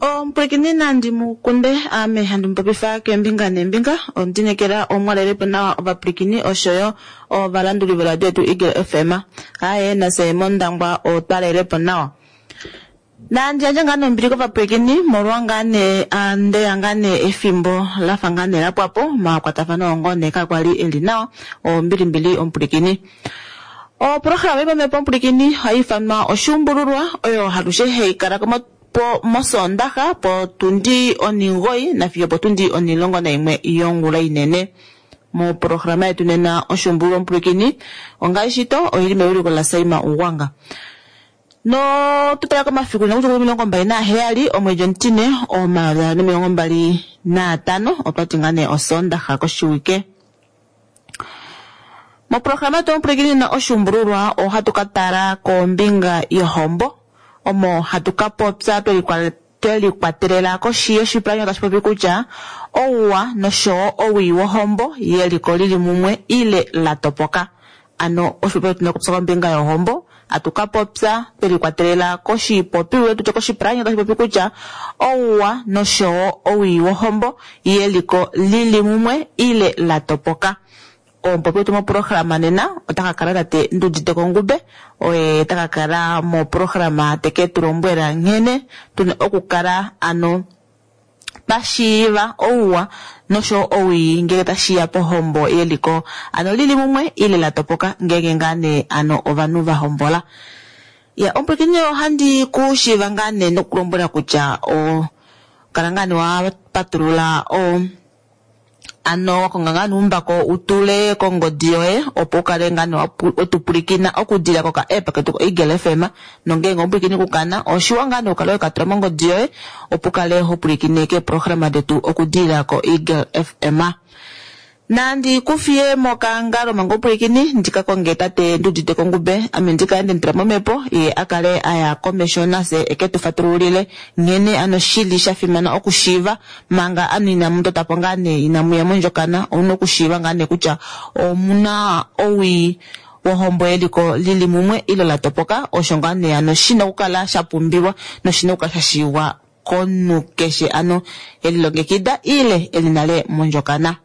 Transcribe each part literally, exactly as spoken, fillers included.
Omupwilikini nandi mukunde ame handi mupopifa keembinga neembinga ondinekela omwalelepo nawa ovapwilikini oshoyo ovalanduli voradio yetu Eagle F M. Aye nase mOndangwa otwalelepo nawa. Nandi yandje ngaa nombili kovapwilikini molwa ngaa nee ndeya ngaa nee efimbo lafa ngaa nee lapwapo omakwatafano ongo nee kakwali eli nawa ombilimbili omupwilikini. Oprograma yopamhepo omupwilikini ohai ifanwa oshuumbululwa oyo halushe hai kala po mosondaxa potundi oningoi nafiyo potundi onilongo naimwe yongula inene. Moprograma yetu nena oshuumbululwa omupwilikini ongaashi to oili mewiliko laSaima Ugwanga. No tutala komafiku nokutya omilongo mbali naheyali omwedi omutine omayovi gaali nomilongo mbali naatano otwati ngaa nee osondaxa koshiwike. Moprograma yetu omupwilikini nena oshuumbululwa ohatu ka tala kombinga yohombo omo hatu ka popya twelikwatelela koshi yoshipalanyole tashi popi kutya ouwa noshowo owii wohombo yeliko lili mumwe ile la topoka. Ano oshipopiwa tuna okupopya kombinga yohombo atu ka popya twelikwatelela koshipopiwa tutye koshipalanyole tashi popi kutya ouwa noshowo owii wohombo yeliko lili mumwe ile la topoka. Omupopi wetu moprograma nena ota ka kala tate Ndudite Kongube oye taka kala moprograma teke tu lombwela nghene tuna okukala ano pashiiva ouwa nosho owii ngele tashiya pohombo yeliko ano lili mumwe ile la topoka ngenge ngaa nee ano ovanhu va hombola. Ya omupwilikini ohandi ku shiiva ngaa nee nokulombwela kutya o kala ngaa nee wa patulula o ano wakonga ngaa nuumbako utule kongodi yoye opo ukale ngaa nee wetupulikina okudila koka app ketu ko Eagle F M nongenge omupwilikini kukana oshiwa ngaa nee ukale wekatula mongodi yoye opo ukale hopulikine keeprograma detu okudila ko Eagle F M. Nandi kufiye mokangalo manga omupwilikini ndika konge tate Ndudite Kongube ame ndikale ndemutula momhepo ye akale aya komesho nase eke tu fatululile nghene ano shili shafimana okushiiva manga ano inamu totapo ngaa nee inamuya mondjokana omuna okushiiva ngaa nee kutya omuna owii wohombo yeliko lili mumwe ile la topoka osho ngaa nee ano shina okukala shapumbiwa noshina okukala shashiiwa komunhu keshe ano elilongekida ile eli nale mondjokana.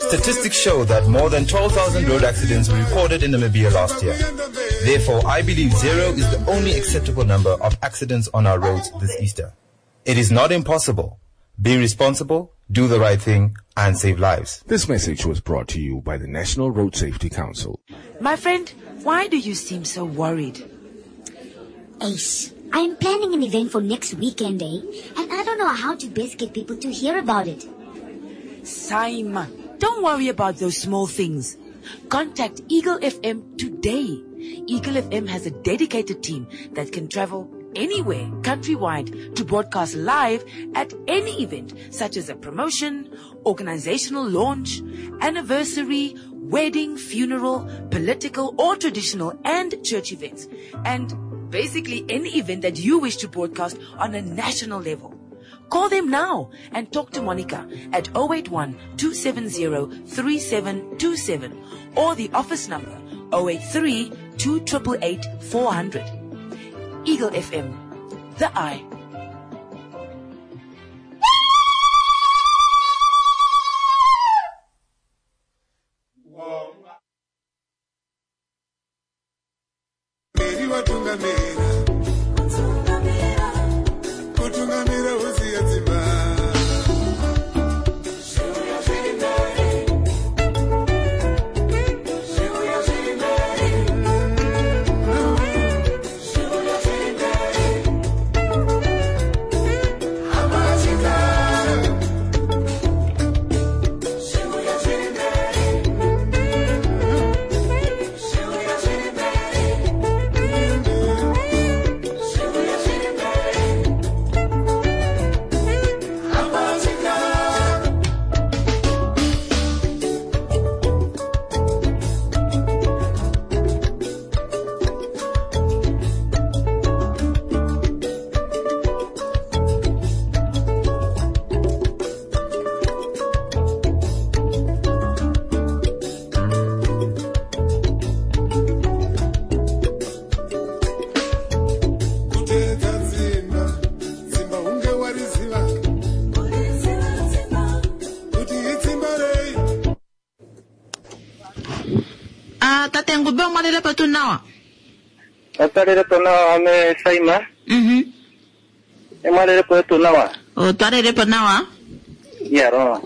Statistics show that more than twelve thousand road accidents were recorded in Namibia last year. Therefore, I believe zero is the only acceptable number of accidents on our roads this Easter. It is not impossible. Be responsible, do the right thing, and save lives. This message was brought to you by the National Road Safety Council. My friend, why do you seem so worried? Ace, I'm planning an event for next weekend, eh? And I don't know how to best get people to hear about it. Saima, don't worry about those small things. Contact Eagle F M today. Eagle F M has a dedicated team that can travel anywhere countrywide to broadcast live at any event, such as a promotion, organizational launch, anniversary, wedding, funeral, political or traditional and church events, and basically any event that you wish to broadcast on a national level. Call them now and talk to Monica at oh eight one, two seven zero, three seven two seven or the office number oh eight three, two triple eight, four hundred. Eagle F M, the eye. Ngube omwalelepo tuu nawa? Otwalelepo nawa ame Saima. Mhm. Emwalelepo tuu nawa. Otwalelepo nawa. Yaro.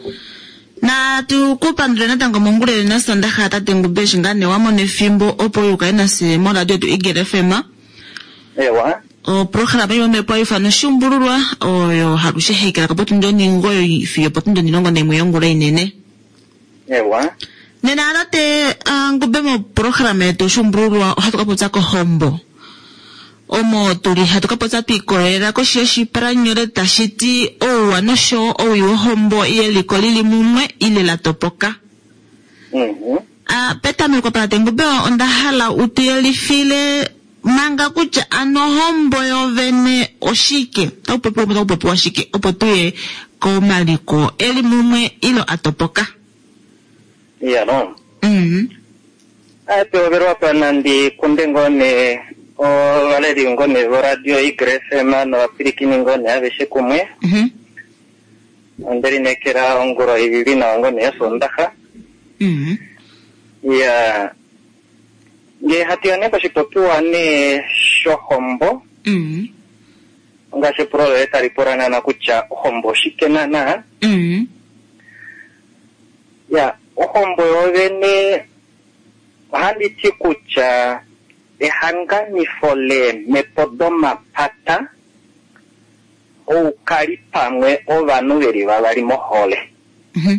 Na tukupandule natango mongula yonena Sondaxa tate Ngube eshi ngaa nee wamona efimbo opo ukale nafye moradio yetu Eagle F M. Ewa. Oprograma yomhepo haifanwa Oshuumbululwa oyo halushe hai kala ko potundi onhingoyi fiyo opotundi onhilongo naimwe yongula inene. Ewa. Nena tate Ngube moprograma yetu Oshuumbululwa ohatu ka popya kohombo. Omo tuli hatu ka popya twikolelela koshi yoshipalanyole tashi ti ouwa nosho owii wohombo yeliko lili mumwe ile la topoka. Mhm. Ah, petameko tate Ngube onda hala utuyelifile manga kutya ano ohombo yovene oshike, taku popiwa taku popiwa shike opo tuye komaliko eli mumwe ilo atopoka. Yaro. Mhm. Apeoverwa panandi kunde ngone ovaleli ngone voradio Eagle F M novapwilikini ngone aveshe kumwe. Mhm. Onde lineekela ongula ili nawa ngone yosondaxa. Mhm. Ya ngee hatu ya nee koshipopiwa nee shohombo. Mhm. Ngaashi epulo loye tali pula naana kutya ohombo oshike naana. Mhm. Ya ohombo yovene ohandi ti kutya ehanganifo leemhepo domapata oukali pamwe ovanhu veli vavali mohole. Mhm.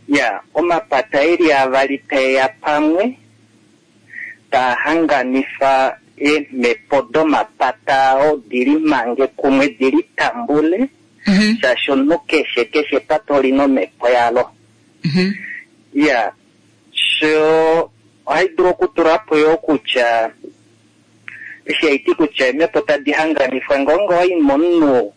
Ya omapata eli avali taeya pamwe taa hanganifa eemhepo domapata ao dili mange kumwe dili tambule. Mhm. Shaashi omunhu keshe keshe epata olina omhepo yalo. Mhm. Ya sho ohai dulu okutula po yo kutya eshi haiti kutya eemhepo tadi hanganifwa ngeenge owai momunhu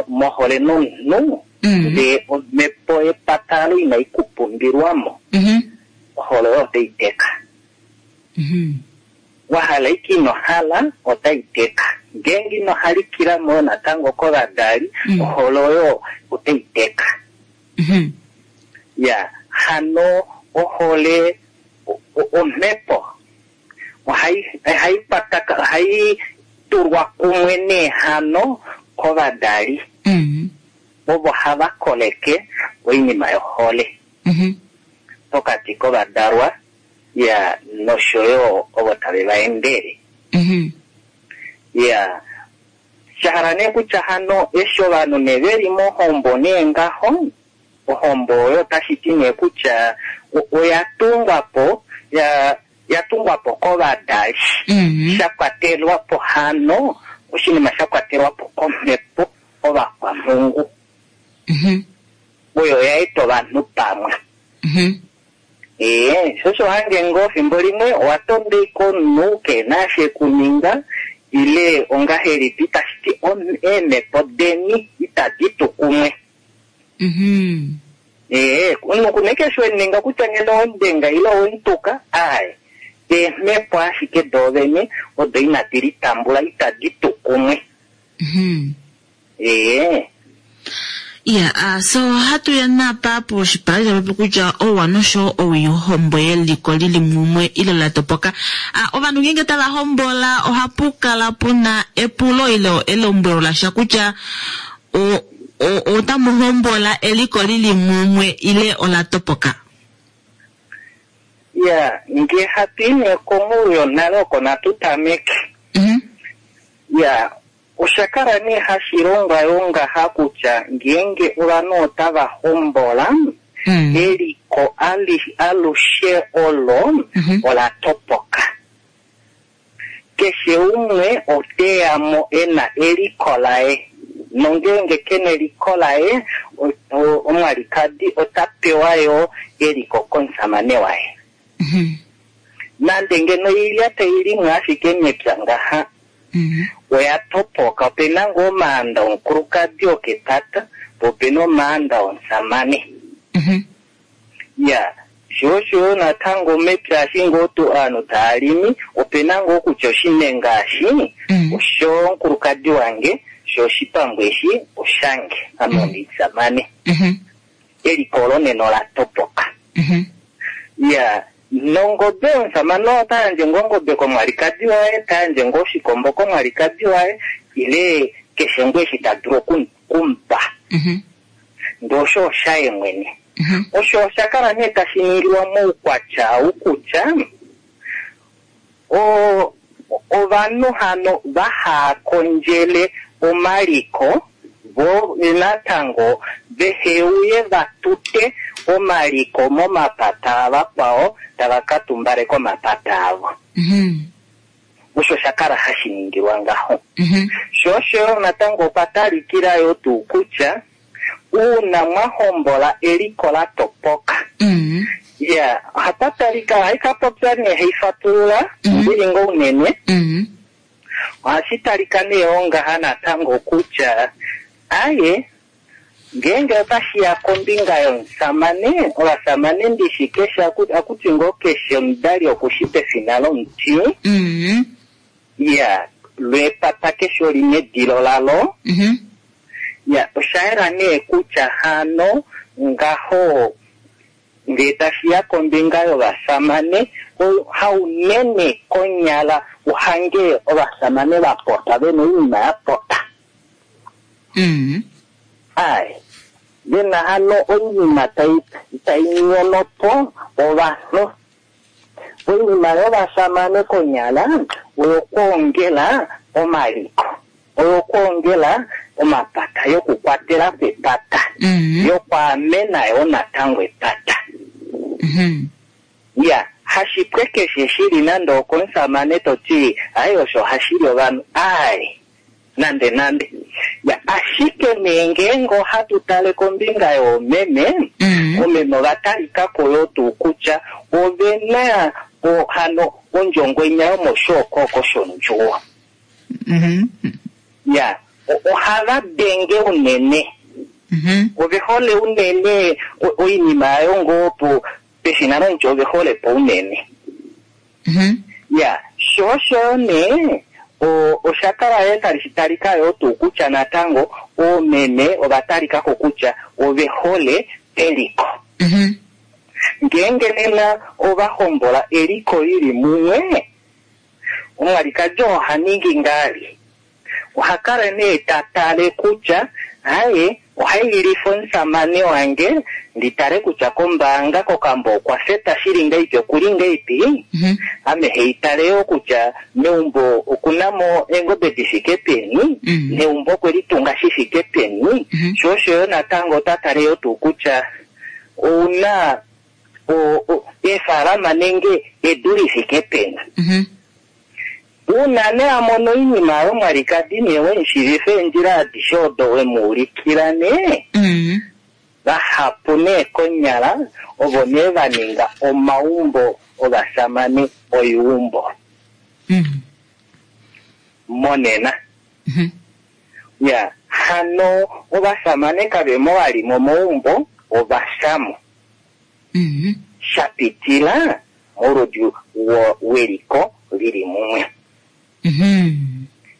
mohole nomunhu Mhm. ndee omhepo yepata alo inai kupumbilwamo Mhm. ohole oyo otai teka. Mhm. Wahala ike ino hala otai teka. Ngeenge ino halikilamo natango kovadali Mm. ohole oyo otai teka. Mhm. Ya hano ohole o- o- omhepo ohai ohai pataka ohai tulwa kumwe neehano kovadali Mhm. ovo hava koleke oinima yohole Mhm. pokati kovadalwa ya noshoyo ovo tave va endele. Mhm. Ya shahala nee kutya hano eshi ovanhu nee veli mohombo nee ngaho ohombo oyo otashi ti nee kutya o- oya tungwa po ya ya tungwa po kovadali. Mhm. Sha kwatelwa po hano oshinima sha kwatelwa po komhepo ovakwamhungu. Mhm. Oyo ya eta ovanhu pamwe. Mhm. Ee, sho osho hange ngoo fimbo limwe owa tonda ike omunhu keena eshi ekuninga ile ongahelipi tashi ti om- eemhepo deni itadi tu kumwe. Mhm. Ee, omunhu kuna ike eshi wemuninga kutya ngeno owemudenga ile owemutuka, aaye. Eemhepo ashike doovene odo inadi litambula itadi tu kumwe. Mhm. Ee. Ya, ah, so hatu ya napa poshipalanyole tapopi kutya ouwa nosho owii wohombo yeliko lili mumwe ile la topoka. Ah, ovanhu ngeenge tava hombola ohapu kala puna epulo ile elombwelo lasha kutya o- o- otamu hombola eliko lili mumwe ile ola topoka. Ya, ngee hatu i nee kongulu yonale oko natu tameke. Mhm. Ya, osha kala nee hashi longwa yo ngaha kutya ngeenge ovanhu otava hombola Mm. eliko ali- alushe olo Mhm. ola topoka. Keshe umwe oteya mo ena eliko laye. Nongeenge kena eliko laye o- o- omwalikadi ota pewa yo eliko komusamane waye. Mhm. Nande ngeno oilya tai limwa ashike mepya ngaha Mhm. oya topoka. Opena ngoo omaanda omukulukadi okepata po opena omaanda omusamane. Mhm. Ya sho osho natango mepya eshi ngoo tu ovanhu tava limi opena ngoo kutya oshinenga eshi Mm. oshomukulukadi wange sho oshipambu eshi oshange ame omusamane. Mhm. Eliko olo nena ola topoka. Mhm. Ya Nongobe omusamane ota yandje ngoo ongobe komwalikadi waye, ta yandje ngoo oshikombo komwalikadi waye, ile keshe ngoo eshi ta dulu oku- okumupa. Mhm. Ndee osho oshaye mwene. Mhm. Osho osha kala nee tashi ningilwa moukwatya ou kutya o- ovanhu hano vaha kondjele omaliko vo natango vehe uye va tute omaliko momapata avakwao tava ka tumbaleka omapata avo. Mhm. Osho sha kala hashi ningilwa ngaho. Mhm. Sho osho yo natango okwa talikila yo tuu kutya uuna mwa hombola eliko la topoka Mhm. ya ohapa talika ohai ka popya nee hai fatulula Mhm. ndili ngoo unene Mhm. ohashi talika nee ongaha natango kutya aye ngeenge otashiya kombinga yomusamane ovasamane ndishi keshe aku- akuti ngoo keshe omudali okushi pefina lomuti Mhm. ya lwepata keshe olina edilo lalo Mhm. ya osha yela nee kutya hano ngaho ngee tashiya kombinga yovasamane o- haunene konyala uhange ovasamane va pota vena oinima ya pota Mhm. ai vena hano oinima tai tai nyono po ovanhu oinima yovasamane konyala oyokwoongela omaliko oyokwoongela omapata yokukwatela po epata Mhm. yokwaamena yo natango epata Mhm. ya hashipwe keshe shili nande okomusamane toti ayi osho hashili ovanhu ai nande nande ya ashike nee ngeenge ohatu tale kombinga yoomeme Mhm. omeme ova talikako yo tuu kutya ovena o- hano ondjongwenya yomoshookoko shondjuwo Mhm. ya o- ohava denge unene Mhm. ove hole unene o- oinima yayo ngoo po peshina lomuti ove hole po unene Mhm. ya sho osho nee o- osha kala yo tali talika yo tuu kutya natango oomeme ova talikako kutya ove hole eliko Mhm. ngeenge nena ova hombola eliko lili mumwe omwalikadi oha ningi ngali oha kala nee ta tale kutya aye ohaililifa omusamane wange ndi tale kutya kombaanga kokambo okwa feta shili ngaipi okuli ngaipi Mhm. ame heitale yo kutya meumbo okunamo eengobe di fike peni Mhm. neumbo okwe litunga shi fike peni Mhm. sho osho yo natango ota tale yo tuu kutya ouna o- o- eefalama nenge edu li fike peni Mhm. uuna nee a mono oinima yomwalikadi nee wemushiivifa eendjila adishe odo wemuulikila nee Mhm. vahapu nee konyala ovo nee va ninga omaumbo ovasamane oiumbo Mhm. monena Mhm. ya hano ovasamane kavemo vali momaumbo ovashamo Mhm. sha pitila moludi wo- weliko lili mumwe Mhm.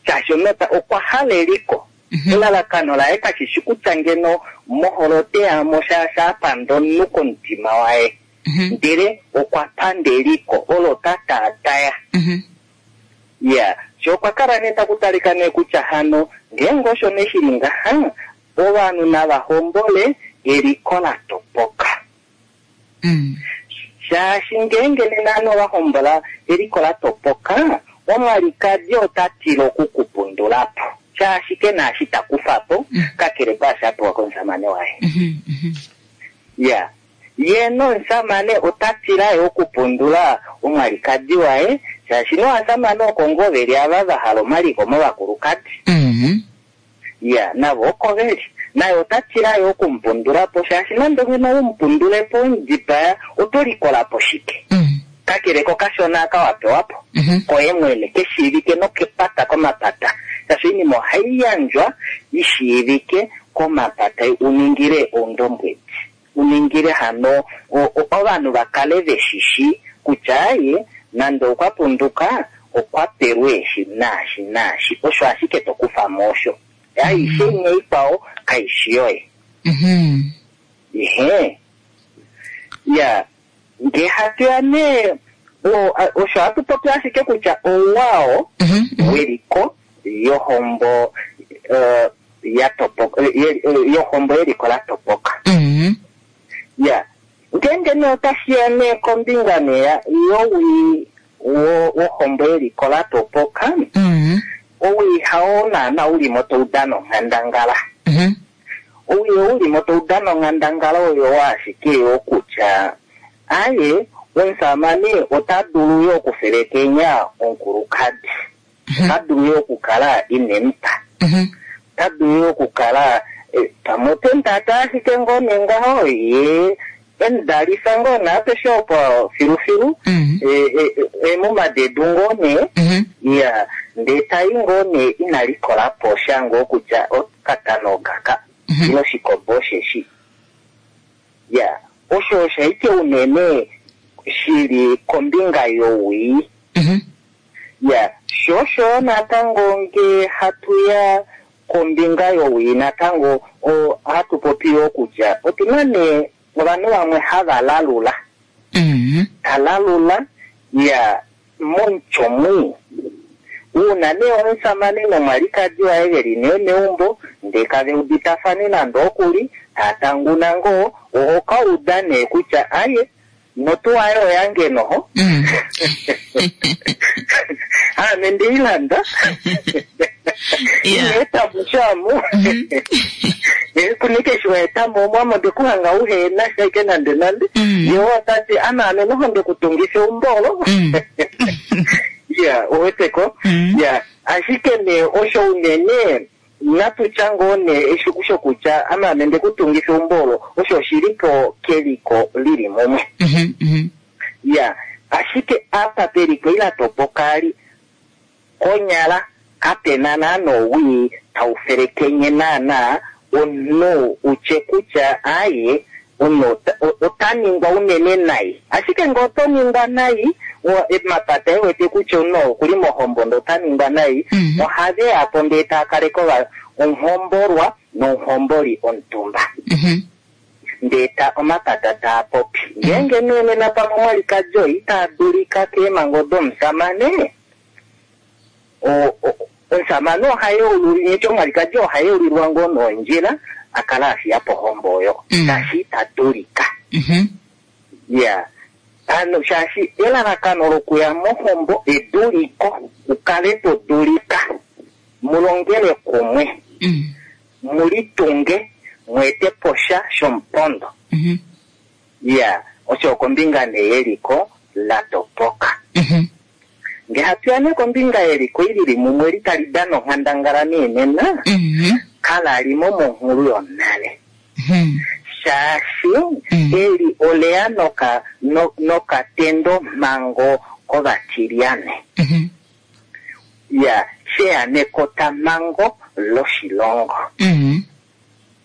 shaashi omunhu okwa hala eliko Mhm. elalakano laye kashishi kutya ngeno moholo teyamo shaashi apanda omunhu komutima waye Mhm. ndele okwa panda eliko olo ta taataya Mhm. ya sho okwa kala nee taku talika nee kutya hano ngeenge osho nee shili ngaha ovanhu nava hombole eliko la topoka Mhm. shaashi ngeenge nena ovanhu ova hombola eliko la topoka omwalikadi ota tila okukupundula po shaashi ke na eshi ta kufa po Mm. kakele kwaashi a pewa komusamane waye Mhm. Mhm. ya ye nomusamane ota tila yo okupundula omwalikadi waye shaashi novasamane oko ngoo veli ava va hala omaliko movakulukadi Mhm. ya navo oko veli naye ota tila yo okumupundula po shaashi nande ngeno umupundule po omudipaya oto likola po shike Mhm. kakele kokashona aka wa pewa po Mhm. koye mwene keshiivike nokepata komapata shaashi oinima ohai yandjwa ishiivike komapata uningile oundombwedi uningile hano o- o- ovanhu va kale veshishi kutya aye nande okwa punduka okwa pelwe eshi naashi naashi osho ashike to kufa mo osho aishe imwe ikwao kaishi yoye Mhm. ihe ya Ngee hatu ya nee o- a- osho hatu popi ashike kutya ouwao Mhm. Mhm. weliko yohombo eh, ya topoka eh, ye- eh, yohombo yeliko la topoka. Mhm. Ya, ngeenge nee otashi ya nee kombinga nee ya- yowii wo- wohombo yeliko la topoka, Mhm. owii hao naana ulimo tau dana onghandangala. Mhm. Owii oulimo tau dana onghandangala oyo ashike yo kutya aye omusamane ota dulu yo okufelekenya omukulukadi, ota dulu yo okukala ine mupa, Mhm. ota dulu yo okukala eh, pamwe ote mutata ashike ngoo nee ngaho ye emudalifa ngoo naapeshe opo filufilu Mhm. eh, eh, eh, emumadedu ngoo nee Mhm. ya ndee tai ngoo nee ina likola po sha ngoo kutya okatano okaka Mhm. ile oshikombo osheshi. Ya, osho oshaike unene shili kombinga yowii. Mhm. Ya, sho osho natango nge hatu ya kombinga yowii natango o, hatu popi yo kutya otuna nee ovanhu vamwe hava lalula. Mhm. Ta lalula ya momutyo mwii. Uuna nee omusamane nomwalikadi waye veli nee meumbo ndee kave uditafane nande okuli taatanguna ngoo oho ka uda nee kutya aye notuwa aye oyange noho. Mhm. Ame ndeilanda. Yeah. Ineeta mushamu. Kunike shiwaetamo omwamo ndekuhanga uhena shaike nande nande. Mm. Ye otati ama ame noho ndekutungisa eumbo olo. Mm. Ya, uweteko. Mm. Ya, ashike nee osho unene natutya ngoo nee eshiku shokutya ama ame ndekutungisa eumbo olo osho oshili po keliko lili mumwe. Mhm. Mhm. Ya, ashike apa peliko ila topoka ali konyala kapena naana owii tau felekenye naana omunhu utye kutya aye omunhu ota- o- ota ningwa unene nai. Ashike ngee oto ningwa nai, o- emapata ewete kutya omunhu okuli mohombo ndee ota ningwa nai, Mhm. ohave ya po ndee taa kaleke ova- omuhombolwa nomuhomboli omutumba. Mhm. Ndee ta omapata taa popi. Ngeenge nee nena pamwe omwalikadi oo ita dulika keemhango domusamane, o- o- omusamane oha yeululilwa, neti omwalikadi oha yeulilwa ngoo nondjila a kala a fiya po ohombo oyo, Mm. shaashi ita dulika. Mhm. Ya, ano shaashi elalakano lokuya mohombo eduliko, ukale to dulika, mulongele kumwe, Mm. mulitunge, mweete po sha shomupondo. Mhm. Ya, osho kombinga nee yeliko la topoka. Mhm. Ngee hatu ya nee kombinga yeliko ilili mumwe li tali dana onghandangala nee nena, Mhm. kalalimo monghulu yonale. Mhm. Shaashi Mm. eli oleya noka, no, nokatendo mhango kovatilyane. Mhm. Ya, sheya nekotamhango loshilongo. Mhm.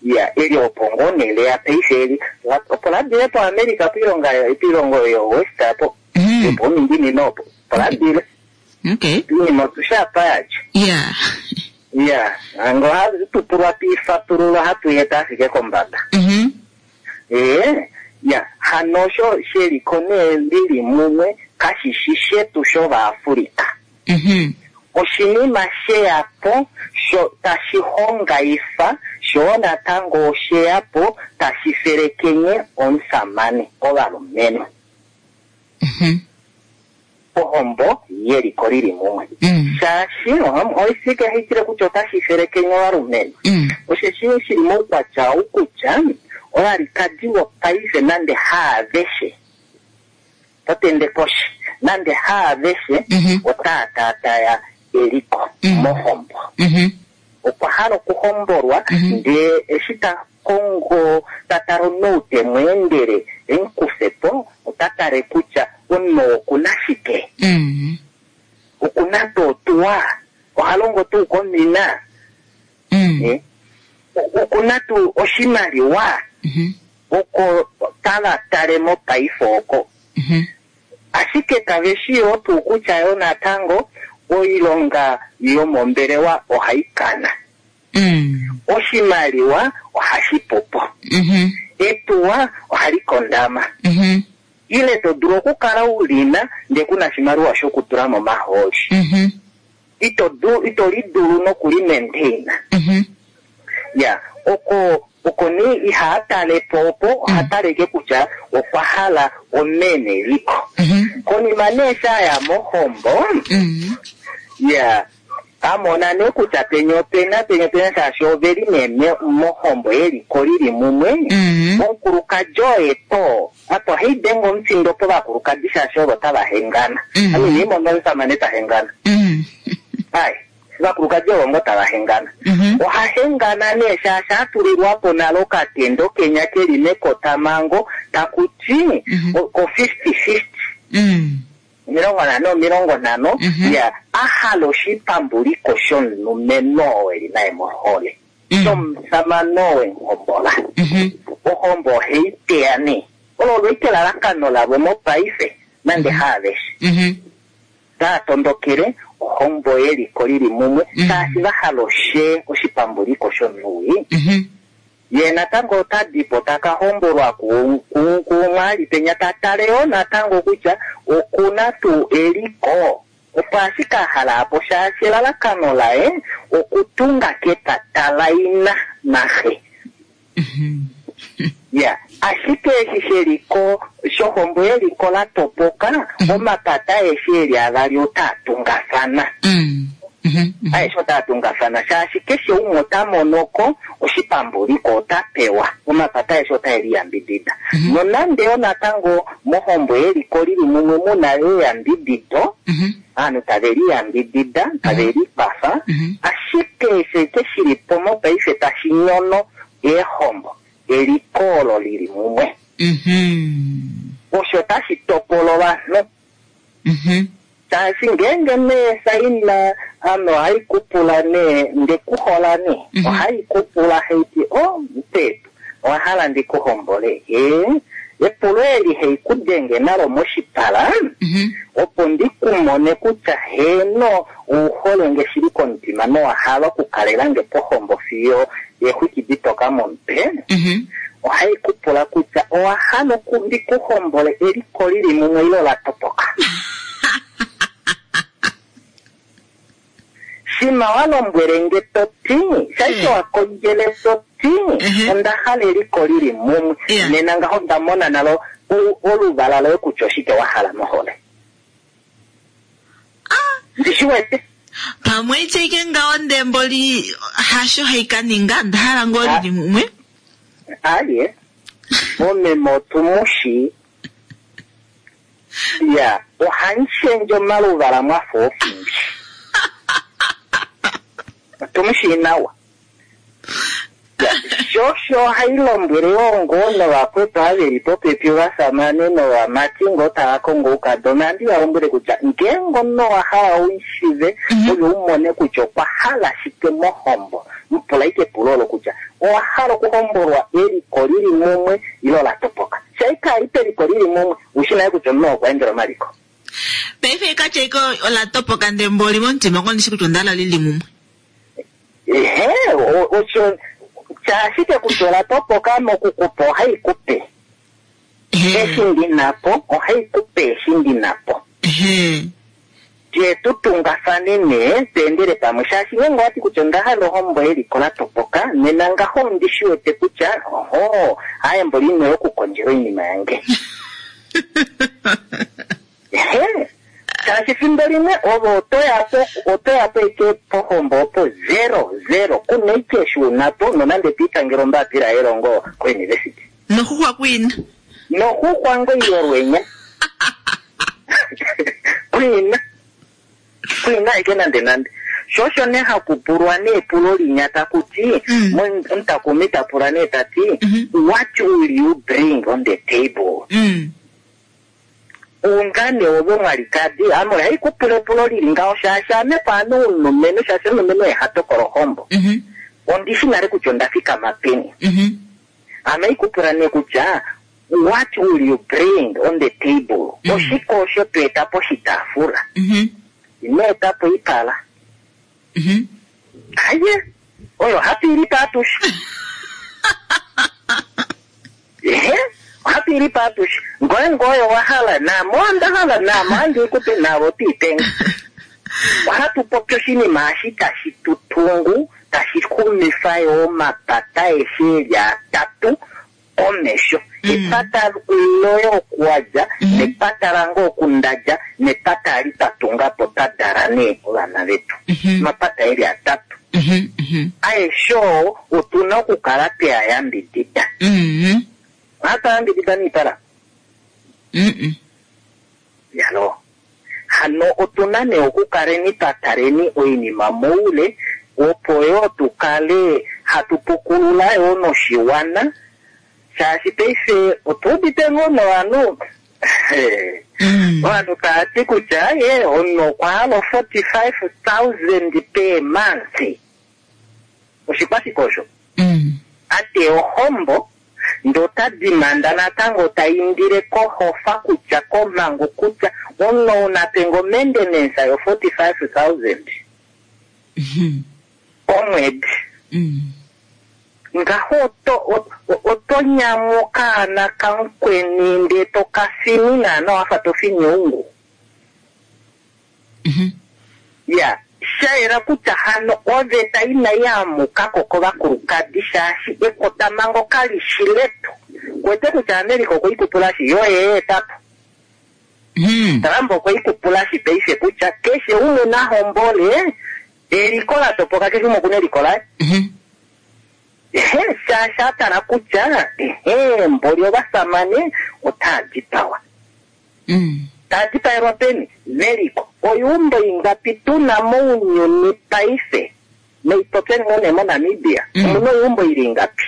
Ya, eli opo ngoo nee leya paife eli, la- opo ladile po America poilonga poilongo yo West apo, Mhm. opo minginino opo, opo ladile. Okay. Iinima otushapa yadjo. Yeah. Ya, ango hatupulwa twiifatulula hatu yeta ashike kombada. Mhm. Ee, ya, hano osho sheliko nee lili mumwe kashishi shetu shovaAfrika. Mhm. Oshinima sheya po sho tashi hongaifa sho natango osheya po tashi felekenye omusamane ovalumenhu. Mhm. Ohombo yeliko lili mumwe. Mm. Shaashi oisike haitile kutya otashi felekenye ovalumenhu. Mm. Osheshi shili moukwatya ou kutya ovalikadi wopaife nande haaveshe totende koshi nande haaveshe Mhm. otaa taataya eliko Mm. mohombo. Mhm. Okwa hala okuhombolwa Mhm. ndee eshi ta kongo ta tala omunhu te mu endele emukufe po ota tale kutya omunhu okuna shike, Mm. okuna tuu otuwa, oha longo tuu komina, Mm. eh, okuna tuu oshimaliwa Mhm. oko tava tale mopaife oko. Mhm. Ashike kave shi yoo tuu kutya yo natango oilonga yomombelewa ohai kana. Mm. Oshimaliwa ohashi pupo. Mhm. Etuwa ohali kondama. Mhm. Ile to dulu okukala u lina ndee kuna oshimaliwa shokutula momahooli. Mhm. Ito dulu, ito li dulu nokuli maintain. Mhm. Ya, oko oko nee ihaa tale po opo, oha tale ke kutya okwa hala omene eliko. Mhm. Konima nee sha ya mohombo, Mhm. ya, amona nee kutya penya opena, penya opena shaashi oveli nee me- mohombo yeliko lili mumwe. Mhm. Omukulukadi oye to, apa ohai denge omufindo povakulukadi shaashi ovo tava hengana. Mm. Ame inai mona omusamane ta hengana. Mhm. Ai, ovakulukadi ovo ngo tava hengana. Mhm. Oha hengana nee shaashi atulilwa po nale okatendo kenya keli mekotamango taku ti Mhm. o- ko fifty fifty. Mhm. Omilongo nhano, omilongo nhano, Mhm. ya, a hala oshipambuliko shomulumenhu oo eli naye mohole. Mhm. Shomusamane oo wemuhombola. Mhm. Ohombo ohai teya nee. Olo olo ike elalakano lavo mopaife, nande haaveshe. Mhm. Taa tondokele ohombo yeliko lili mumwe, Mhm. shaashi va hala oshe oshipambuliko shomunhu. Mhm. Ye natango ota dipo taka hombolwa ku- ku- kumwali penya ta tale yoo natango kutya okuna tuu eliko. Opo ashike a hala apo shaashi elalakano laye okutunga kepata laina naxe. Mhm. Ya, ashike eshi sheliko shohombo yeliko la topoka, omapata aeshe eli avali otaa tungafana. Mm. Mhm. Mhm. Aeshe otaa tungafana shaashi keshe umwe ota monoko oshipambuliko ota pewa. Omapata aeshe otae liyambidida. Mhm. Nonande yo natango mohombo yeliko lili mumwe muna eyambidido, Mhm. aanhu tave liyambidida, tave likwafa, Mhm. ashike eshi ke shili po mopaife tashi nyono eehombo, eliko olo lili mumwe. Mhm. Osho tashi topola ovanhu. Mhm. Shaashi ngeenge nee saina ame ohai kupula nee ndekuhola nee, Mhm. ohai kupula haiti o mpetu owa hala ndikuhombole ee epulo eli hei kudenge nalo moshipala Mhm. opo ndikumone kutya heeno ouhole nge shili komutima nowa hala okukalela nge pohombo fiyo eexwiki ditoka momutwe Mhm. ohai kupula kutya owa hala oku- ndikuhombole eliko lili mumwe ile ola topoka. Shima wa lombwele nge to ti, shaike wa kondjele to ti, Mhm. onda hala eliko lili mumwe. Yeah. Nena ngaho nda mona nalo o- oluvala loye kutya oshike wa hala mohole. Ah, Ndishi wete. pamwe iteke ngaho ndemboli hasho haika ninga nda hala ngoo lili mumwe. Aye. Omeme otumushi. Ya, ohanshendje omaluvala mwafa ofimbi. Otumushi nawa. Ya, shosho ohai lombwele yoo ngoo novakwetu ava popepi ovasamane novamati ngoo tava kongo oukadona, ohandi va lombwele kutya ngeenge omunhu owa hala uishive Mhm. ove umone kutya okwa hala shike mohombo, mupula ike epulo olo kutya owa hala okuhombolwa eliko lili mumwe ile ola topoka. Shaika alipe eliko lili mumwe, ushi naye kutya omunhu okwa endela omaliko. Paife ikatya ike ola topoka ndemboli momutima kondishi kutya onda hala lili mumwe. Ehe, o- osho shaashike kutya ola topoka mokukupa ohai kupe. Ehe. Eshi ndinapo, ohai kupe eshi ndinapo. Ehe. Tye tu tungafane nee, tweendele pamwe. Shaashi ngeenge owati kutya onda hala ohombo yeliko la topoka, nena ngaho ondi shi wete kutya, oho, aye mboli ino yokukondjela oinima yange. Ehe. Shaashi fimbo limwe ove otoya po, otoya po ike pohombo opo zero, zero. Kuna ike eshi unapo, nonande twiitangela ombapila yelongo ko-university. Noxuxwa kwina. Noxuxwa ngo yolwenya. Kwina. Kwina ike nande nande. Shosho nee hakupulwa nee epulo linya taku ti, Mm. omutakumi ta pula nee ta ti, Mhm. what will you bring on the table? Mm. Ungane ove mwalikadi, ame ohai kupula epulo lili ngaho shaashi ame paame omulumenhu, shaashi omulumenhu oye ha tokola ohombo. Mhm. Ondi shi nale kutya onda fikama peni. Mhm. Ame ikupula nee kutya what will you bring on the table? Mm. Oshike osho to eta poshitaafula? Mhm. Ino eta po ipala. Mhm. Aye, oyo hatu ili pa atushe. Ehe, Ohatu i lipe atushe. Ngoye ngoye owa hala, naame onda hala, naame ohandi i kupe, naave oto i pe nge. Ohatu popi oshinima eshi tashi tu tungu, tashi xumifa yo omapata aeshe eli atatu komesho. Epata loye oku wa dja, nepata lange oku nda dja, nepata ali twa tunga po twa dala nee ovana vetu. Omapata eli atatu. Aeshe oo otu na okukala twe a yambidida. Ohatu a yambidida niipala? Yalo. Hano otu na nee okukaleni twa taleni oinima moule, opo yoo tu kale hatu pukulula yoo noshiwana, shaashi paife otu udite ngoo novanhu, ovanhu tava ti kutya ye omunhu okwa hala forty-five thousand per month. Oshikwashike osho? Ate ohombo, ndee ota dimanda natango ta indile kohofa kutya komhangu kutya omunhu ou na pe ngo maintenance yo forty-five thousand komwedi. Ngaho oto, oto nyamuka nakamukweni ndee to ka fini naana wafa to fini oungu. Ya, sha yela kutya hano oveta inai amuka ko kovakulukadi shaashi ekotamhango kali shi letu. Kwete kutya America okwe i kupulashi, yo ye etapo. Trump okwe i kupulashi paife kutya keshe umwe na hombole, eliko la topoka, keshe umwe okuna eliko laye. Ehe, shaashi a tala kutya, ehe, mboli ovasamane otaa dipawa. Taa dipaelwa peni? Meliko. Oiumbo ingapi tu na mounyuni paife? Noipopyeni ngoo nee moNamibia. Omuna oiumbo ili ingapi?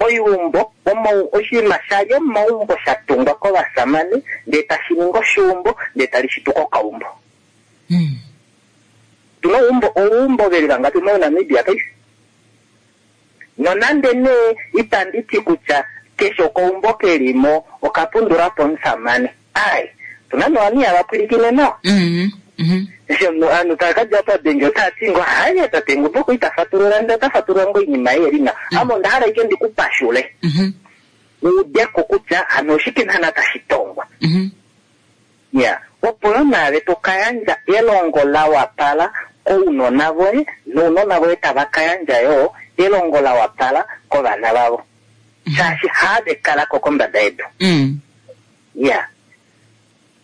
Oiumbo, omo, oshinima sha li omaumbo sha tungwa kovasamane, ndee tashi ningi oshiumbo, ndee tali shituka okaumbo. Tuna oumbo, oumbo veli vangapi moNamibia paife? Nonande nee itandi ti kutya keshe okaumbo kelimo okapundula po omusamane. Ai, tuna novanhu ihava pwilikine nawa. Eshi omunhu ta ka dja padenge ota ti ngo, haye, tate Ngumbo okwa ita fatulula, ndele ota fatulula ngo oinima ei eli nawa. Ame onda hala ashike ndi ku pashule. Ude ko kutya hano oshike naana tashi tongwa. Ya, opo yo naave to ka yandja elongo la wapala kounona voye, nounona voye tava ka yandja yo elongo la wapala kovana vavo. Shaashi have kala ko kombada yedu. Ya.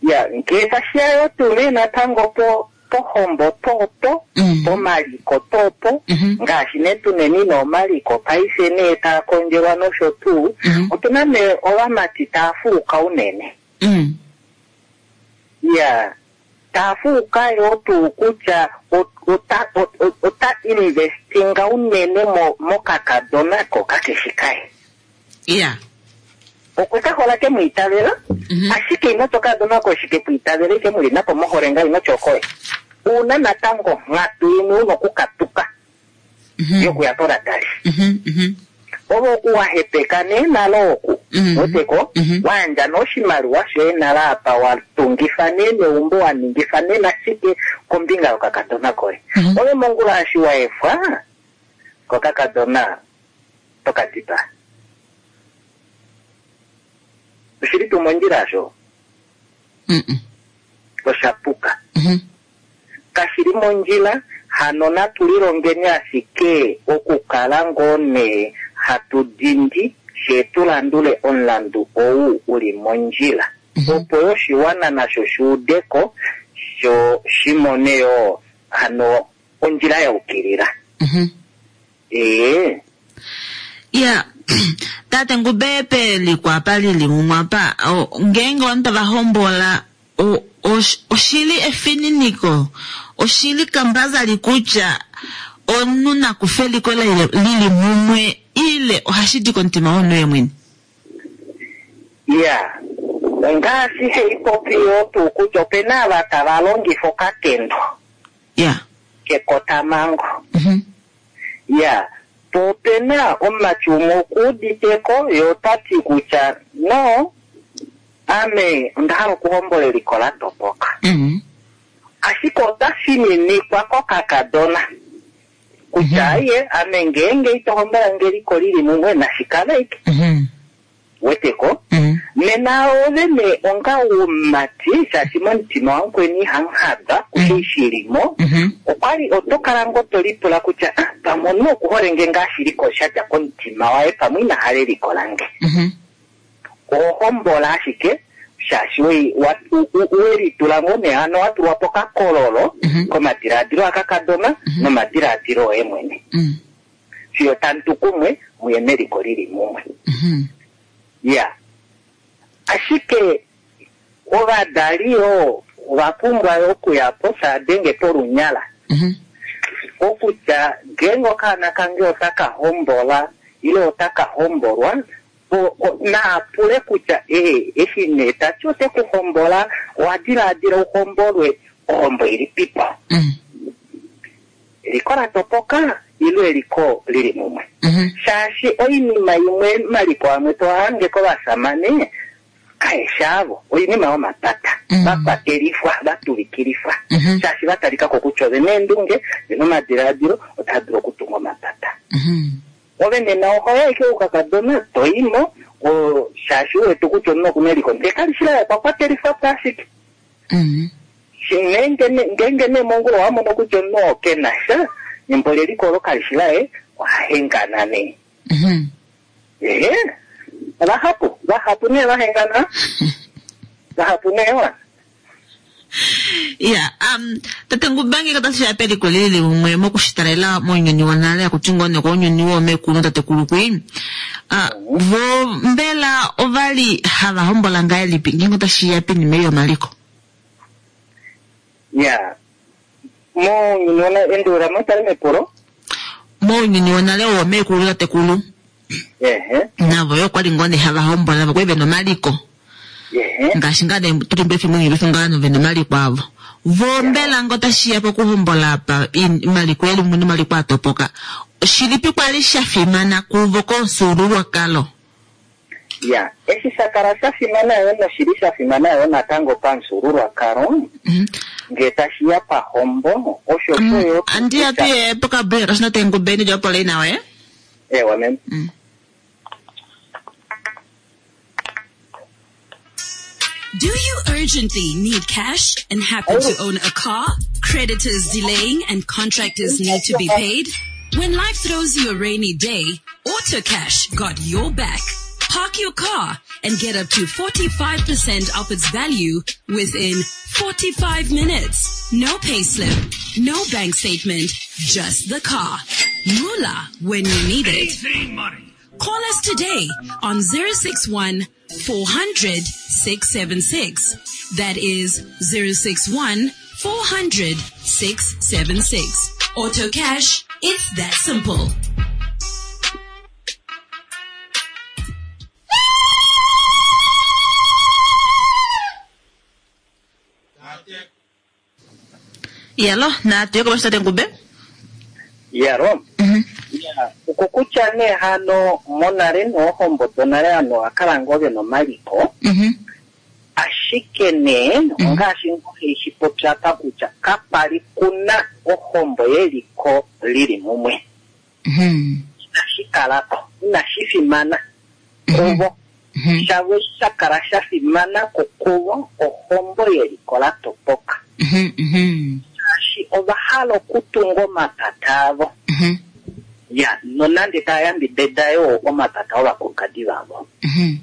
Ya, ngee tashiya yo tuu nee natango po, pohombo topo, pomaliko topo, ngaashi nee tuneni noomaliko paife nee taa kondjelwa nosho tuu, otuna nee ovamati taa fuuka unene. Ya, taa fuuka yo tuu kutya ota, ota, ota investinga unene mo, mokakadona ko kakeshi kaye. Ya. Okwe ka hola ke mu itavela, ashike ino toka dona ko shike ku itavela, ike mu li nako mohole nga ino tyokoye. Una natango nghatu imwe una okukatuka yokuya poradali. Ovo okuwahepeka nee nalo oku. Weteko, wayandja noshimaliwa shoye nalo apa wa tungifa nee neumbo, wa ningifa nee nashike kombinga yokakadona koye. Ove mongula eshi wa efwa kokakadona toka dipaa. Oshili tuu mondjila asho? Osha puka. Kashili mondjila, hano natu lilongeni ashike okukala ngoo nee hatu dindi, she tu landule omulandu ou uli mondjila. Opo yo oshiwana nasho shi udeko, sho shi mone yo hano ondjila ya ukilila. Ee. Ya, tate Ngube pe likwapa lili mumwapa, o, ngeenge ovanhu tava hombola, o, osh-, oshili efininiko, oshili kambazali kutya omunhu nakufe eliko lili mumwe, ile ohashi di komutima womunhu ye mwene? Ya, ngaashi hei popi yo tuu kutya opena ava tava longifa okatendo. Ya. Kekotamango. Ya, po opena omumati umwe okuuditeko, ye ota ti kutya no, ame onda hala okuhombola eliko la topoka. Ashike ota fininikwa kokakadona. Kutya ye, ame ngeenge ito hombola nge eliko lili mumwe, nashi kale ike. Weteko? Mm. Nena ove nee onga umati shaashi momutima wamukweni ihamu kushe shilimo Mhm. okwali oto kala ngo to lipula kutya ah, pamwe omunhu okuhole nge ngaa shili ko sha dja komutima waye pamwe ina hala eliko lange Mhm. oho hombola ashike shaashi wei- wa- u- u- welitula ngo nee hano wa tulwa pokakololo Mhm. komadilaadilo akakadona nomadilaadilo oye mwene Mm. fiyo tamu kumwe muye meliko lili mumwe Mhm. ya ashike ovadali yoo ova pumbwa yo okuya po saadenge polunyala Mhm. okutya ngeenge okaana kange otaka hombola ile otaka hombolwa o- o- naapule kutya ee eshi nee tati ote ku hombola owa dilaadila uhombolwe ohombo ilipipo Mm. eliko la topoka ile eliko lili mumwe Mhm. shaashi oinima imwe maliko amwe tohange kovasamane kaeshaavo oinima yomapata Mm. vakwatelifwa vatuvikilifwa Mhm. shaashi vatalikako kutya ove neendunge vena omadilaadilo otaa dulu okutunga omapata Mhm. ove nena ohoya ashike oukakadona toimo o- shaashi uwete kutya omunhu okuna eliko ndee kali shi laye okwa kwatelifwa po ashike Mm. Shi- ngeenge ne- ngeenge nee mongula owa mono kutya omunhu oo kena sha embo leliko olo kali shi laye ohahengana nee Mhm. ehe vahapu vahapu nee vahengana vahapu nee wa ya um tate Ngubange otashi ya peliko lili limwe mokushitalela mounyuni wonale akuti ngoo nee kounyuni woomekulu tatekulu kwi uh, vo mbela ovali hava hombola ngahelipi ngeenge otashi ya pinima ei yomaliko ya mounyuni wona endulula motale mepulo mounyuni wonale woomekulu tatekulu ehe navo yo okwali ngoo nee hava hombola vokwali vena omaliko ehe ngaashi ngaa nee tuli pefimbo ngelifi ngaa no vena omaliko avo vo mbela ngo tashiya pokuhombola apa in- omaliko eli mumwe nomaliko atopoka shilipi kwali sha fimana kuvo komufyuululwakalo ya eshi sha kala sha fimana yo noshili sha fimana yo natango pamufyuululwakalo Mhm. ngee tashi ya pahombo osho Mm, yo andiya tuye pokabreak kasina tengubeni lyopola inawe ewa mem Mm. Do you urgently need cash and happen to own a car? Creditors delaying and contractors need to be paid? When life throws you a rainy day, AutoCash got your back. Park your car and get up to forty-five percent off its value within forty-five minutes. No payslip, no bank statement, just the car. Moolah when you need it. Call us today on zero six one four hundred six seven six. That is zero six one four hundred six seven six. Auto Cash, it's that simple. Yalo, na tuye komesho tate Ngube. Yaro. Mhm. Ya, okokutya nee hano monale noohombo donale ovanhu ovakala ngoo vena omaliko Mhm. ashike nee ongaashi ngoo heishi popya apa kutya kapali kuna ohombo yeliko lili mumwe Mhm. inashi kalako inashi fimana kuvo Mhm. shavo sha kala sha fimana kukuvo ohombo yeliko la topoka Mhm. Mhm. shaashi ova hala okutunga omapata avo Mhm. ya nonande taya yambidida yoo omapata ovakulukadi vavo Mhm.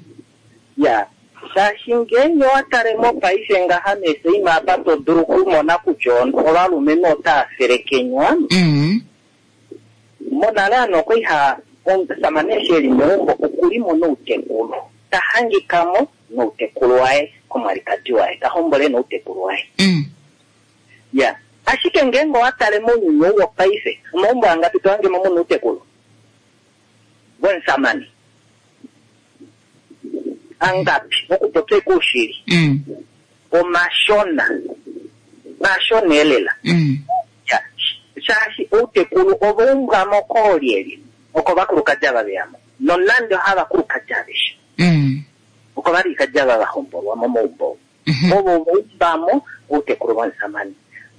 ya shaashi ngeenge owa tale mopaife ngaha meeseima apa to dulu okumona kutya ovalumenhu otaa felekenywa Mhm. monale ano okwali ha omusamane eshi eli meumbo okulimo noutekulu ta hangikamo noutekulu waye komwalikadi waye ta hombole noutekulu waye Mm. ya ashike ngeenge owa tale mounyuni ou wopaife omaumbo angapi to hangemo muna outekulu vomusamane angapi okupopya ikuushili Mm. omashona mashona elela Mm. Ya, shaashi outekulu ovaumbwamo koolyelye oko vakulukadi ava veyamo nonande ohavakulukadi aveshe Mm. oko valikadi ava vahombolwa momaumbo Mhm. ovo vaumbamo outekulu vomusamane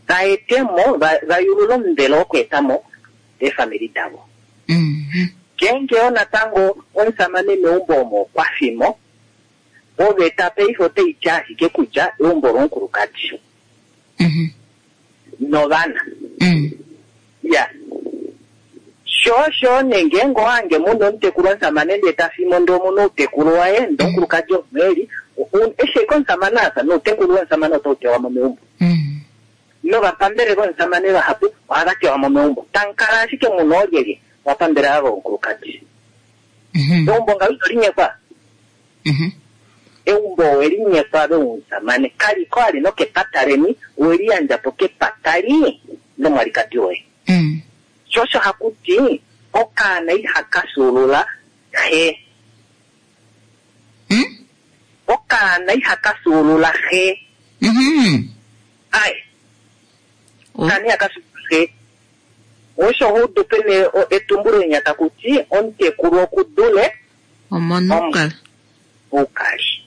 vaetemo va- vayulula omuvelo wokweetamo eefamili davo Mhm. Ngeenge yo natango omusamane meumbo omo okwa fimo, oveta paife otai ti ashike kutya eumbo lomukulukadi Mhm. novana. Mm. Ya. Sho sho nee ngeenge owange muna omutekulu omusamane ndee ta fimo ndee omuna outekulu waye ndee omukulukadi omweli, eshi ashike omusamane asa noutekulu womusamane otau tewa mo meumbo. Mm. Novapambele vomusamane vahapu ohava tewa mo meumbo. Tamukala ashike muna oolyelye ovapambele ava vomukulukadi. Mhm. Eumbo ngaho ito linyekwa. Mhm. Eumbo oweli nyekwa lomusamane kaliko ali nokepata leni oweli yandja po kepata li lomwalikadi woye. Mm. Sho osho haku ti okaana ihaka fyuulula xe. Mm? Okaana ihaka fyuulula xe. Mhm. Ai, Oh. okaana ihaka fyuulula xe. Osho hudu pene o- etumbulo linya taku ti omutekulu okudule Omonukala. oukali.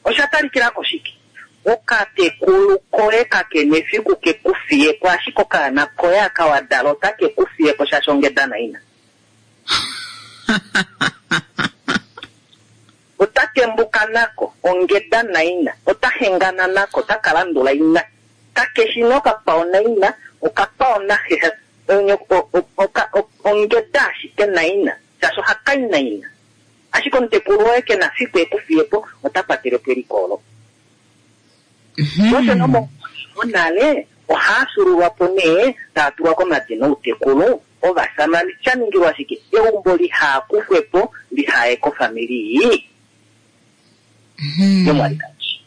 Osha talikila koshike? Okatekulu koye kakena efiku ke ku fiye po, ashike okaana koye aka wa dala otake ku fiye po shaashi ongeda naina. Ota tembuka nako, ongeda naina, ota hengana nako, otaka landula ina. Kakeshi nee okakwao naina, okakwao naxe, onye- o- o- oka- o- ongeda ashike naina, shaashi ohaka i naina. Ashike omutekulu woye ke na fiku e ku fiye po, ota kwatele po eliko olo. Osho nomo monale ohaa fyuululwa po nee taa tulwa komadina outekulu ovasamane sha ningilwa ashike eumbo lihaakufwe po lihaye kofamili Mhm. yomwalikadi.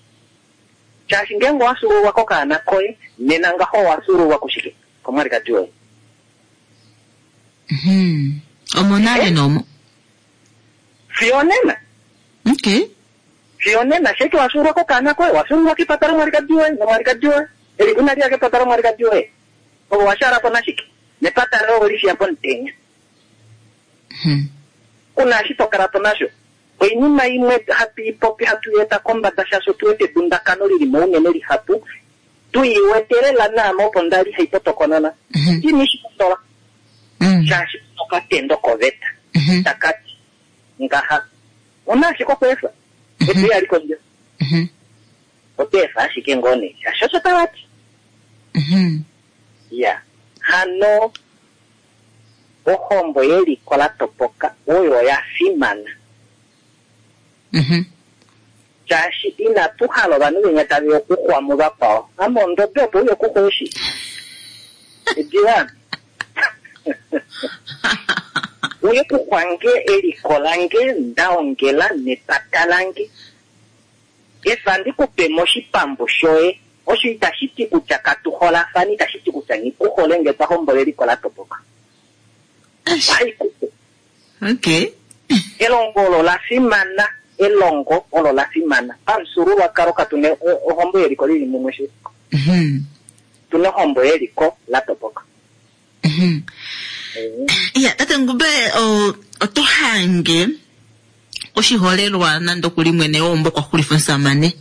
Shaashi ngeenge owa fyuululwa kokaana koye nena ngaho owa fyuululwa kushike komwalikadi woye. Mhm. Omonale nomo. Fiyo onena Okay. fiyo onena sheke wa fyuululwa kokaana koye wa fyuululwa kepata lomwalikadi woye nomwalikadi woye eliko inali ya kepata lomwalikadi woye ove wa shaala po nashike nepata loye oweli fiya pomutenya. Mhm. Kuna eshi to kala po nasho. Oinima imwe hatu i popi hatu i eta kombada shaashi otu wete edundakano lili mo unene lihapu tu i wete lela naame opo ndali hai potokonona. Mhm. Ini shi pondola Mm. shaashi okatendo koveta Mhm. takati ngaha ona ashike okweefa etu yali kondje Mhm. oto efa ashike ngoo nee shaashi osho tavati. Mhm. Ya hano ohombo yeliko la topoka oyo oya fimana. Mhm. Shaashi inatu hala ovanhu venya taveya okuxwa muvakwao. Ame ondobe opo uye okuxwa eshi. Edila. Uye kuxwa nge eliko lange ndaongela nepata lange. Efa ndikupe moshipambu shoye. Osho itashi ti kutya katu holafani, itashi ti kutya ngikuhole nge twa hombola eliko la topoka. Eish. Ohai kupe. Okay. Elongo olo la fimana, elongo olo la fimana. Pamufyuululwakalo katu na ohombo yeliko lili mumwe shi. Mhm. Tuna ohombo yeliko la topoka. Mhm. Ya, tate Ngube, o- oto hange oshiholelwa nande okuli mwene weumbo kwa xulifa omusamane.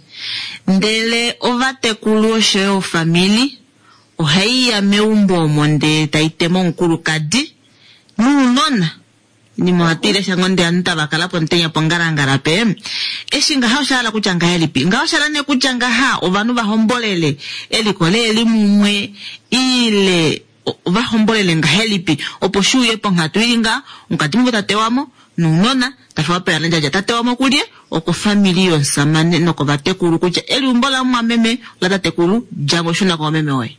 Ndele ovatekulu oshoyo ofamili ohai ya meumbo omo ndee tai tema omukulukadi nounona. Inima ohatu i lesha ngoo ndee ovanhu tava kala pomutenya pongalangala pe. Eshi ngaha osha hala kutya ngahelipi? Ngaha osha hala nee kutya ngaha ovanhu va hombolele eliko leeli mumwe ile o- va hombolele ngahelipi opo shi uye ponghatu ili ngaha omukati muvo ta tewa mo nounona tafiwa peyalandjadja ta tewa mo kulye okofamili yomusamane nokovatekulu kutya eliumbo lamumwameme latatekulu dja mo shuna komameme woye.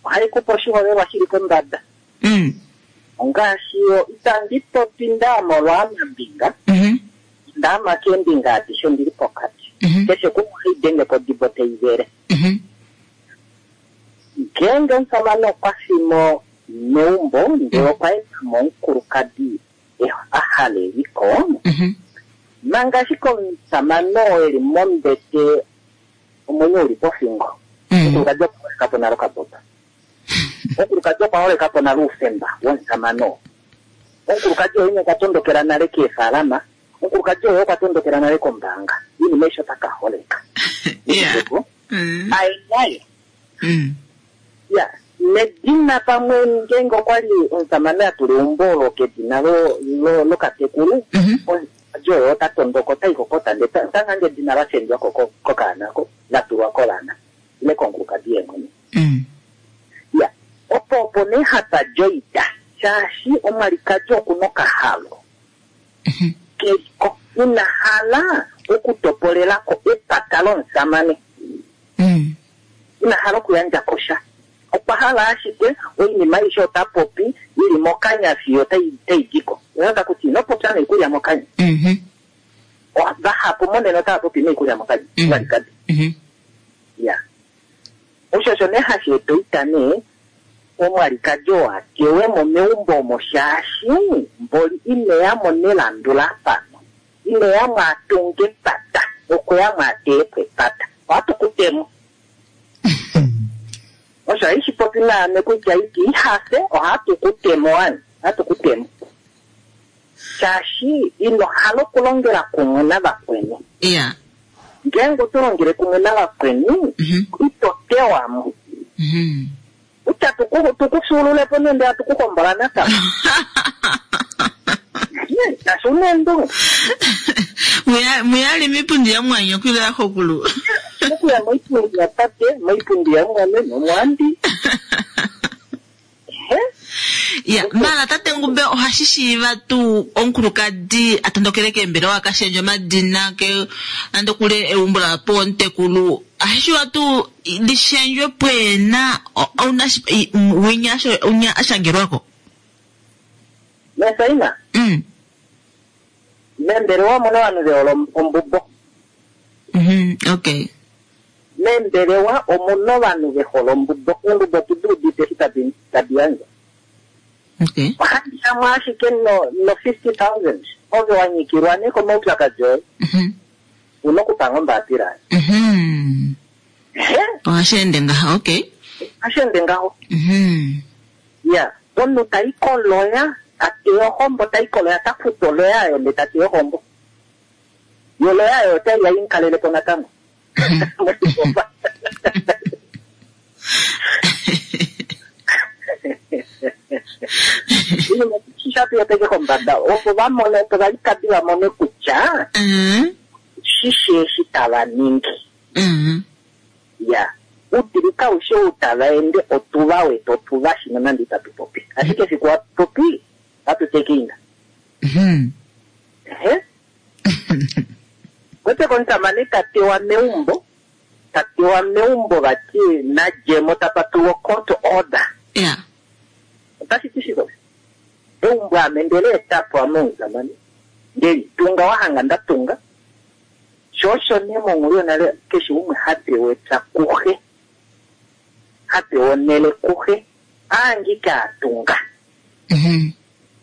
Ohai kupe oshiholelwa shili kombada. Mm. Ongaashi yo itandi popi ndaama olwaamambinga, Mhm. ndaama keembinga adishe ondili pokati. Mhm. Keshe kumwe ohai denge kodibo tai vele. Mhm. Ngeenge omusamane okwa fimo meumbo ndele okwa eta mo omukulukadi e- a hala eliko, Mhm. manga ashike omusamane oo eli mombete omwenyo uli pofingo. Mm. Omukulukadi okwa holeka po nale okaboba. Omukulukadi okwa holeka po nale oufemba womusamane oo. Omukulukadi oo ina okwa tondokela nale keefalama, omukulukadi oo okwa tondokela nale kombaanga. Iinima aishe ota ka holeka. Yeah. Mm. Ai nayo. Mm. Ya, Nedina pamwe ngeenge okwa li omusamane a tula eumbo olo kedina lo- lo- lokatekulu, Mhm. omusamane oyo ota tondoka ota i kokota ndele ta- ota hange edina la shendjwa ko ko- kokaana ko la tulwa kolana ile konkulukadi ye mwene. Mm. Ya, opo opo nee hapa joita shaashi omwalikadi oku nokahalo Mhm. keliko ina hala okutopolelako epata lomusamane Mm. ina hala okuyandja kosha okwa hala ashike oinima aishe ota popi ili mokanya fiyo tai tai diko ota kuti ino popya noikulya mokanya Mhm. O- vahapu monene otava popi noikulya mokanya Mm. omwalikadi Mhm. ya osho osho nee hashi eta oita nee omwalikadi oo atewemo meumbo omo shaashi mboli ineyamo nelandulafano ineyamo atunge epata okweyamo ateyepo epata ohatu kutemo osho aishi popi naame kutya iti ihafe ohatu kutemo wani ohatu kutemo shaashi ino hala okulongela kumwe navakweni Yeah. ngeenge oto longele kumwe navakweni Mhm. ito tewamo Mhm. kutya tuku- tukufyuululepo nende atukuhombola natango kashi una eendunge Muya- muyali mipundi ya mwanyo kwila ya khokulu. okuya moipundi ya tate moipundi ya mwane nomwandi Ehe. Ya, mala tate Ngumbe ohashi shiiva tuu omukulukadi a tondokele keembelewa a ka shendje omadina ke nande kule eumbo lapo omutekulu ohashi shiiva tuu lishendjwe pweena o- ouna shi- i- m- winya asho- winya ashangelwako Mesaina mm. membelewa omuna ovanhu vehole ombubo mm okay membelewa omuna ovanhu vehole ombubo ombubo tuduudite eshi tadi tadi yandja okay ohandi yamwe ashike no no fifty thousand ove wanyikilwa nee komaupyakadi oye Mhm. una okupanga ombaapila Mhm. Ehe, ohashi ende ngaha okay ohashi ende ngaho Mhm. ya omunhu tayi koloya tateya ohombo tayi koloya ta futu oloya ayo nde tateya ohombo yo oloya ayo otayi ya inkalelepo natango Moshibofa. Iinima shisha tuyeteke kombada opo vamone opo valikadi vamone kutya Mhm. shishe eshi tava ningi Mhm. ya uutili kaushi ou tava ende otuva wete otuva shino nande itatu popi ashike efiku hatu popi hatu tekinga Mhm. ehe kwete komusamane tatewa meumbo tatewa meumbo vati nadjemo tapatulwa court order Yeah. otashi ti shiko eumbo ame ndele etapo ame omusamane ndelitunga wahanga ndatunga sho osho nee monghulu yonale keshe umwe hapewa epya kuxe hapewa onhele kuxe aangike atunga Mhm.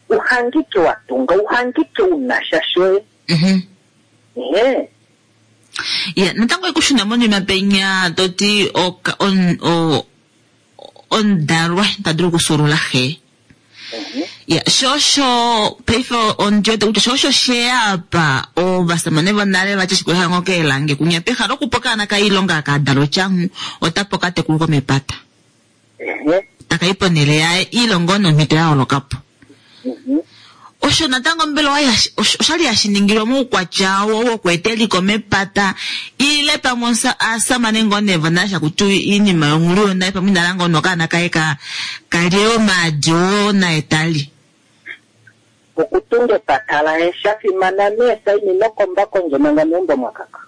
uhangike watunga uhangike unasha shoye Mhm. ehe ya natango ekushuna monima penya toti oka- on- o- omudalwa ta dulu okusulula xe Mhm. ya shosho paife ondiwete kutya shosho sheapa ovasamane vonale vati shikuhango keelange kunya pehala okupa okaana kailonga akadala otyangu otapo katekulu komepata ehe takai ponhele yaye iilongo nomhito ya holokapo Mhm. osho natango mbela owa yashi- osho- oshali hashi ningilwa moukwatya wo wokweeta eliko mepata ile pamwe osa- aasamane ngoo nee vonale shakuti iinima yonghulu yonale pamwe inala ngoo nokaana kaye ka kalye omaadi oo naye tali okutunga epata laye sha fimana nee saini nokomba kondje manga meumbo mwakaka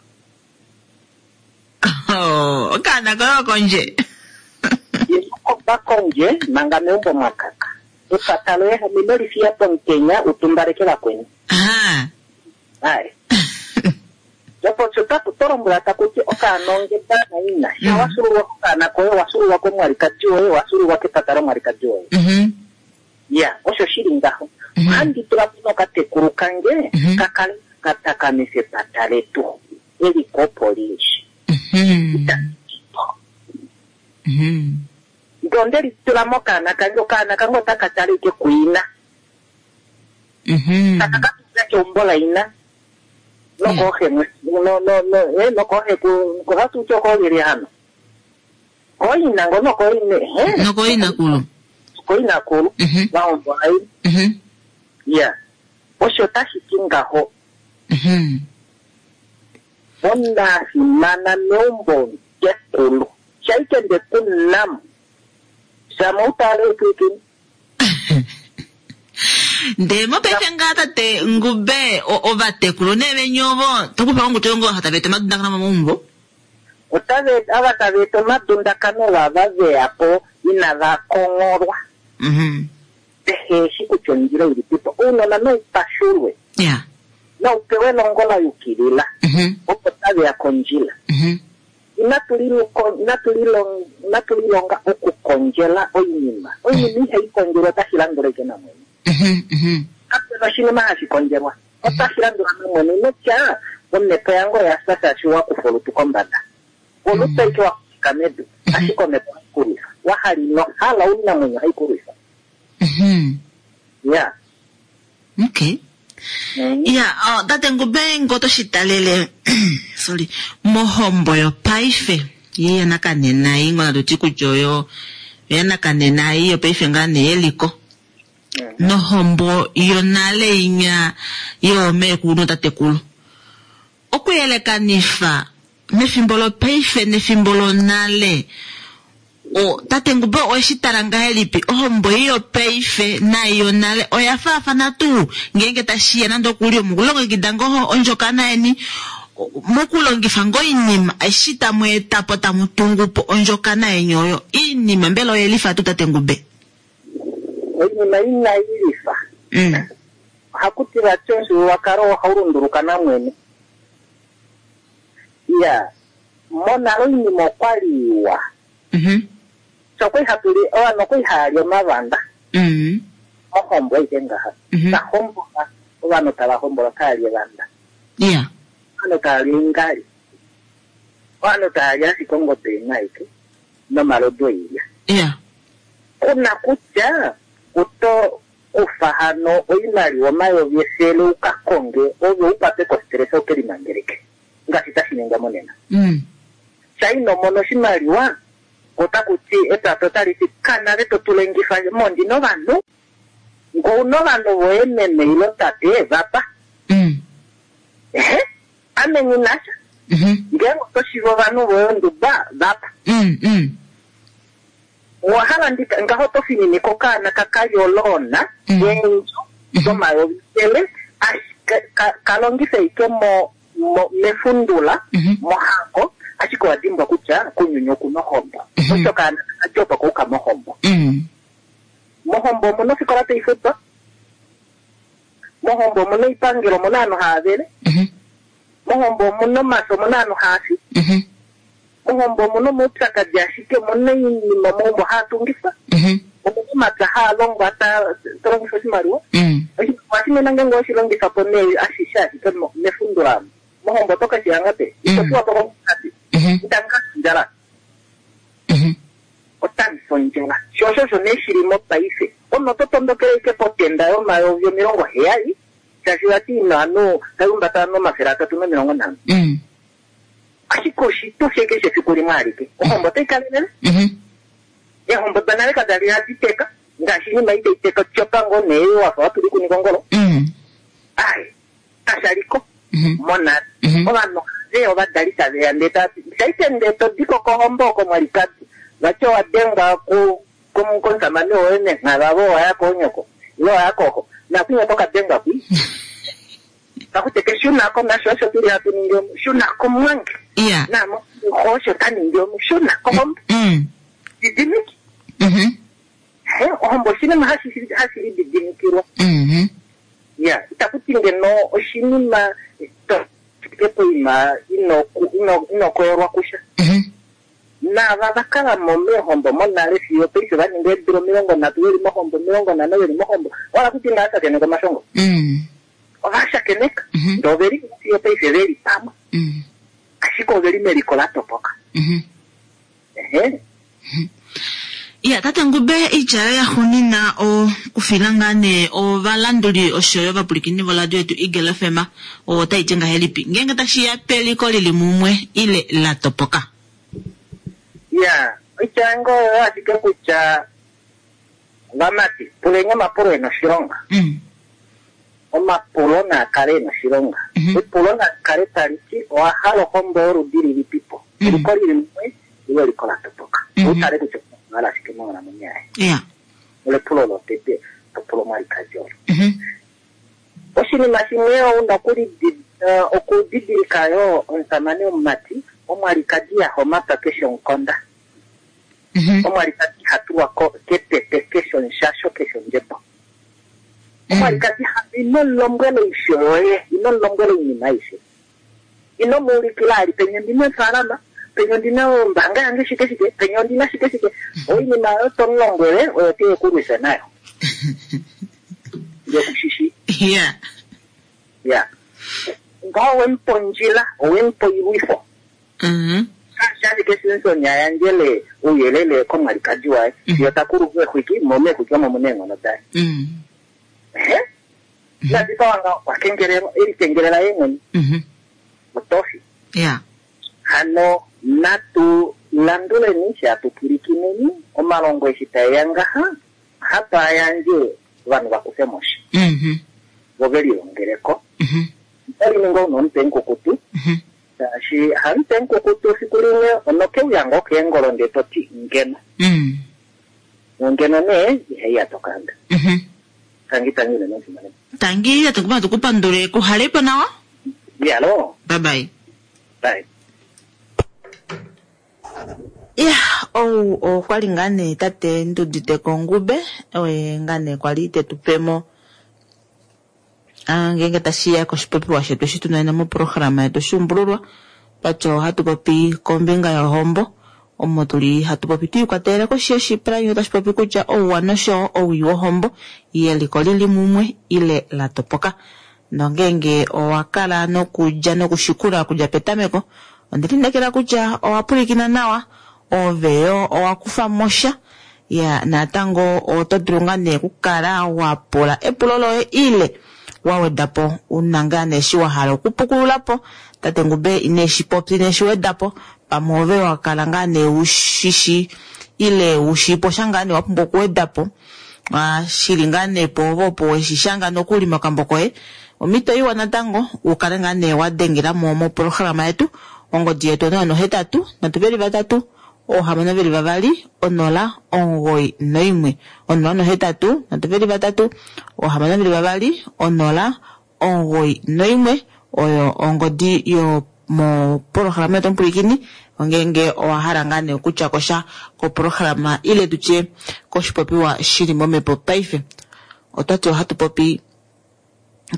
Oh, okaana koye okondje inokomba kondje manga meumbo mwakaka epata loye hamino lifiya pomutenya utumbaleke vakweni Aha. aye opo taku tolombwela takuti okaana ongeda naina sha Mm. wasululwa kokaana koye wasululwa komwalikadi woye wasululwa kepata lomwalikadi woye Mhm. ya osho shili ngaho Mhm. ohandi tula po nokatekulu kange Mhm. kakale katakamifa epata letu eliko opo lili Mhm. Mhm. nde onde litula mokaana kange okaana kange otaka tala ike kuina Mhm. taka katula keumbo laina nokooxemwe no no no eh, nokooxe ku kohatuti okoolyelye hano Kooina ngo nokooine he Nokooinakulu. Kooinakulu Mhm. vahombola i Mhm. ya osho tashi ti ngaho Mhm. onafimana meumbo kekulu shaikende kunamu shama utale upwikini Ndee mopaife ngaa tate Ngube o- ovatekulu nee veni ovo tokupa ongutu yongo hata veta omadundakano momaumbo. otave ava tava eta omadundakano vava veya po inava kongolwa Mhm. vehe shi kutya ondjila ilipipo ounona noupashulwe Ya. noupewe elongo la yukilila Mhm. opo taveya kondjila Mhm. inatu liluko- inatu lilong- inatu lilonga okukondjela oinima oinima ihai kondjelwa otashi landula ike namwene Mhm. Mhm. kapena oshinima hashi kondjelwa otashi landula namwene notya omhepo yange oya fya shaashi wakufa olutu kombada olutu aike wakufika medu ashike omhepo haikulwifa wahala inohala oinamwenyo haikulwifa Mhm. ya Okay. Ya, oh, tate Ngube ngo toshi talele sorry, mohombo yopaife ye yanakanena iyi ngo natuti kutya oyo yanakanena iyi yopaife ngaa nee yeliko nohombo yonale inya yoomeekulu nootatekulu okuyelekanifa mefimbo lopaife nefimbo lonale o tate Ngube oweshi tala ngahelipi ohombo iyi yopaife nai yonale oya faafana tuu ngeenge tashiya nande okuli omukulongekida ngoo ondjokana yeni o- mokulongifa ngoo oinima eshi tamu eta po tamu tungu po ondjokana yeni oyo iinima mbela oyelifa tuu tate Ngube oinima inayi lifa mm. ohaku tiwa ti omufyuululwakalo ohau lunduluka namwene ya monale oinima okwali iwa mm sho okwali hatu li ovanhu okwali haya li omavanda -hmm. mohombo aike ngaha Mhm. tahombola ovanhu tava hombola taya li evanda yeah ovanhu tava li oingali ovanhu tava li ashike ongobe imwe aike nomalodu oilya yeah kuna kutya oto kufa hano oimaliwa omayovi efele uka konge ove ukwatwe kostresa uke limangeleke ngaashi tashi ningwa monena mm. sha ino mona oshimaliwa otaku ti epata otali ti kanale to tulengifa mondi novanhu ngo una ovanhu voye meme ilo tate vapa Mm. ehe ame nginasha Mm -hmm. ngeenge oto shiva ovanhu voye onduba vapa Mm, mm. owahala ndika ngaho oto fininike okaana kakayoloona Mm. eendjo domayovi efele ashike ka- kalongife ike mo mo- mefundula Mhm. mohango ashike owa dimbwa kutya kunyuni okuna ohombo Mhm. osho kaana kakadjopa kouka mohombo Mm. mohombo omuna ofikola taifutwa mohombo omuna oipangelo omuna ovanhu hava vele Mhm. mohombo omuna omafyo omuna ovanhu hava fi Mhm. mohombo omuna omaupyakadi ashike omuna oinima mohombo haatungifwa Mhm. omuna omapya haa longwa ta- to longifa oshimaliwa Mm. oshimaliwa shimena ngenge oshilongifa po nee ashishe ashike mo- mefundula mohombo oto keshihanga pe ito Mm. fiwa po komukadi Mhm. itangafundjala Mhm. otandifondjela sho osho osho nee shili mopaife omunhu oto tondokele ike potenda yomayovi omilongo heyali shaashi vati ino anu taiumbata anu omafele atatu nomilongo nhano Mm. ashike oshitufi keshe efiku limwe alike ohombo otai kalelele Mhm. eehombo danale kadali hadi teka ngaashi inima itai teka tyopa ngoo nee wafa watuli kunikongolo Mm. ai kashaliko Mhm. monale Mhm. ovanhu ve ovadali taveya ndee tati shaite ndee todiko kohombo oko mwalikadi vati owa dengwa ku- ku- komusamane woye nenghava vo waya koonyoko ile waya koko nakunya oto kadengwa kwi kakuteke shunako nasho osho tuli hatu ningi omu shunako mwange Yeah. namo osho ta ningi omu shunako hombo Mm. didimiki Mhm. He, ohombo oshinima hashi hashi lididimikilwa Mhm. ya itaku ti ngeno oshinima to fike poima ino ino inokoyolwa kusha Mhm. naava vakala mo meehombo monale fiyo paife va ninga eedula omilongo nhatu veli mohombo omilongo nhano veli mohombo wala kuti ingaa shakeneka omashongo Mm. ova shakeneka Mhm. ndee oveli fiyo paife veli pamwe Mm. ashike oveli meliko la topoka Mhm. ehe Ya, tate Ngube oitya yoye yaxuuninwa okufila ngaa nee ovalanduli oshoyo ovapulikini voradio yetu Eagle FM otai ti ngahelipi ngeenge tashiya peliko lili mumwe ile la topoka. ya Oitya yange oyo ashike kutya vamati puleni omapulo ena oshilonga. Mm. Omapulo naa kale ena oshilonga. Mhm. Epulo na kale tali ti owa hala ohombo yoludi lilipipo. Mhm. Eliko lili mumwe ile eliko la topoka. Mhm. Utale kutya okwa hala shike monghalamwenyo yaye. Yeah. Olepulo lotete topulo mwalikadi olo. Mhm. Oshinima shimwe ouna okulidi- eh, okudidilika yo omusamane omumati omwalikadi ya homata keshe omukonda. Mhm. Omwalikadi ha tulwa ko- kepepe keshe omushasho keshe ondjebo. Mm. Omwalikadi ha ino mulombwela oisho yoye, ino mulombwela oinima aishe. Ino muulikila ali penya ondina efaalama, penya ondina ombaanga yange shike shike, penya ondina shike shike. Oinima oyo to mulombwele oyo teye kulwisa nayo. Yokushishi. Yeah. Ya. Ngaho owemupa ondjila, owemupa oilwifo. Mhm. Ashike Simpson yayandjele ouyelele komwalikadi waye. Mhm. Yo takulu eexwiki, mo meexwiki omo muna eenghono daye. Mm. Ehe. Nadipawa ngaho, okwa kengelelwa, e likengelela ye mwene. Mhm. Otofi. Yeah. Hano natu landuleni shatu pwilikineni omalongo eshi taeya ngaha hapa yandje ovanhu vakufe moshi Mhm. vo ve lilongeleko Mhm. otali ninga una omutwe mukukutu Mhm. shaashi hamutwe mukukutu fiku limwe onokeuya ngoo keengolo ndee toti ngeno Mm. nongeno nee ihaiya tokanda Mhm. tangi tangi unene omufimanekwa Tangi atukuma tukupandule kuhalepo nawa. iyalo Bye bye. bye Ya, ou okwali ngaa nee tate Ndudite Kongube, oye ngaa nee kwali tetupemo ah, ngeenge tashiya koshipopiwa shetu eshi tuna nena moprograma yetu Oshuumbululwa, twati ohatu popi kombinga yohombo, omo tuli hatu popi twiikwatelela koshi yoshipalanyo tashi popi kutya ouwa noshowo owii wohombo yeliko lili mumwe ile la topoka. Nongeenge owa kala nokudja nokushikula okudja petameko, ondelineekela kutya owa pwilikina nawa, ove yo owa kufa mosha ya natango oto dulu ngaa nee okukala wa pula epulo loye ile wa wedapo una ngaa nee eshi wa hala okupukululapo tate Ngube ineshi popi ineshi wedapo pamwe ove wa kala ngaa nee ushishi ile ushipo sha ngaa nee wa pumbwa okuwedapo ah, shili ngaa nee po opo weshi shanga nokuli mokambo koye omhito iwa natango ukale ngaa nee wa dengela mo moprograma yetu ongodi yetu onola nohetatu nhatu veli vatatu oohamano veli vavali onola omugoyi noimwe onola nohetatu nhatu veli vatatu oohamano veli vavali onola omugoyi noimwe oyo ongodi yo moprograma yetu omupulikini ongeenge owa hala ngaa nee okutya kosha koprograma ile tutye koshipopiwa shili momhepo paife otwati ohatu popi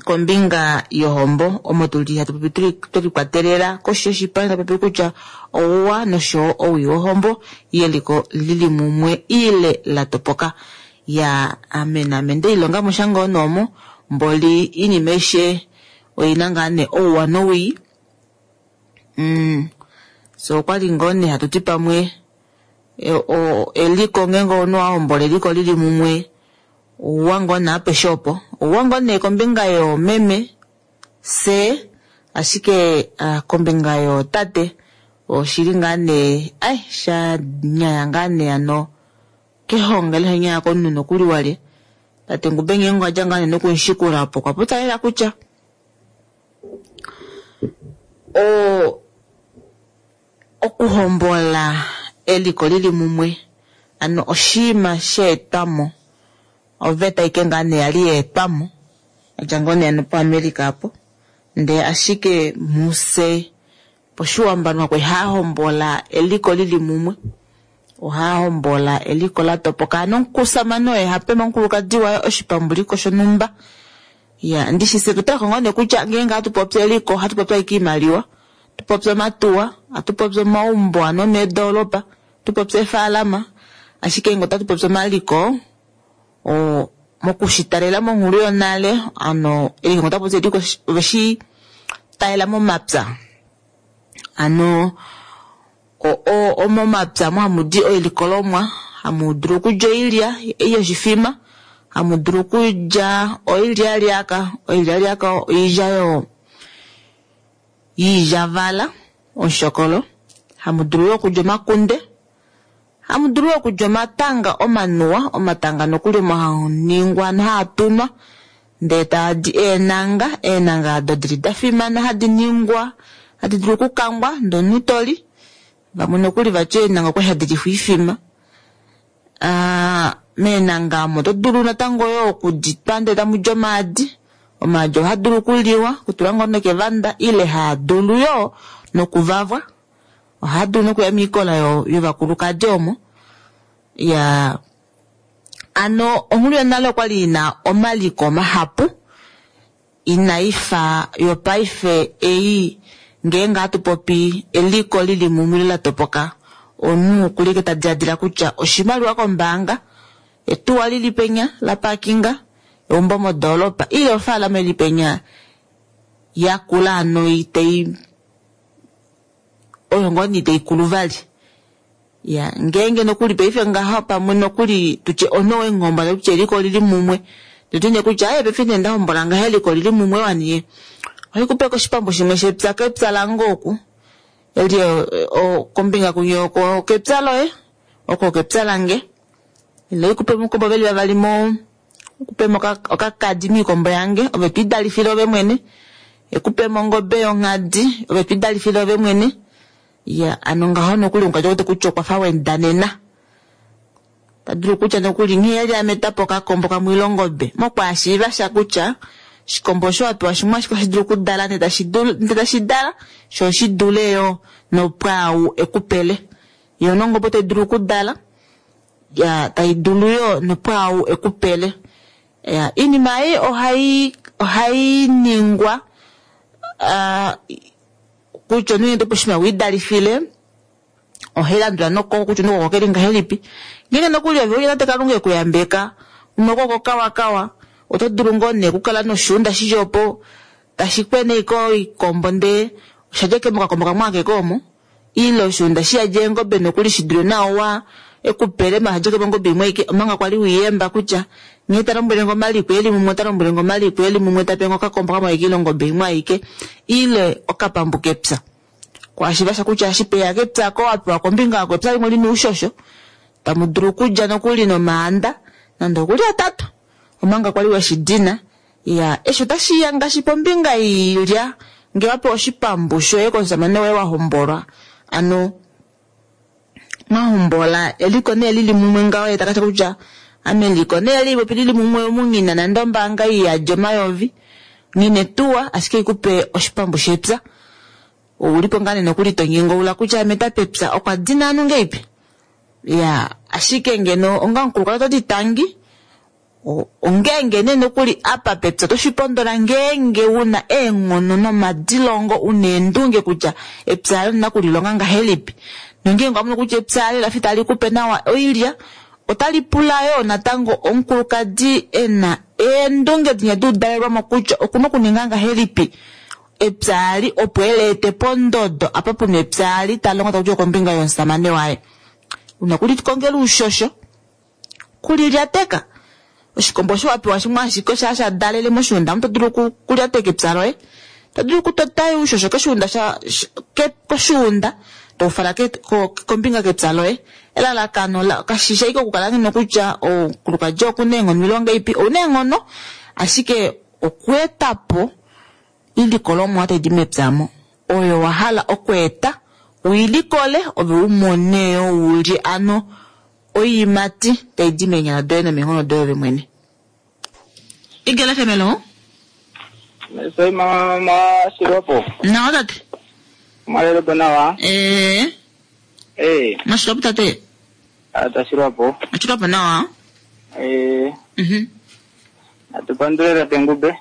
kombinga yohombo omo tuli hatu popi tuli twelikwatelela koshi yoshipango tatu popi kutya ouwa noshowo owii wohombo yeliko lili mumwe ile la topoka ya ame naame ndeilonga mo sha ngoo noomo mboli iinima aishe oina ngaa nee ouwa nowii mm. So okwali ngoo nee hatu ti pamwe e, o, eliko ngeenge omunhu wa hombola eliko lili mumwe ouwa ngoo nee apeshe opo ouwa ngoo nee kombinga yoomeme se ashike ah, kombinga yootate oshili ngaa nee ai sha nyaya ngaa nee ano kehonga ile nyaya komunhu nokuli walye tate Ngube ngeenge owadja ngaa nee nokunshikula opo okwa popya lela kutya o okuhombola eliko lili mumwe ano oshinima sheetwamo oveta ike ngaa nee yali yeetwamo yadja ngoo nee ano poAmerica apo ndee ashike muse poshiwambo ovanhu kwali haya hombola eliko lili mumwe ohaya hombola eliko la topoka ano omusamane oye hape omukulukadi waye oshipambuliko shonhumba ya ndishi se tutaleko ngoo nee kutya ngeenge hatu popi eliko ohatu popi ashike iimaliwa tupopi omatuwa hatu popi omaumbo ano meedolopa tupopi eefaalama ashike ngeenge otatu popi omaliko o mokushitalela monghulu yonale ano eliko ota popi eliko oveshi talela momapya ano o- o- omomapya mo hamu di oilikolomwa hamu dulu okulya oilya ei yoshifima hamu dulu okulya oilyalyaka oilyalyaka oilya yo yiilyavala omushokolo hamu dulu yo okulya omakunde Hamu dulu okulya omatanga omanuwa, omatanga nokuli omo haningwa nohaatunwa ndee taadi eenanga, eenanga ado dili da fimana hadi ningwa, hadi dulu okukangwa ndee omunhu toli. Vamwe nokuli vati eenanga okwali hadi lifwa oifima. Meenanga omo oto dulu natango yoo okuditwa ndee tamu li omaadi. Omaadi ohaa dulu okuliwa, okutula ngoo nokevanda ile haa dulu yoo nokuvavwa. Ohaa dulu nokuya moikola yovakulukadi omo. Ya ano onghulu yonale okwali ina omaliko mahapu inaifa yopaife ei ngeenge hatu popi eliko lili mumwe la topoka omunhu okulike ta diladila kutya oshimaliwa kombaanga etuwa lili penya la parkinga eumbo modoolopa ile ofaalama ili penya yakula ano itei oyo ngoo nee iteikulu vali. Ya ngeenge nokuli paife ngaha pamwe nokuli tutye omunhu weengomba kutya eliko lili mumwe totine kutya aye paife nee ndahombola ngaha eliko lili mumwe waniye ohikupe koshipambu shimwe shepya kepya lange oku eli kombinga kunye oko kepya loye oko kepya lange ile ikupe mukombo veli vavali mo kupemo okakadi miikombo yange ove twidalifile ove mwene ekupemo ongobe yonghadi ove twidalifile ove mwene. Ya ano ngaho nokuli omukadhi wete kutya okwa fa wendanena tadulu kutya nokuli nghee yali ametapo okakombo kamwe ile ongobe mokwaashiiva sha kutya oshikombo osho wapewa shimwe ashike ohashi dulu okudala ndee tashi dala sho oshidule yoo nopwaau ekupele. Yoo nongobe otai dulu okudala ya tai dulu yoo nopwaau ekupele. Ya iinima ei ohai ohai ningwa kutya omunhu ete oshinima wiidalifile ohai landula nokoko kutya omunhu koko keli ngahelipi. Ngeenge nokuli ove uya tate Kalunga ekuyambeka unokoko kawakawa oto dulu ngoo nee okukala noshuunda shili opo tashi kwene iko oikombo ndee oshadja ike mokakombo kamwe akeke omo ile oshuunda shiyadja eengobe nokuli shidule nawa ekupele maala shadja mongobe imwe aike omanga kwali wiiyemba kutya nghee ta lombwele nge omaliko eli mumwe ota lombwele nge omaliko eli mumwe tape nge okakombo kamwe aike ile ongobe imwe aike ile okapambu kepya. Kwashiva sha kutya ashipeya kepya ko wapewa kombinga yako epya limwe lina oushosho tamu dulu okulya nokuli nomaanda nande okuli atatu omanga kwali weshidina. Ya eshi otashiya ngaashi pombinga iilya ngee wapewa oshipambu shoye komusamane woye wahombolwa ano mwahombola eliko nee lili mumwe ngaho ye takatya kutya ame eliko nee lipopi lili mumwe munghina nande ombaanga iyadja omayovi nghina etuwa ashike ikupe oshipambu shepya oulipo ngaa nee nokuli tonyengoula kutya ame tapepya okwa dina anu ngeipi. Ya ashike ngeno onga omukulukadhi ototi tangi ongeenge nee nokuli apa pepya otoshipondola ngeenge una eenghono nomadilongo una eendunge kutya epya lina okulilonga ngahelipi nongeenge owamono kutya epya lafa itali kupe nawa oilya otali pula yoo natango omukulukadi ena eendunge dinya duudalelwamo kutya okuna okuninga ngahelipi epya ali opo eleete pondodo apa puna epya ali talongo takutya kombinga yomusamane waye. Una kulikongela uushosho kulilyateka oshikombo osho wapewa shimwe ashike osha sha dalele moshuunda oto dulu okulyateka epya loye to dulu okutota uushosho koshuunda koshuunda toufala kombinga kepya loye. Elalakano kashisha ike okukala ngeno kutya omukulukadi okuna eenghono ile ongeipi ouna eenghono ashike okweetapo ilikolomwa taidi mepyamo oyo wahala okweeta uilikole ove umone yo ulye ano oiimati taidi meenyala doye nomeenhono doye ove mwene. Igele F M lo? Soi mama Shilopo. Nawa tate. Malelo nawa. Eh. Eh. Mashilopo tate. Ata Shilopo. Mashilopo nawa. Eh. Mhm. Atupandulele tengube.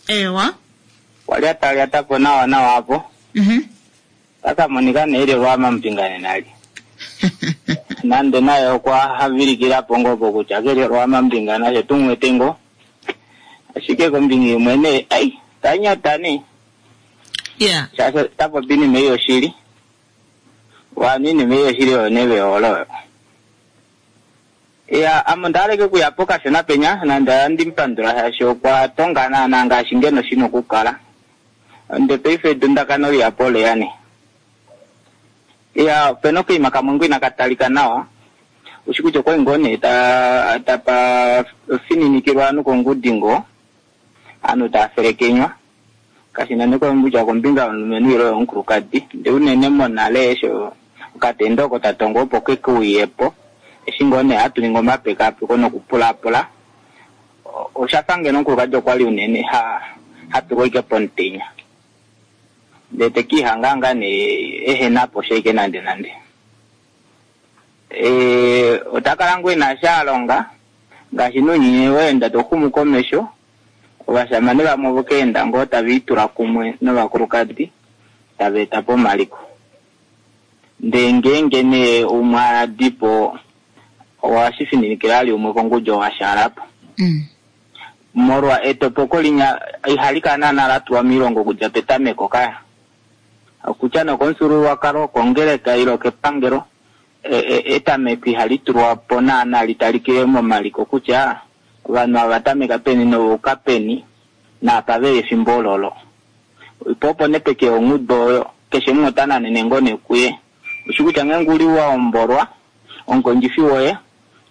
Ewa. Wali atali atapo nawa nawa hapo. Mhm. Sasa monika neile lwama mpingane nali. Nande naye okwa havilikila pongo po kutya keli lwama mpingana she tumwetengo. Ashike kombinga imwe nee ai tanyata ne. Yeah. Sasa tapo bini meyo shili. Wanini meyo shili onebe olo. Ya amondaleke kuyapoka shona penya nanda ndimpandula hasho kwa tongana nanga shingeno shino kukala. Nde peife dundakano lya pole yani. Ya peno kuima kamwengu inakatalika nawa. Ushi kutya okwali ngoo nee ta tapa fininikilwa ovanhu kongudi ngoo, ovanhu tava felekenywa. Kashina nee kutya kombinga yomulumenhu ile yomukulukadi. Ndee unene monale esho okatendo oko tatongo opo keke uyepo. Eshi ngoo nee hatu ningi omapekapeko nokupulapula. Oshafa ngeno omukulukadi okwali unene ha hatulwa ike pomutenya. Ndee tekihanga ngaa nee ehenapo shaike nande nande. E, otakala ngoo ena sha alonga ngaashi nounyuni weenda toxumu komesho, ovashamane vamwe vokeenda ngoo tava itula kumwe novakulukadi tava eta po omaliko. Ndee ngeenge nee umwe adipo ohashi fininikila ali umwe kongudi owashaalapo. Mm. Molwa etopoko linya ihali kala naana la tulwa moilongo okudja petameko kaya. Okutya nokomufyuululwakalo, okongeleka ile okepangelo, etameko ihali tulwa po naana litalikile momaliko kutya ovanhu ava tameka peni novauka peni naapa veli efimbo ololo. Po opo nee peke ongudu oyo keshe umwe ota nanene ngoo nee kuye. Ushi kutya ngeenge uli wa hombolwa, omukondjifi woye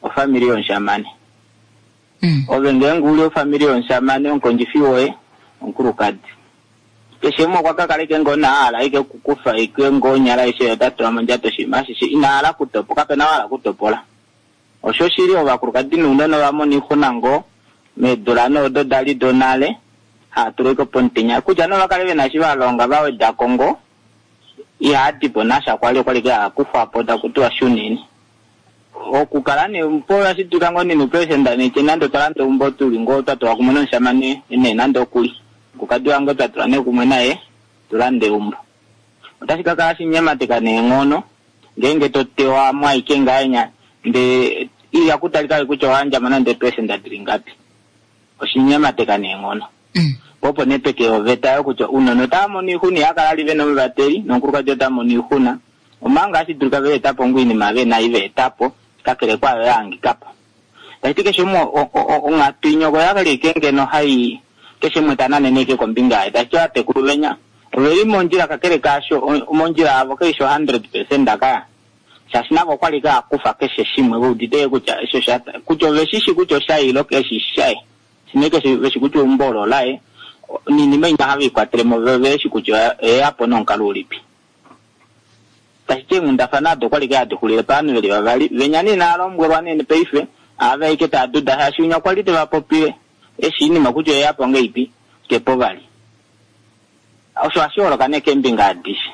ofamili yomushamane. Mm. Ove ngeenge uli ofamili yomushamane, omukondjifi woye omukulukadi. Keshe umwe okwa ka kaleke ngoo na hala ike kukufa ike ngoo nyala aishe ota tula mondjato oshinima ashishe, ina hala kutopoka, kape na hala kutopola. Osho shili ovakulukadi nounona ova mona oixuna ngoo meedula noodo dali donale, haa tulwa ike pomutenya. Kutya nova kale vena eshi va longa va wedako ngoo, ihaa dipo nasha kwali, okwali ke haa kufwa po taku tiwa shuneni. Okukala nee po ohashi dulika ngoo nene upresident nee nande otwa landa eumbo tuli ngoo twa tulwa kumwe nomushamane nee nande okuli. Omukulukadi wange twa tulwa nee kumwe naye tulande eumbo. Otashi ka kala shinyemateka neenghono ngeenge to tewa mwaike ngahenya ndee iya kutalika kutya owa nande president dili ngapi. Oshinyemateka neenghono. Mm. Opo nee peke oveta yo kutya ounona otava mono oixuna, iha kala ali vena omuvateli nomukulukadi ota mono oixuna. Omanga hashi dulika ve eta po ngoo oinima ve na ive eta po, kakele kwayo ya hangika po. Tashi ti keshe umwe onghatu inyoko ya li ike ngeno hai keshe umwe ta nanene ike kombinga yaye. Tashi ti ovatekulu venya oveli mondjila kakele kaasho mondjila yavo keishi hundred percent kaya. Shaashi navo okwali ka kufa keshe shimwe ve udite kutya esho sha kutya ove shishi kutya osha ilo keshe shaye. Shine keshe veshi kutya eumbo olo laye. Ninima ina have ikwatele mo ve shi kutya eyapo nomukalo ulipi. Tashi ti eenghundafana ado okwali ka hadi xulile pavanhu veli vavali. Venya nee inaa lombwelwa nee paife, ava ike taa duda shaashi winya okwali teva popile eshi inima kutya eyapo ngeipi kepo vali. Osho hashi holoka nee keembinga adishe.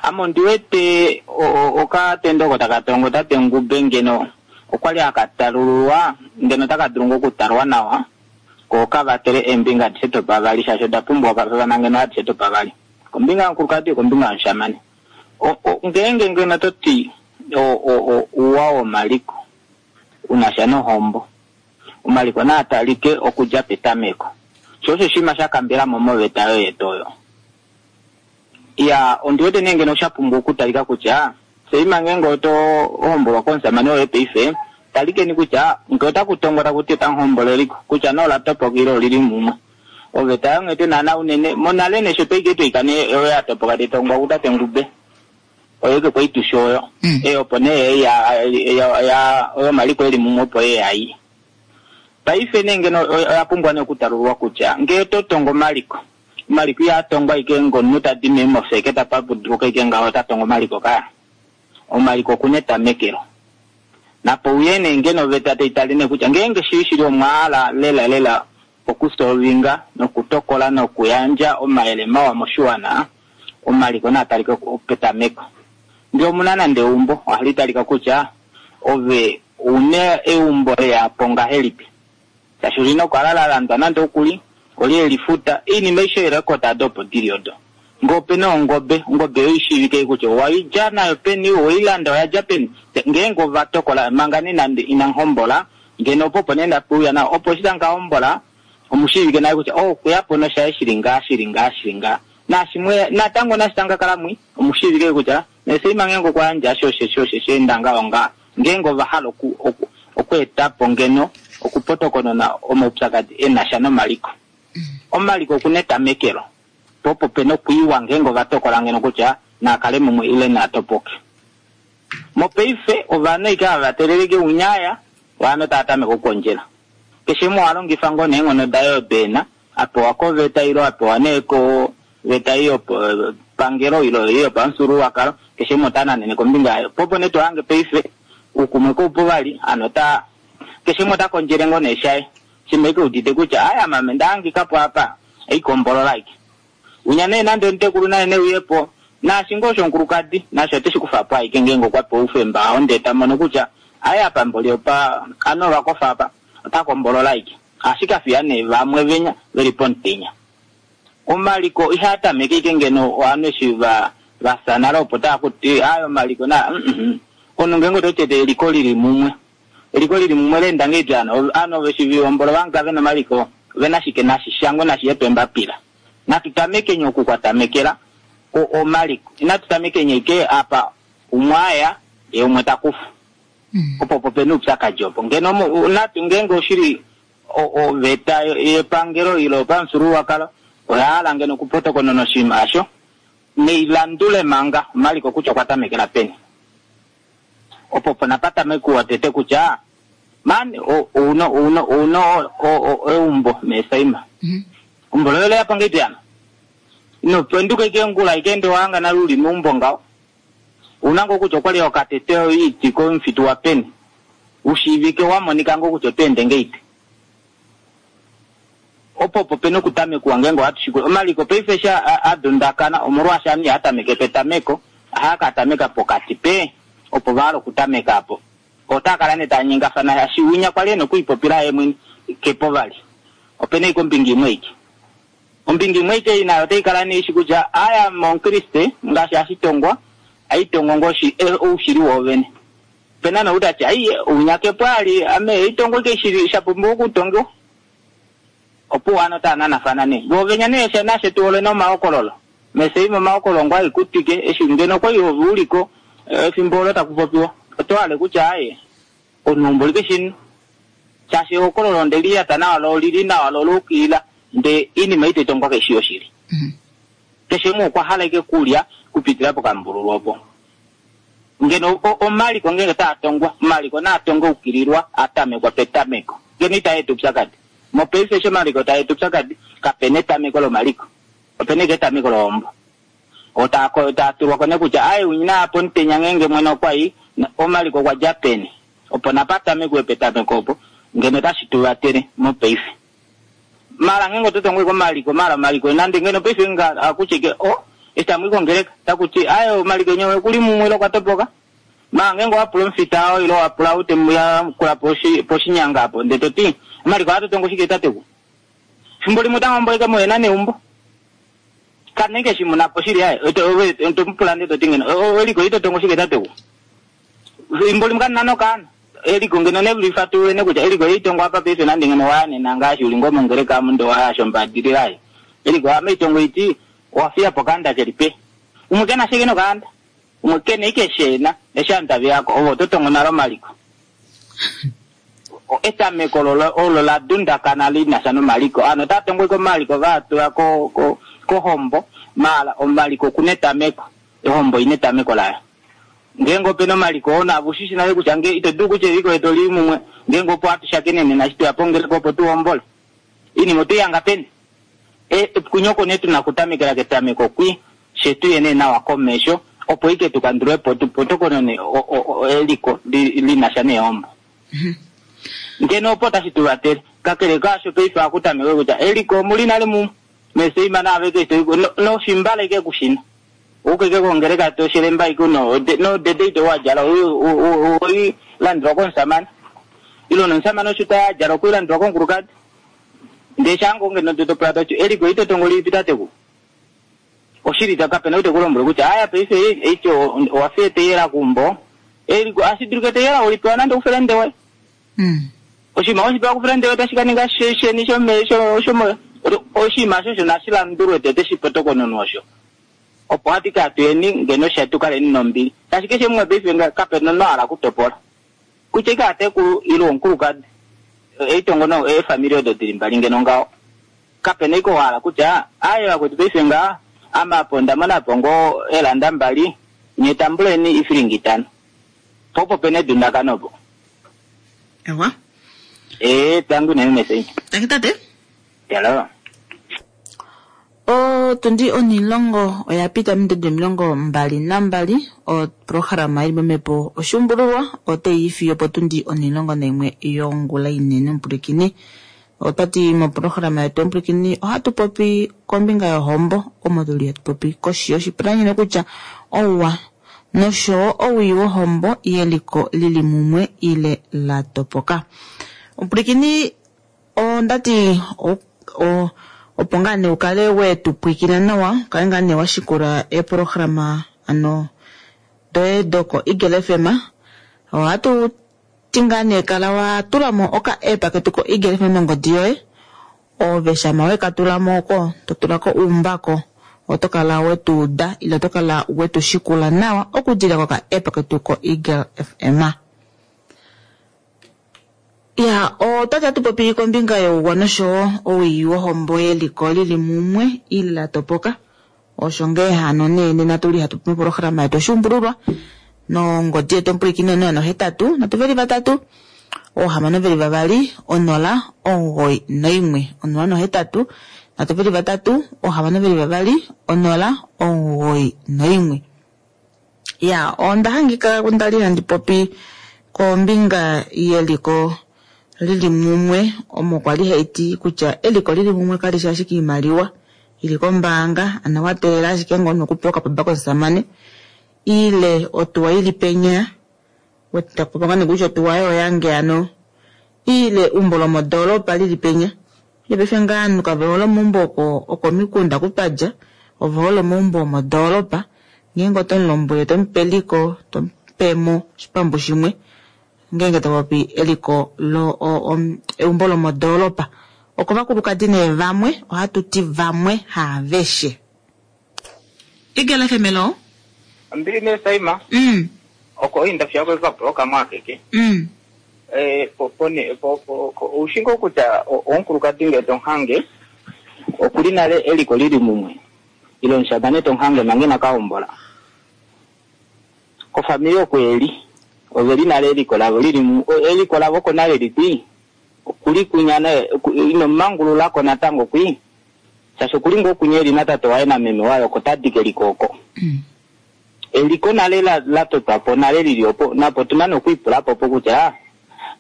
Ame ondi wete okatendo oko taka tongo tate Ngube ngeno okwali aka talululwa ngeno taka dulu ngoo okutalwa nawa ko kavatele eembinga adishe dopavali shaashi oda pumbwa okafafana ngeno adishe dopavali. Kombinga yomukulukadi kombinga yomushamane. Ngeenge ngeno toti ouwa womaliko unasha nohombo, omaliko naa talike okudja petameko. Sho osho oshinima sha kambela mo moveta yoye yetu oyo. Ya, ondi wete nee ngeno sha pumbwa okutalika kutya seima ngeenge oto hombolwa komushamane woye paife, talikeni kutya ngee otaku tongwa taku ti otamu hombola eliko, kutya nee ola topoka ile olili mumwe. Oveta yonghete naana unene monale nee sho twaike twaika nee oyo ya topoka tai tongwa kutate Ngube. Oyo ke kwaitusha oyo. Mm. E opo nee ya, ya, ya, oyo omaliko eli mumwe opo ye ai. Paife nee ngeno oya pumbwa nee okutalululwa kutya ngee to tongo omaliko, omaliko ihaa tongwa ike ngomunhu tadi mee mofeke tapa puduluka ike ngaho ota tongo omaliko kaya. Omaliko okuna etamekelo. Napo uye nee ngeno oveta tai tale nee kutya ngeenge shili shili omwaala lela lela okusolvinga nokutokola nokuyandja omayele mawa moshiwana, omaliko naa talike petameko. Ngee omuna nande eumbo, ohali talika kutya ove une eumbo leyapo ngahelipi. Shaashi olina okukala la landwa nande okuli, oli elifuta, oinima aishe oirekota ado opo dili odo. Ngee opena ongobe, ongobe oyo ishiivike kutya owaidja nayo peni, owailanda oyadja peni. Ngeenge ova tokola manga nee nande ina hombola, ngeno opo opo nee ndapeuya nao, opo eshi tanka hombola, omushiivike naye kutya, oh, okuya po noshaye shili ngaa, shili ngaa, shili ngaa. Nashimwe, natango nashi tanka kala mwi, omushiivike kutya, neseima ngeenge okwa yandja osho, osho, osho, osho, enda ngaho ngaa. Ngeenge ova hala oku, oku, okweeta po ngeno, okupotokonona omaupyakadi e na sha nomaliko. Omaliko okuna etamekelo. Po opo pena okuiwa ngeenge ova tokola ngeno kutya naa kale mumwe ile naa topoke. Mopaife ovanhu ike hava teleleke unyaya ovanhu tava tameke okukondjela. Keshe umwe oha longifa ngoo neenghono daye odo ena, a pewa koveta ilo a pewa nee koveta ei yopangelo ilo ei yopamufyuululwakalo, keshe umwe ota nanene kombinga yaye. Po opo nee to hange paife oukumwe koupu vali, hano ota keshe umwe ota kondjele ngoo nee shaye. Shimwe ike udite kutya aya mame nda hangika po apa, eikombolola ike. Unya nee nande omutekulu naye neuye po, naashi ngoo oshomukulukadi, nasho oteshi kufa po aike ngeenge okwa pewa oufemba oo ndee ta mono kutya aye apa mboli opa, ano ovakofa apa, ota kombolola aike. Ashike afiya nee vamwe venya veli pomutenya. Omaliko ihaa tameke ike ngeno ovanhu eshi va, va fya nale opo taa kuti aye omaliko na, mm, mm. Omunhu ngeenge oto tete eliko lili mumwe. Eliko lili mumwe leenda ngeipi ano? Ovanhu ove shi vihombola ovanhu kave na omaliko, ve na shike nashi shangwe nashi ye pembapila. Natu tamekenye oku kwa tamekela o-, omaliko. Inatu tamekenye ike apa umwe aya, ye umwe ta kufa. Mm. Opo opo pena oupyakadi opo. Ngeno mo-, natu ngeenge oshili o-, oveta yepangelo ilo yopamufyuululwakalo, oya hala ngeno okupotokonona oshinima osho, neilandule manga omaliko kutya okwa tamekela peni. Opo opo napa tamekuwa tete kutya, man, o-, ouno, ouno, ouno, o-, o-, eumbo meesaima. Mm-hmm. Umbo loye leya pange iti ano? Ino penduka ike ngula, ike ende wanga nale uli meumbo ngaho. Una ngoo kutya okwali okatete oiti komufitu wa peni. Ushiivike wa monika ngoo kutya oto ende ngeite. Opo opo pena okutamekwa ngeenge ohatu shikula. Omaliko paife sha a-, a dundakana, omolwaashi ame iha tameke petameko, ohaa ka tameka pokati pe, opo va hala okutameka apo. Otaa kala nee taa nyengafana, shaashi winya kwali e na okwiipopila ye mwene, kepo vali. Opena ike ombinga imwe ike. Ombinga imwe ike nayo otai kala nee ishi kutya, aya momukriste, ngaashi hashi tongwa, aitongo ngoo shi-, eh, oushili woovene. Opena nou tati, ai, ounya kepo ali, ame, eitongo ike shili, sha pumbiwa okutongiwa. Opo wana taa nanafana nee. Voovenya nee sha nashe tu ole nomahokololo. Mese imo omahokololo ngoo aikutike, eshi ngeno kwali ove uliko, eh, efimbo olo taku popiwa. Oto hale kutya, aye, omunhu like shino. Shaashi ehokololo nde liyata nawa lo lili nawa lo loukilila, nde inima ite tongwa keshi yoshili. Mm-hmm. Keshe umwe okwa hala ike kulya kupitila pokambululu opo. Ngeno o-, omaliko ngenge taa tongwa, omaliko naa tongwe ukililwa, atamekwa petameko. Ngeno ita etu upyakadi. Mopaife eshi omaliko taa etu upyakadi, kapena etameko lomaliko. Opena ike etameko lohombo. Otaa ko-, taa tulwa ko nekutya, aye, unyina apo omutenya ngenge mwene okwa i, na-, omaliko okwa dja peni. Opo napa tamekwe petameko opo, ngeno otashi tu vatele mopaife. Mara ngenge oto tongwe komaliko, mara omaliko, nande ngeno paife nga akutye ke, o, eshi tamu i kongeleka, takuti, aye, omaliko nyewe okuli mumwe ile okwa topoka. Mara ngenge owa pula omufita oo, ile owa pula ou te mu yakula poshi-, poshinyanga apo, ndele to ti, omaliko ohatu tongo shike tateku? Fimbo limwe otamu omboleka moyena neumbo. Kanenge shi muna po shili aye, oto, owe, oto mu pula ndele to ti ngeno, o, o, eliko ito tongo shike tateku? Fimbo limwe kanina nokaana. Eliko ngeno ne lifatulule ne kutya eliko itongo apa paife nande ngeno waanena ngaashi uli ngoo mongeleka amu ndo waya shombadilila aye. Eliko ame itongo iti, owa fiya po kaanda keli pe. Umwe kena shike nokaanda? Umwe kena ike shena, eshi anhu tave yako, ovo oto tongo nale omaliko. O, etameko lolo, olo la dundakana li na sha nomaliko. Ano ota tongo ike omaliko va tula ko, ko, kohombo, mala omaliko okuna etameko. Ehombo ina etameko layo. Ngeenge opena omaliko oo navo ushishi nale kutya nge ito dulu kutya eliko letu oli mumwe, ngeenge opo hatu shakenene nashi tuya pongeleka opo tu hombole. Inima otu yanga peni? E, kunyoko nee tuna okutamekela ketameko kwi, she tuye nee nawa komesho, opo ike tu kandule po, tu potokonone o, o, o, eliko li, li na sha nehombo. Mm-hmm. Ngeno opo tashi tu vatele. Kakele kaasho paife ohaku tameke kutya eliko omuli nale mumwe, meseima naave keshe eliko, no, noshimbala ike kushina. Ukeke kongeleka to shelemba iko no, de, no dede ito wa djala, u, u, u, u, u, landwa konsamana. Ilo nonsamana osho ta djala oku landwa konkulukadi. Nde shango ngeno to pula tacho, eliko ito tongo lipi tateku. Oshili ta kapena ute kulombwela kutya, aya paife eicho, owa fiye teyela kumbo. Eliko, ashiduluke teyela ulipewa nande ufelende we. Mm. Oshima oshipewa kufelende we tashi kaninga she-, sheni shome-, sho-, shomo-, oshima shosho nashilandulwe tete shipotokononwa osho. Opo hati ka tuyeni ngeno shetu kaleni nombili. Tashi keshe mumwe paife nga kapena no hala kutopola. Kutya ike atekulu ilo onkulukadi. Eitongo no, e family odo dili mbali ngeno ngaho. Kapena iko hala kutya, aye vakwetu paife nga, ama apo ndamona apo ngo elanda mbali, nye tambuleni ifilingi itano. Po opo pena edundakano opo. Ewa. Ee, tangu unene mesei. Tangi tate. Hello. Otundi onilongo oya pita ominute omilongo mbali nambali oprograma ili momhepo oshuumbululwa otayi fiyo potundi onilongo naimwe yongula inene omupwilikini. Otati moprograma yetu omupwilikini ohatu popi kombinga yohombo omo tuli hatu popi koshi yoshipalanyole kutya ouwa noshowo owii wohombo yeliko lili mumwe ile la topoka. Omupwilikini ondati o, o opo ngaa nee ukale wetu pwiikina nawa ukale ngaa nee washikula eprograma ano doye doko Eagle F M ohatu ti ngaa nee kala wa tulamo oka app ketu ko Eagle F M mongodi yoye ove shama weka tulamo oko to tulako uumbako oto kala wetu uda ile oto kala wetu shikula nawa okudila koka app ketu ko Eagle F M. Ya, otati hatu popi kombinga youwa noshowo owii wohombo yeliko lili mumwe ile la topoka. Osho ngee hano nee nena tuli hatu popi moprograma yetu oshuumbululwa nongodi yetu omupwilikini onola nohetatu nhatu veli vatatu oohamano veli vavali onola omugoyi noimwe onola nohetatu nhatu veli vatatu oohamano veli vavali onola omugoyi noimwe. Ya, onda hangika ndali handi popi kombinga yeliko lili mumwe omo kwali haiti kutya eliko lili mumwe kali shi ashike iimaliwa ili kombaanga ano wa teelela ashike ngono okupewa okapapa komusamane ile otuwa ili penya wetapopa ngoo kutya otuwa oyo oyange ano ile eumbo lomodoolopa lili penya ile paife ngaa ovanhu kave hole omaumbo oko okomikunda kupadja ove hole omaumbo omodoolopa ngeenge oto mulombwele tomupe eliko tomupemo oshipambu shimwe ngeenge topopi eliko lo eumbo lomodoolopa oko vakulukadi nee vamwe ohatu ti vamwe haaveshe. Eagle F M hello. Mbili ne Saima. Mm. Oko inda fya ko ka ka mwakeke. Mm. Eh po po ne po po ushingo kutya onkulukadi nge tonhange okuli nale eliko lili mumwe. Ilo nshabane tonhange mange na kaombola. Ko familia kweli oveli nale eliko lavo lili eliko lavo ko nale lipi okuli kunyana ino mangulula ko natango kwi sasho kuli ngo kunyeli na tate waye na meme wayo ko tadike likoko. Mm. Eliko nale la la totwapo nale lili opo napo tuna nokuipula po kutya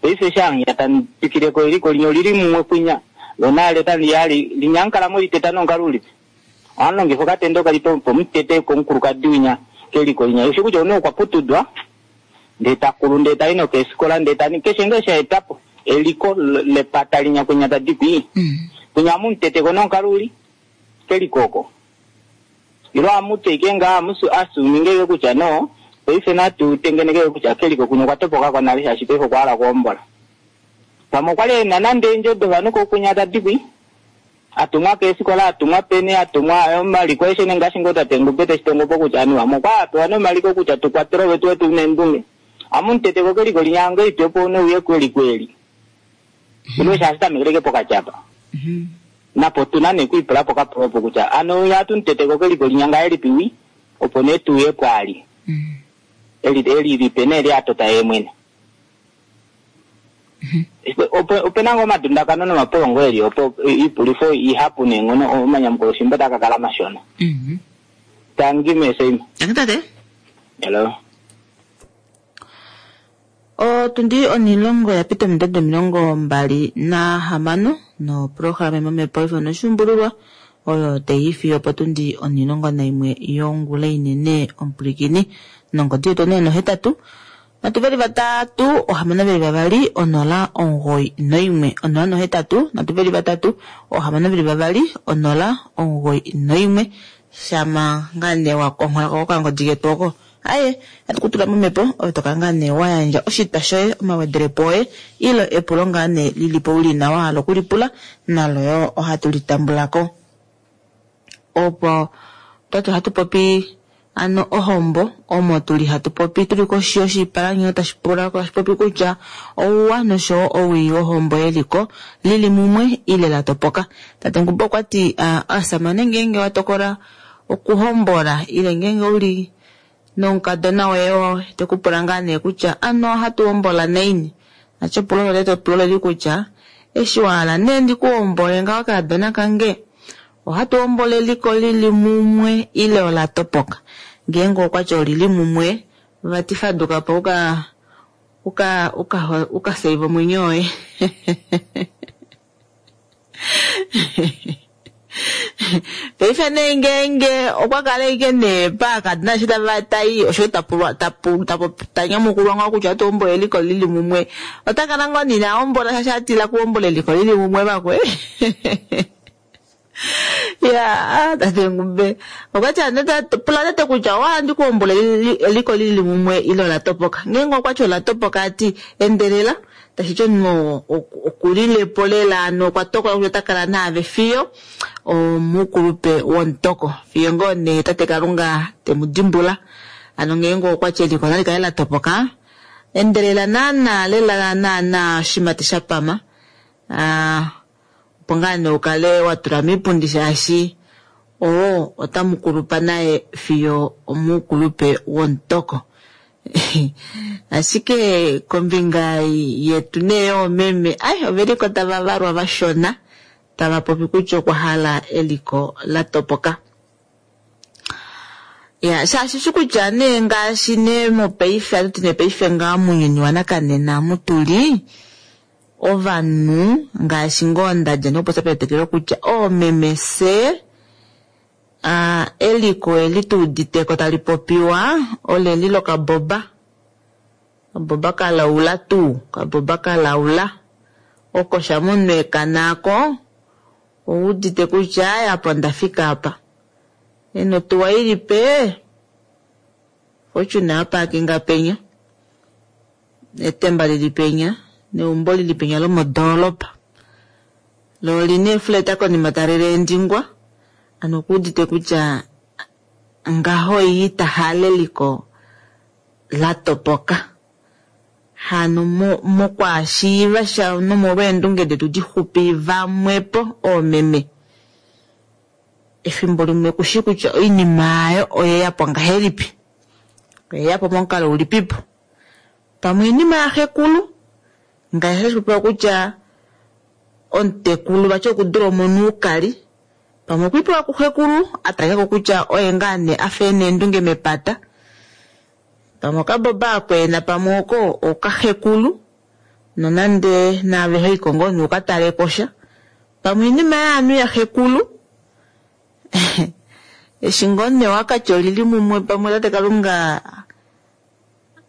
paife shanga tanipikile ko eliko linyo lili mumwe kwinya lonale tani yali linyankala mo liteta nongaluli anonge katendo kali po mutete ko nkulukadi winya keliko linya usho kutya ono kwa putudwa ndeta kulu ndeta ino kesikola ndeta ni keshe ngesha etapo eliko lepata linya kwinya tadipi. Mm. Kwinya mutete ko nongaluli kelikoko ilo amuteke nga amusu asuminge kutya no paife natu tengeneke kutya keliko kuno kwatopoka kwa shashi paife kwala kuombola pamwe kwali na nande njodo vanuko kunya tadikwi atumwa kesikola atumwa pene atumwa omaliko eshe nengashi ngo tate ngupete shitongo po kutya anu amwe kwa apewa nomaliko kutya tukwatele wetu wetu nendunge amuntete ko keliko linyange itepo nouye kweli kweli ilo shashi tamekeleke pokachapa. Mm-hmm. Napo tuna nekuipula pokapulopo kutya ano yatuntete ko keliko linyanga elipiwi opo netuye kwali. Mm. Eli eli lipene eli atota ye mwene. Mm-hmm. Opo ope nango madundakano nomapolongo eli opo ipulifo ihapu nenghono omanyamukolo shimbo takakala mashona. Mm-hmm. Tangi meseima. Tangi tate. Hello. Otundi onilongo ya pita ominute omilongo mbali na hamano no programa momhepo ifo noshuumbululwa oyo tayi fiyo potundi onilongo naimwe yongula inene omupwilikini nongodi yetu onola nohetatu nhatu veli vatatu ohamano veli vavali onola omugoyi noimwe onola nohetatu nhatu veli vatatu ohamano veli vavali onola omugoyi noimwe shama ngaa nee wakonghola ko okangodi ketu oko aye atukutula momhepo oyo tokala ngaa nee wayandja oshitwa shoye omawedelepo oye ile epulo ngaa nee lilipo uli nawa wahala okulipula nalo yo ohatu litambulako. Opo twati ohatu popi ano ohombo omo tuli hatu popi tuli koshi yoshipalanyolo tashi pula tashi popi kutya ouwa noshowo owii wohombo yeliko lili mumwe ile la topoka. Tate Ngumbo okwa ti aasamane ngeenge wa tokola okuhombola ile ngeenge uli Nomukadona woye oo te ku pula ngaa nee kutya ano ohatu hombola naini. Nacho epulo loye epulo leli kutya eshi wa hala nee ndikuhombole ngaho kaadona kange, ohatu hombola eliko lili mumwe ile ola topoka? Ngeenge okwati olili mumwe, vati faduka po uka uka uka uka save omwenyo woye. Paife nee ngeenge okwa kala ashike nee paakadona eshi tava tai osho tapulwa tapu tapu tanyamukulwa ngaho kutya ohatu hombola eliko lili mumwe, ota kala ngoo nina hombola shaashi atila kuhombola eliko lili mumwe vakwe. Ya, tate Ngumbe okwati ano pula tete kutya owa hala ndikuhombola eliko lili mumwe ile ola topoka. Ngeenge okwati ola topoka ati endelela, tashi ti omunhu okulilepo lela ano okwa tokola kutya ota kala naave fiyo omukulupe womutoko, fiyo ngoo nee tate Kalunga temu dimbula. Ano ngeenge okwati eliko nali kale la topoka, endelela naana lela naana oshimati sha pama. Ah, opo ngaa nee ukale wa tula miipundi shaashi oo otamu kulupa naye fiyo omukulupe womutoko. Ashike kombinga yetu nee yoomeme, ai oveliko tava valwa vashona tava popi kutya okwa hala eliko la topoka. Ya, shaashi shi kutya nee ngaashi nee mopaife, atuti nee paife ngaa mounyuni wanakanena mutuli ovanhu ngaashi ngoo ndadja nokupopya petetekelo kutya oomeme se uh, eliko eli tuuditeko tali popiwa oleli lokaboba, kaboba kalaula tuu, kaboba kalaula oko shamunwe nako oudite kutya aya apo ndafika apa eno tuwa ilipe Fortune apakinga penya, etemba lili penya, neumbo lili penya lomodoolopa lo olina eefleta konima tali leendingwa. Ano okuudite kutya ngaho iyi tahala eliko la topoka. Hano mokwaashiiva sha nomolweendunge detu dixupi vamwepo oomeme, efimbo limwe kushi kutya oinima ayo oyeyapo ngahelipi, oyeyapo momukalo ulipipo. Pamwe oinima yaxekulu ngaashi hashi popiwa kutya omutekulu vati okudula omunu ukali, pamwe okwiipewa kuxekulu atalekako kutya oye ngaa nee afa ena eendunge mepata, pamwe okaboba akweena pamwe oko okaxekulu nonande naave hoiko ngoo nee ukataleko sha, pamwe oinima yaanhu yaxekulu. Eshi ngoo nee wakati olili mumwe pamwe tate Kalunga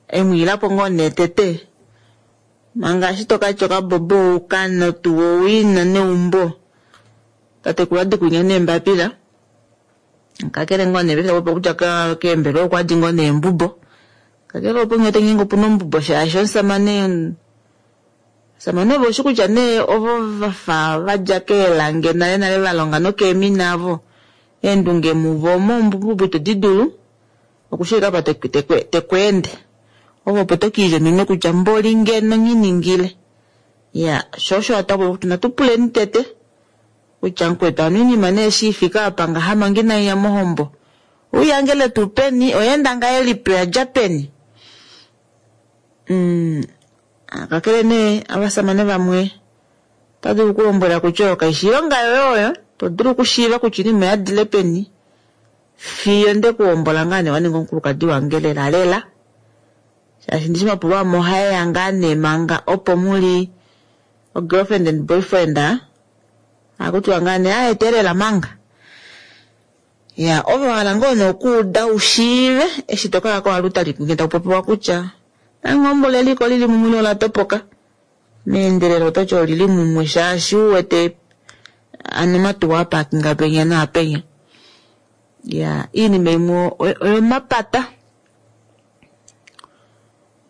emwiilapo ngoo nee tete, manga eshi tokati okaboba oukano tuu owina neumbo, tatekulu adikunya neembapila, kakele ngoo nee paife kutya keembelewa okwadi ngoo neembubo, kakele opo ngee ngeenge opuna ombubo shaashi omusamane omusamane ovo oshi kutya nee ovo vafa vadja keelange nale nale valonga nokeemina avo, eendunge muvo omo ombubo ito di dulu okushilika apa tekweende, ovo opo tokiilya ominwe kutya mboli ngeno nginingile. Ya, sho osho hatu kuti natupuleni tete kutya mukwetu ano oinima nee eshi ifika apa ngaha manga inaiya mohombo, ouyangele tuu peni, oyeenda ngahelipi, oyadja peni. Mm, kakele nee ovasamane vamwe ota dulu okulombwela kutya oyo kaishi ilonga yoye oyo, to dulu okushiiva kutya oinima oyadile peni fiyo ndekuhombola ngaa nee waninga omukulukadi wange lela lela, shaashi ndishi mapulo amwe ohaeya ngaa nee manga opo muli o girlfriend and boyfriend, akutiwa ngaa nee aetelela manga. Ya, ovo hala ngoo nee okuuda ushiive eshi tokala koaluta likunge taku popiwa kutya nangombola eliko lili mumwe ola topoka, meendelelo ototi olili mumwe shaashi uwete ano matuwa apakinga penya naapenya. Ya, iinima imwe oyomapata.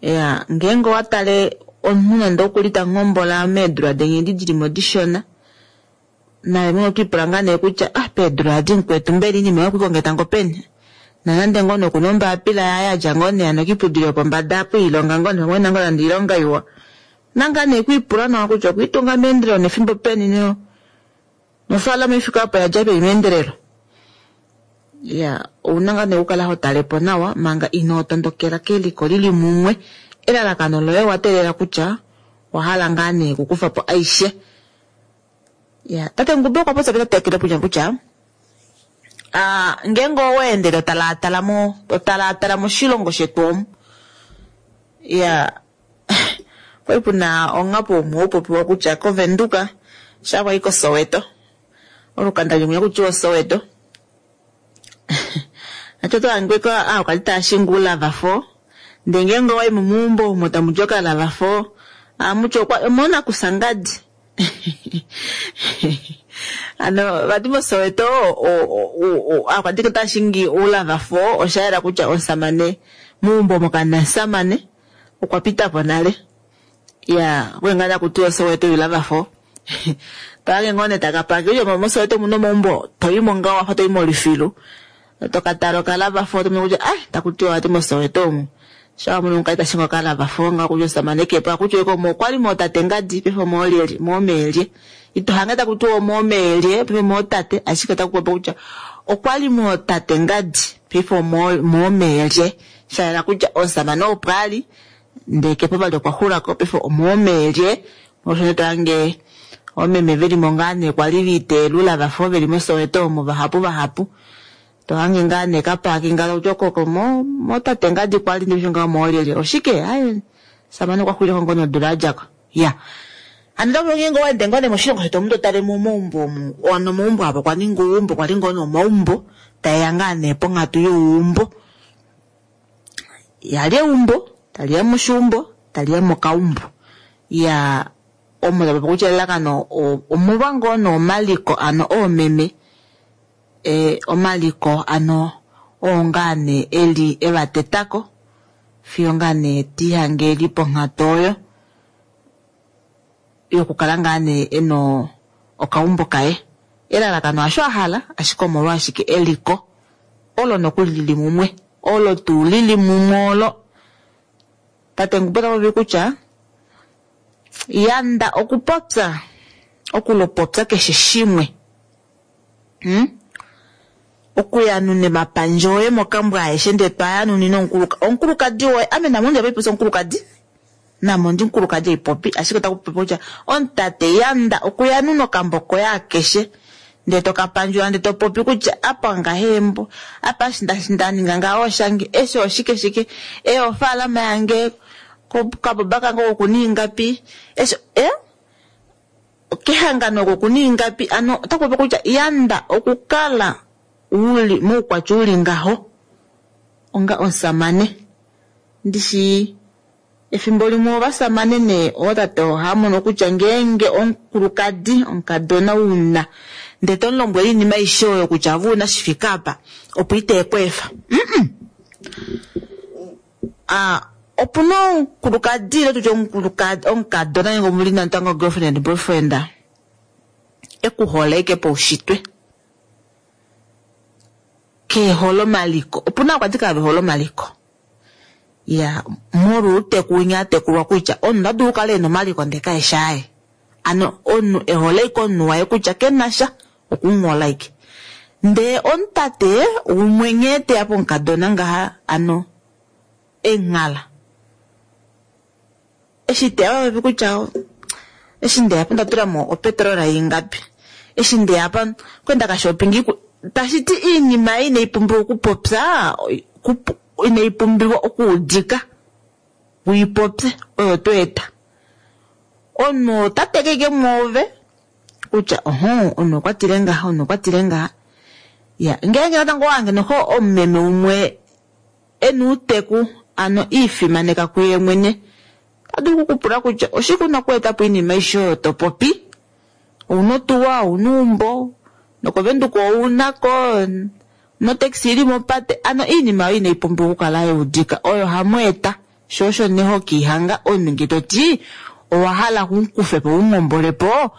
Ya, ngeenge owatale omunhu nande okuli tanghombola meedula denye edi dili mo dishona, naye mwene otwiipula ngaa nee kutya ah peedula adi mukwetu mbela iinima yokuikonga tango peni, nonande ngoo nee okuna ombapila yaye adja ngoo nee ano kiiputudilo yopombada apo iilonga ngoo nee pamwe nangoo nande oilonga iwa, nanga nee kwiipula nawa kutya okwiitunga meendelelo nefimbo peni no nofaalama ifika apo yadja peni meendelelo. Ya, ouna ngaa nee okukala ho tale po nawa manga inoo tondokela keliko lili mumwe. Elalakano loye wa teelela kutya owa hala ngaa nee okukufa po aishe. Ya, tate Ngube okwa popya petatekele kutya kutya ah, ngeenge owa ende to talaatala mo to talaatala moshilongo shetu omu. Ya, kwali puna ongapo umwe upopiwa kutya koVenduka sha kwali koSoweto. Olukanda limwe kutya oSoweto. Acho to angwe ko ah kwali tashingula vafo. Ndee ngeenge owayi momuumbo omo tamu di okalava fo, amuti okwa omona kusangadi. Ano vati moSoweto akwati tashingi oulava fo oshayela kutya omusamane muumbo omo kamuna omusamane okwa pita po nale. Ya, okwali ngaa takuti oSoweto yulava fo. Twaange ngoo nee taka pake kutya moSoweto omuna omaumbo toyimo ngaho wafa toyi molufilu. Tokatala okalava fo tomono kutya ah takuti vati moSoweto omu. Sha wamono omukayi tashingi okalava fo ngaho kutya omusamane kepo akuti omo okwali mootate ngadi paife omoolyelye moomeelye. Ito hange takuti omoomeelye paife omootate ashike otaku popi kutya okwali mootate ngadi paife omoomeelye. Shayela kutya omusamane opo ali ndee kepo vali okwa xulako paife omoomeelye. Molwasho tohange oomeme velimo ngaa nee kwali viiteelula vafa veli moSoweto omo vahapu vahapu. Tohange ngaa nee kapaki ngaho kutya okoko mo motate ngadi kwali ndee ngaho moolyelye oshike aye samane okwa xulileko ngoo nodula yadjako. Ya, ano otaku ngeenge owaende ngoo nee moshilongo shetu omu totale momaumbo omu ano omaumbo apa okwa ninga oumbo kwali ngoo nee omaumbo taeya ngaa nee ponghatu youumbo. Yali eumbo taliya moshiumbo taliya mokaumbo. Ya, omo tapopi kutya elalakano omolwa ngoo nee omaliko ano oomeme e omaliko ano oo ngaa nee eli evatetako fiyo ngaa nee tihange eli ponghatu oyo yokukala ngaa nee ena okaumbo kaye. Elalakano hasho ahala ashike omolwashike eliko olo nokuli lili mumwe olo tuu lili mumwe olo. Tate Ngube ota popi kutya yanda okupopya okulopopya keshe shimwe. Hmm? Okuyanuna emapandja oye mokambo aeshe ndee twayanunine omukuluka omukulukadi woye ame namo ndi apaipopya omukulukadi namo ndi omukulukadi eipopi ashike otaku popi kutya omutate yanda okuyanuna okambo koye akeshe ndee tokapandjula ndee topopi kutya apa ngahembo apa ndaninga ngaho oshange eshi oshike shike e ofaalama yange kaboba kange okuna ingapi eshi e kehangano oko okuna ingapi ano otaku popi kutya yanda okukala uli moukwatya uli ngaho onga omusamane. Ndishi efimbo limwe ovasamane nee ootate ohamono kutya ngeenge omukulukadi omukadona una ndee tomulombwele oinima aishe oyo kutya ave una shifika apa opo ite ku efa. Mm-mm. Ah, opuna omukulukadi ile tutye omukulukadi omukadona nenge omuli natango girlfriend and boyfriend ekuhole ashike paushitwe kehole omaliko. Opuna akwati kave hole omaliko. Ya, molwa outeku winya atekulwa kutya omunhu ota dulu okukala ena omaliko ndee kaeshi aye. Ano omunhu ehole ashike omunhu waye kutya kenasha okumuhola ashike. Ndee omutate umwe nghee teya pomukadona ngaha ano enghala. Eshi teya popi kutya eshi ndeya po ndatulamo opetrol ingapi. Eshi ndeya pa kwenda kashopping tashiti iinima inai pumbiwa okupopya inai pumbiwa okuudika uipopye oyo to eta. Omunhu ota teke ashike mwoove kutya oho omunhu okwa tile ngaha omunhu okwa tile ngaha. Ya, ngeenge natango owange noho omumeme umwe ena uuteku ano iifimaneka kuye mwene ota dulu okukupula kutya oshike una okweeta po iinima aishe oyo to popi. Ouna otuwa, ouna eumbo, nokovenduka ounako notaxi ili mopate ano iinima oyo inai pumbiwa okukala yaudika oyo hamu eta sho osho nee hokiihanga omunhu ngee toti owa hala umukufe po umuhombolepo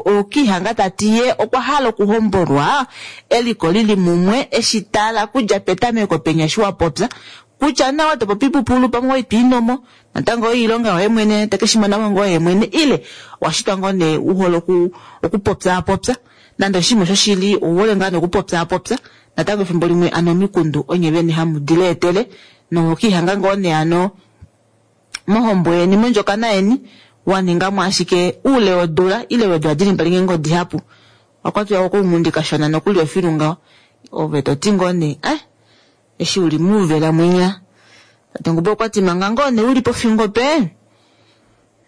okiihanga tati ye okwa hala okuhombolwa eliko lili mumwe eshi tala kudja petameko penya eshi wapopya kutya nawa topopi pupulu pamwe oitwiinomo natango oilonga yoye mwene tekeshimona ngoo ye mwene ile washitwa ngoo nee uhole okupopyaapopya Nande oshinima shoshili ouhole ngaa nokupopyaapopya natango efimbo limwe ano omikundu onye vene hamu di leetele nohokiihanga ngoo nee ano mohombo yeni mondjokana yeni waningamo ashike uule wodula ile weedula dili mbali ngeenge odihapu wakwatiwa kounghundi kashona nokuli ofilu ngaho ove toti ngoo nee eh eshi uli muuvela mwinya tate Ngube okwati manga ngoo nee uli pofingo pe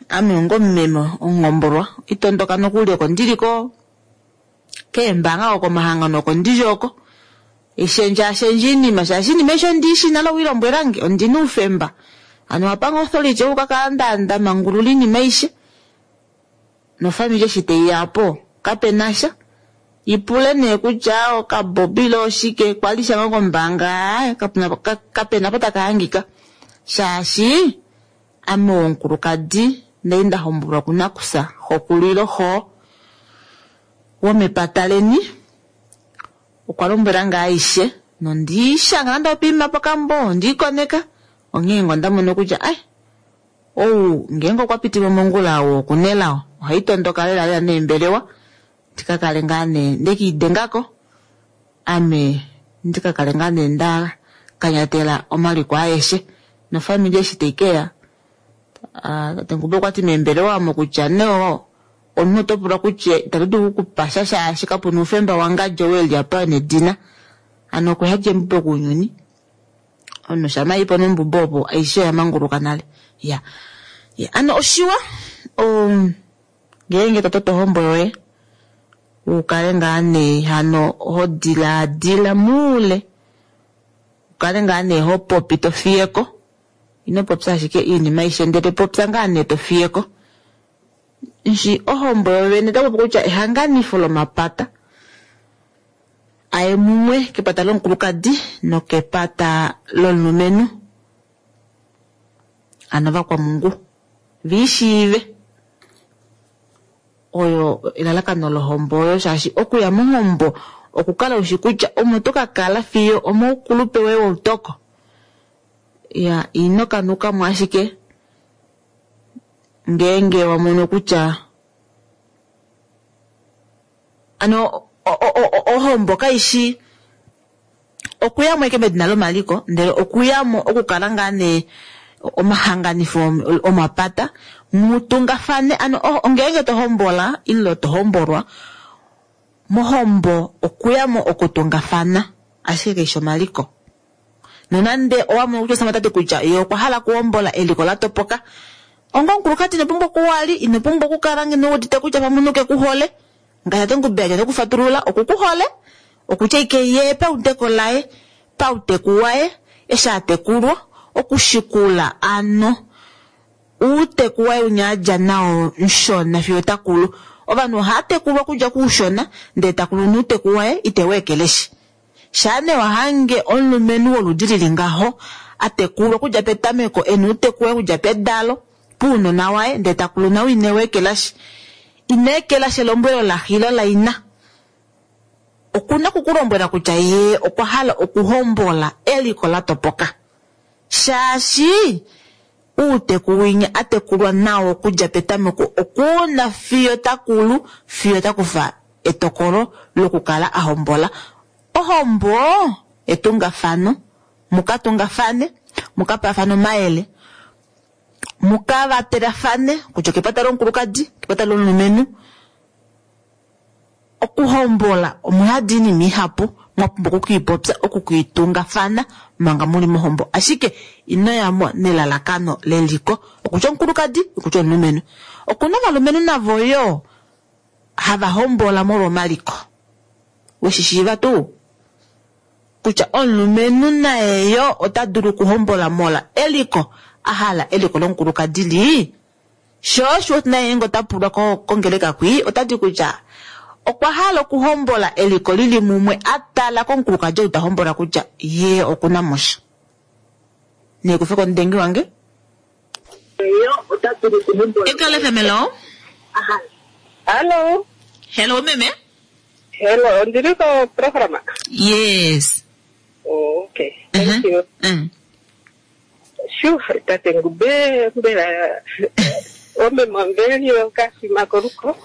ame onga omumeme omuhombolwa itondoka nokuli oko ndiliko keembanga oko komahangano oko ndili oko ishendjaashendja iinima shaashi iinima aishe ondiishi nale owiilombwelange ondina oufemba ano wapanga authority oku kakala nda mangulula iinima aishe nofamili eshi teiyapo kapenasha ipule nee kutya okabobilo oshike kwali shanga kombaanga kapena po takahangika shaashi ame omukulukadi ndali nda hombolwa kunakusa xokulilo xo womepata leni okwa lombwela ngaa aishe nondiishanga nande opiima pokambo ondiikoneka onghee ngo ndamona kutya ai ou ngeenge okwa pitile mongula ou okunelao ohaitondoka lela lela neembelewa ndikakale ngaa nee ndekiidengako ame ndikakale ngaa nee nda kanyatela omaliko aeshe nofamili eshi taikeya tate Ngube okwati meembelewa omo kutya neo omunhu oto pulwa kutya itatu dulu okukupasha shaashi kapuna oufemba wangadjo weliapa nedina ano okuyadja embubo kounyuni omunhu shama ipo nombubo opo aishe oya manguluka nale ya ya ano oshiwa um, ngeenge to toto ohombo yoye ukale ngaa nee hano ho dilaadila muule ukale ngaa nee ho popi to fiyeko ino popya ashike iinima aishe ndele popya ngaa nee to fiyeko nshi ohombo yovene otapopi kutya ehanganifo lomapata aye mumwe kepata lomukulukadi nokepata lomulumenhu ano vakwamungu viishiive oyo elalakano lohombo oyo shaashi okuya mohombo okukala ushi kutya omo to kakala fiyo omoukulupe woye woutoko ya ino kanukamo ashike ngeenge wamono kutya ano ohombo kaishi okuyamo eke medina lomaliko ndele okuyamo okukala ngaa nee omahanganifo omapata mutungafane ano ngeenge tohombola ile tohombolwa mohombo okuyamo okutungafana ashike kaishi omaliko nonande owamono kutya osamatati kutya ye okwa hala okuhombola eliko la topoka onga omukulukadi ino pumbwa okuwali ino pumbwa okukala ngeno wuudite kutya pamwe omunhu kekuhole ngaashi tate Ngube aja tekufatulula okukuhole okutya ike ye paudeko laye pauteku waye eshi atekulwa okushikula ano uuteku waye unya adja nao nshona fiyo takulu ovanhu ohava tekulwa okudja kuushona ndele takulu nuuteku waye itewu ekeleshi shaa nee wahange omulumenhu woludi lili ngaho atekulwa okudja petameko ena uuteku waye okudja pedalo puunona waye ndele takulu nao inewu ekelashi ina ekelashi elombwelo laxe laina okuna okukulombwela kutya ye okwa hala okuhombola eliko la topoka shaashi uuteku winya atekulwa nao okudja petameko okuna fiyo takulu fiyo takufa etokolo lokukala ahombola ohombo etungafano mukatungafane mukapaafane omayele mukavatelafane kutya okepata lomukulukadi okepata lomulumenhu okuhombola omuyadi iinima ihapu mwapumbwa okukiipopya okukiitungafana manga muli mohombo ashike inoyamo nelalakano leliko okutya omukulukadi okutya omulumenhu okuna ovalumenhu navo yo hava hombola molwa omaliko weshishiiva tuu kutya omulumenhu naye yo ota dulu okuhombola mola eliko ahala eliko lomukulukadi li sho osho naye ngeenge ota pulwa kongeleka kwii otati kutya okwa hala okuhombola eliko lili mumwe atala komukulukadi ou ta hombola kutya ye okuna mosha nekufe komudengi wange Eagle F M hello. Hello. Hello meme. Hello, ndili ko program. Yes. Oh, okay. Thank uh-huh. you. Mm. Shu, tate Ngube mbela ome mwambeli okashima koruko.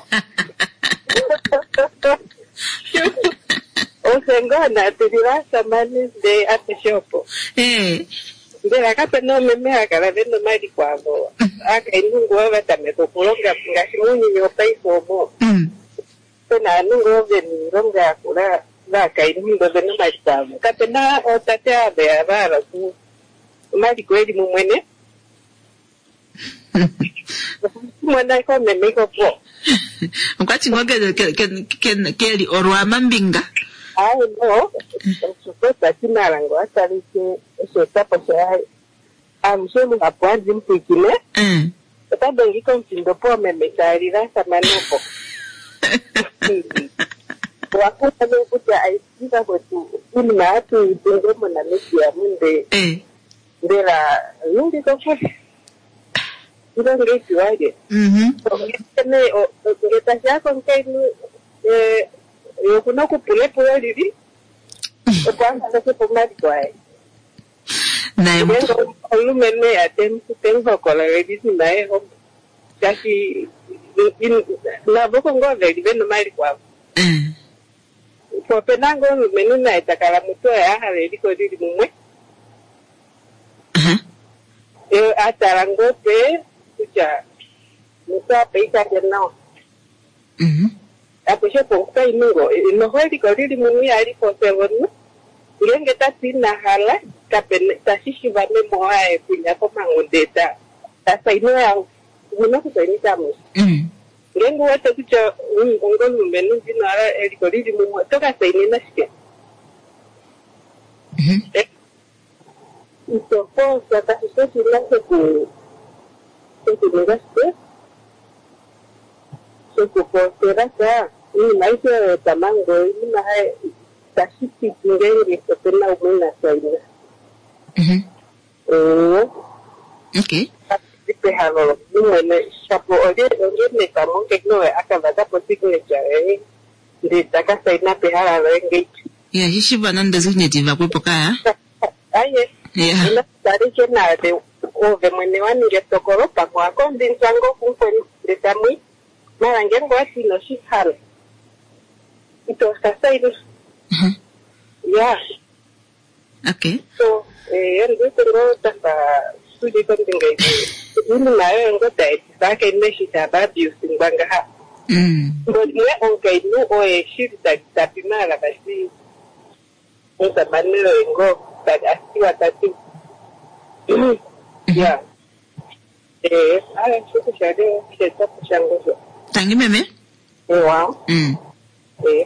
Ofye ngoo naatulila asamane ndee apeshe opo. Eh. Mbela kape na oomeme haya kala ve na omaliko avo aakainhu ngoo va tameka okulonga ngaashi mounyuni wopaife omo. Mm. Pe na ovanhu ngoo ve na oilonga yakula vaakainhu ndoo ve na omaliko avo. Kape na ootate ava ya va hala oku omaliko eli mumwe ne. Mona koomeme ikopo. Okwati ngoo ke- ke- ke- ke- keli olwamambinga. Aye no, osho malango atalike osheetwapo shaye alushe luhapu handi mupwikine Mm. ota dengi komufindo poomeme taalila asamane opo. Owakumwa nee kutya aisika kwetu iinima hatu yi tunge moNamibia munde Eh. mbela yingi kokule ilonge ipiwalye. Mhm. Ne ngele tashiya komukainhu eh, ye okuna okupula epulo lili opo a kaleke po omaliko aye. Naye Ngeenge mutu. omulumenhu eya te mu hokololele iinima yeho shaashi navo ko ngoo veli vena omaliko avo. Eh. Po opena ngoo omulumenhu naye ta kala mutu oye a hala eliko lili mumwe Aha. ye a tala ngoo pe kutya mutu apa ikalye nawa. Mhm. Apeshe po omukainhu ngoo noho eliko lili mumwe ihali poselwa omunhu ngeenge tati ina hala kapena tashi shiva meme waye kunya komanghunde ta ta saina yawo omuna okusainisa amushe. Mm. Ngeenge uwete kutya onga omulumenhu ndino hala eliko lili mumwe oto ka sainina shike? Mhm. Ito forsa kashi shi oshinima shoku shokuninga shike shokufosela sha iinima aishe oyo yopamango iinima hai tashi piti ngeenge opena umwe ina saina. Mhm. Ee, Okay. li pehalo lomunhu mwene shapo olye olye nepamwe omukainhu oye a ka vaka po signature yoye ndee taka saina pehala loye ngeiti. Ya shishiva nande signature vakwepo kaya. Aye. Ya. Ina talike naave ove mwene wa ninga etokolo pamwe wa kondinswa ngoo kumukweni ndee tamwi mala ngeenge owati ino shi hala ito ka saina. Mhm. Ya Okay. so eh ndiwete ngoo tafa tuli kombinga imwe iinima yoyo ngoo taetifa akainhu eshi tava abusingwa ngaha. Mm. Ngomwe omukainhu oye shili tapi maala vati omusamane oye ngoo atiwa tati ya ee aye shokusha le osheetwapo shange osho. Tangi meme. Ewa Mm. ee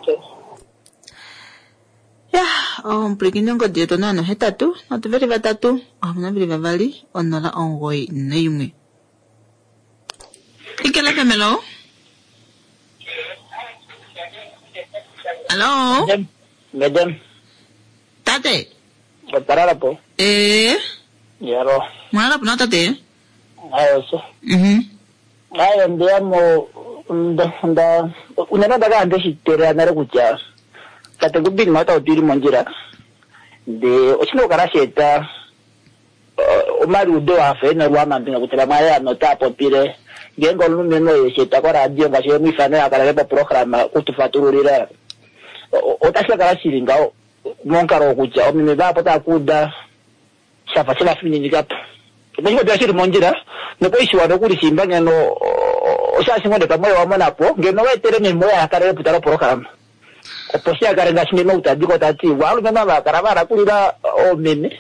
Ya, omupulakeni ongodi yetu onola nohetatu, nhatu veli vatatu, ohamano veli vavali, onola omugoyi naimwe. Ikela F M, hello? Hello? Madam, madam, Tate? otwa po. Eh, Yaro, mwalala po na tate? ayo so. Mhm. Ayo ndiya mo nda nda unene ndakala ndeshiteelela nale kutya tate Ngubini ota tuli mondjila ndee oshina okukala sheeta omaliudo afa ena olwamambinga kutya vamwe ale ano otaya popile ngeenge omulumenhu oye sheeta koradio ngaashi emwifano yakalele poprograma okutufatululila otashi ka kala shili ngaho momukalo wokutya omeme vapo otaya kuuda shafa shevafininika po oshikopiwa shili mondjila nopoishiwa nokuli shimba ngeno oshashi ngonde pamwe wamonapo ngeno waetele meme oye akalele putala oprograma opo shi akale ngaashi meme outadiko tati waalumenhu ava kala vahala kulila oomeme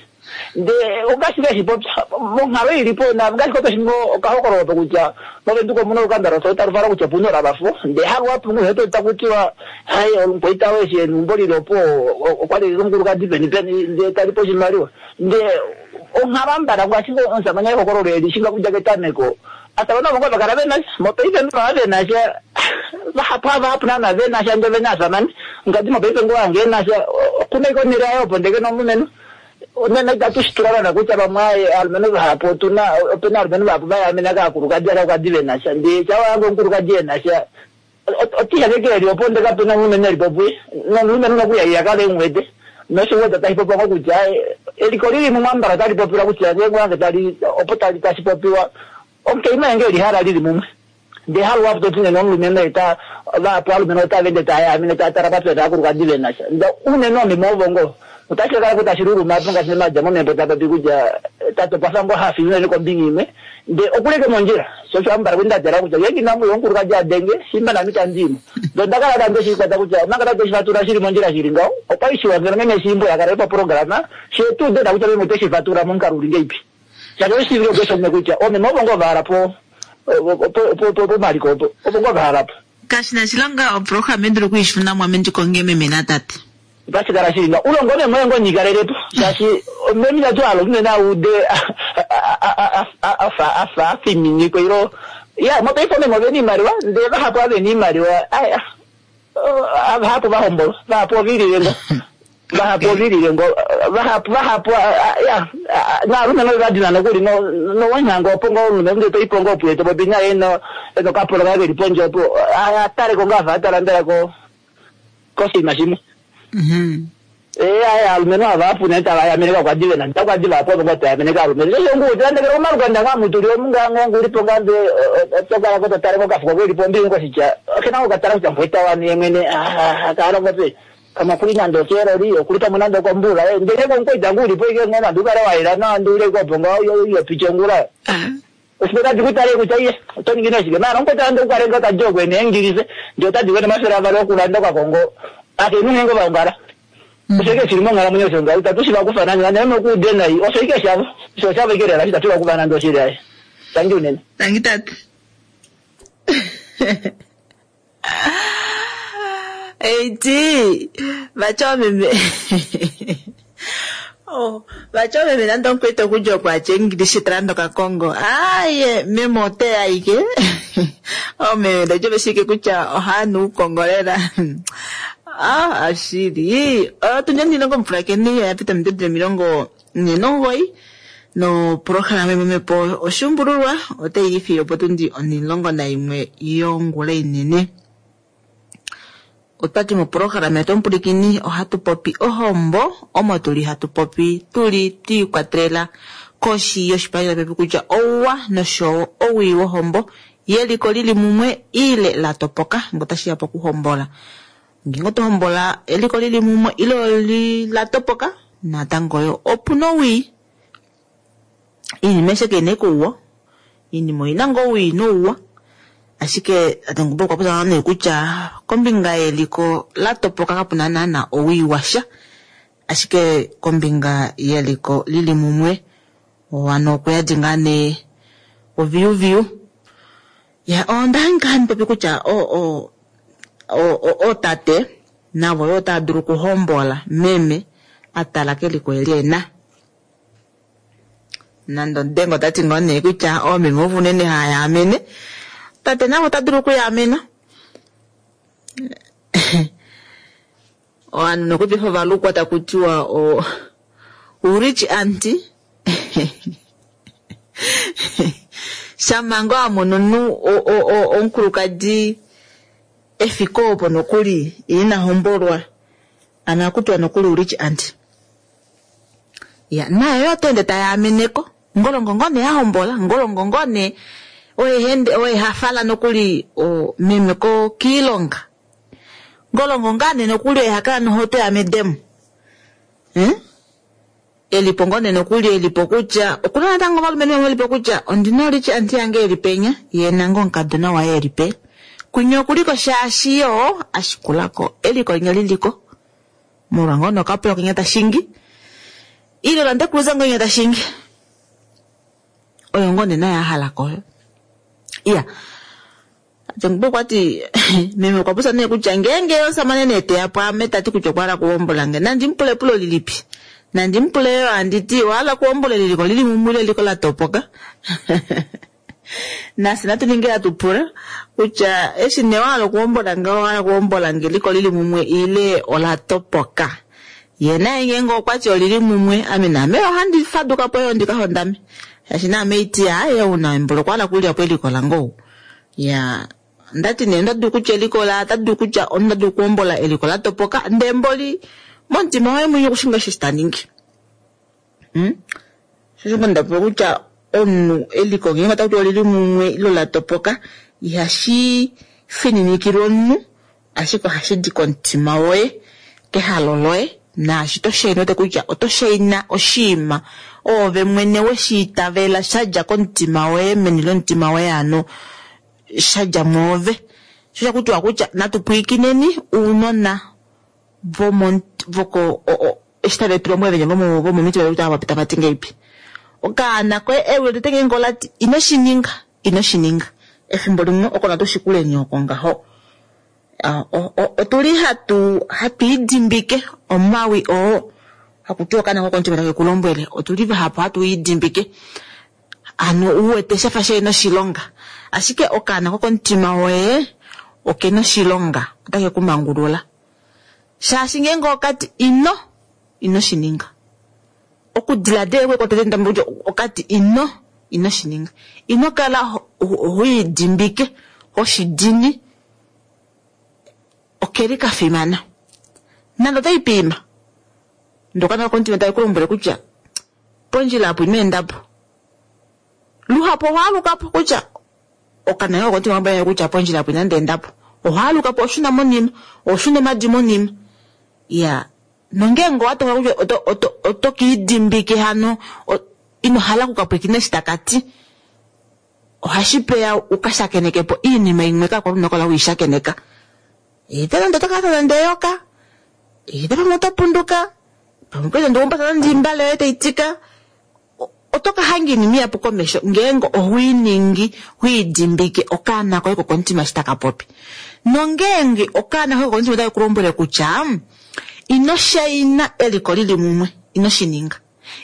ndee ongaashi ngashi popya monghalo ilipo na ngaashi kotoshi okahokololo po kutya movenduka omuna olukanda loso talu vala kutya opuna olavafo ndee haluwapu nguheto takutiwa hai olumukwaita weshi enumbo lilopo okwali omukulukadi peni peni ndee talipo oshimaliwa ndee onghalo ambala ngaashi omusamane ehokololo eli shinga kudja ketameko asamane ovo ngoo vakala venasha mopaife mbava venasha vahapu havahapu naana venasha nde vena asamane ngadi mopaife ngoo wange enasha okuna iko onhele yaye opo ndeke nomulumenhu nena itatu shitula nana kutya vamwe aye alumenhu vahapu otuna opena alumenhu vahapu vayamena kaakulukadi akaukadi venasha ndee shawa yange omukulukadi enasha otihakeke eli opo nde kapena omulumenhu eli popuye nomulumenhu nokuya kale emwete noshiweta tashi popiwa ngo kutya eliko lili mumwe ambala otali popiwa kutya ngeenge wange tali opo tali tashi popiwa omukainhu enge eli hala lili mumwe Ndee haluhapu toti nene omulumenhu eta vahapu alumenhu otava ende taya taya tala papya aakulukadi vena sha. Nda unene oomeme ovo ngoo otashi kala ko tashi luluma po ngaashi madja momhepo ta popi kutya tate okwa fa ngoo hafi unene kombinga imwe nde okuleke mondjila sho osho ambala kuli ndatala kutya ngeenge inamu ya omukulukadi adenge shimba nami tandimo ndo ndakala tandi shikwata kutya omanga tate shifatula shili mondjila shili ngaho okwali shiwa ngeno meme shimbo yakala paprograma shetu dena kutya meme ote shifatula momukalo uli ngeipi shaashi oshivile okeshomume kutya oomeme ovo ngoo vahala po pomaliko opo ovo ngoo vahala po Kashi na shilonga oprograma endulu kuishuna mwame ndikonge meme natate. Otashi kala shili ngaho ulongo meme oye ngoo nyikalelepo shaashi meme itatu hala unene aude afa afa afiminikwe ilo ya mopaife omeme ovena iimaliwa ndee vahapu avena iimaliwa aya vahapu vahombolwa vahapu ovilile ngo vahapu ovilile ngo vahapu vahapu ya naalumenhu vadina nokuli nowanyanga opo ngo omulumenhu ndee toipo ngo opuye topopi naye eno enokapolo kaye keli pondje opo ataleko ngo afa atala mbela ko koshinima shimwe. Ee aya alumenhu ava ne tava yamene kakwadi vena ntakwadi vapo ovo ngo tayamene kaalumenhu shosho nguti landekele omalukanda nga mutuli omunga ngo ngulipo nga nde otokala ko totale ko kafuko kelipo ombinga koshitya okena ngo katala kutya mbweta wani ye mwene kalongo pe kama kuli nande okeloli okuli pamwe nande okombula ndele konkoita ngulipo ike ngo nande ukale waela nawa ndiule kopo nga yopicha ongula oshipe tadi kutale kutya iye oto ningi neshike maana omukweta nande ukale nga kajokwe neengilise ndi otadi kwene omafele avali okulanda okakongo akenhu ngenge vaongala osho ike shili monghalamwenyo osho ngaho itatu shiva kufa nande nande nokuude nai osho ike shavo osho shavo ike lela itatu vakufa nande oshili aye tangi unene. Tangi tate. Eiti vatya omeme oh vatya omeme nande omukwete okudja okwatya English talanda okakongo aye meme oteya ike omeme ndajo veshike kutya ohanu ukongo lela ah ashili otundi ndilongo omupulakeni yapita midedele omilongo ne nomugoyi no programa yememepo oshuumbululwa otayi ifi opo tundi onilongo naimwe yongula inene. Otwati moprograma yetu omupulikini ohatu popi ohombo omo tuli hatu popi tuli twiikwatelela koshi yoshipalanyole pepi kutya ouwa noshowo owii wohombo yeliko lili mumwe ile la topoka ngo tashi ya pokuhombola. Ngeenge oto hombola eliko lili mumwe ile oli la topoka natango yo opuna owii. Iinima aishe keina ike ouwa, iinima oina ngoo owii nouwa. Ashike tate Ngumba okwa popya nee kutya kombinga yeliko la topoka kapuna naana owii washa, ashike kombinga yeliko lili mumwe wano okuyadi ngaa nee oviyuviyu. Ya onda hanga handi popi kutya o o o ootate navo yo otava dulu okuhombola meme atala keliko eli ena. Nande odengo otati ngoo nee kutya oomeme ovo unene haya amene, tate navo ota dulu okuyaamena. Ovanhu nokupifa ovalukwa taku tiwa o urich auntie shamanga amono omunhu omukulukadi efiko opo nokuli ina hombolwa ana kutiwa nokuli urich auntie. Ya naye yo otaende tayameneko ngolongo ne ahombola ngolongo ne oye hende oye hafala nokuli o meme ko kiilonga ngolongo ngane nokuli oye hakala nohoto ya medemo hmm? Elipo ngone nokuli elipo kutya okuna natango ovalumenhu vamwe elipo kutya ondina olichi anti yange elipenya ye nango omukadona waye elipe kunye okuliko shaashi yo ashikulako eliko linya liliko molwa ngono okapola kenya tashingi ile lande kuluza ngonya tashingi oyo ngone naye ahala koyo. Iya Jengbo kwati meme okwa popya nee kutya ngeenge omusamane nee teya pwaame tati kutya okwa hala okuhombola nge nandi mupule epulo lilipi nandi mupule yo anditi owa hala okuhombola eliko lili mumwe ile eliko la topoka. Nafye natu ninge hatu pula kutya eshi nee wa hala okuhombola nge owa hala okuhombola nge eliko lili mumwe ile ola topoka. Ye naye ngeenge okwati olili mumwe ame naame ohandi faduka po yo ndika hondame shaashi naame iti aye una embolo okwa hala okulya po eliko lange ou. Ya ndati nee ndadu kutya eliko la tadu kutya ondadu okuhombola eliko la topoka ndee mboli momutima waye mwenye okushinga eshi taningi. Hmm? Shosho ndapopa kutya omunhu eliko ngeenge otakuti olili mumwe ilo la topoka Ihashi fininikilwa omunhu, ashike ohashi di komutima woye, kehalo loye, naashi to shaina ote kutya oto shaina oshiima oove mwene weshi itavela sha dja komutima woye, meni lomutima woye hano sha dja mwoove. Sho osha kutiwa kutya natu pwiikineni ounona vomo voko eshi tave tu lombwele venye vomomitima detu tava ti ngahelipi. Okaana koye ewi lotete ngeenge olati ino shi ninga, ino shi ninga. Efimbo limwe oko natu shikuleni oko ngaho. Otuli hatu hatu idimbike omawi oo hakutiwa okaana kokomutima take ku lombwele, otuli vahapu hatu idimbike. Hano uwete shafa shihena oshilonga, ashike okaana kokomutima woye okena oshilonga, otake ku mangulula. Shaashi ngeenge okati ino, ino shi ninga. Okudiladila kwe kotete ndambo kutya okati ino, ino shi ninga. Ino kala ho idimbike, hoshidini, okeli kafimana. Nande otai piima, ndee okaana kokomutima take ku lombwele kutya pondjila apo ino endapo. Luhapu ohaalukapo kutya okaana kokomutima lombwele kutya pondjila apo inandi endapo. Ohaalukapo oshuna monima, oshuna omadi monima. Ya, nongeenge owatokola kutya oto, oto, oto kiidimbike hano, ino hala okukapwilikina eshi takati, ohashi peya ukashakenekepo iinima imwe kakwali una okukala weishakeneka. Ite nande oto kala nande eyoka, ite pamwe oto punduka, pamwe kwali nande oumbata nande oimbale yoye taitika, oto ka hanga iinima ihapu komesho ngeenge ohoiningi hoidimbike okaana koye kokomutima eshi taka popi. Nongeenge okaana koye kokomutima otake ku lombwele kutya ino shaina eliko lili mumwe, ino shi ninga.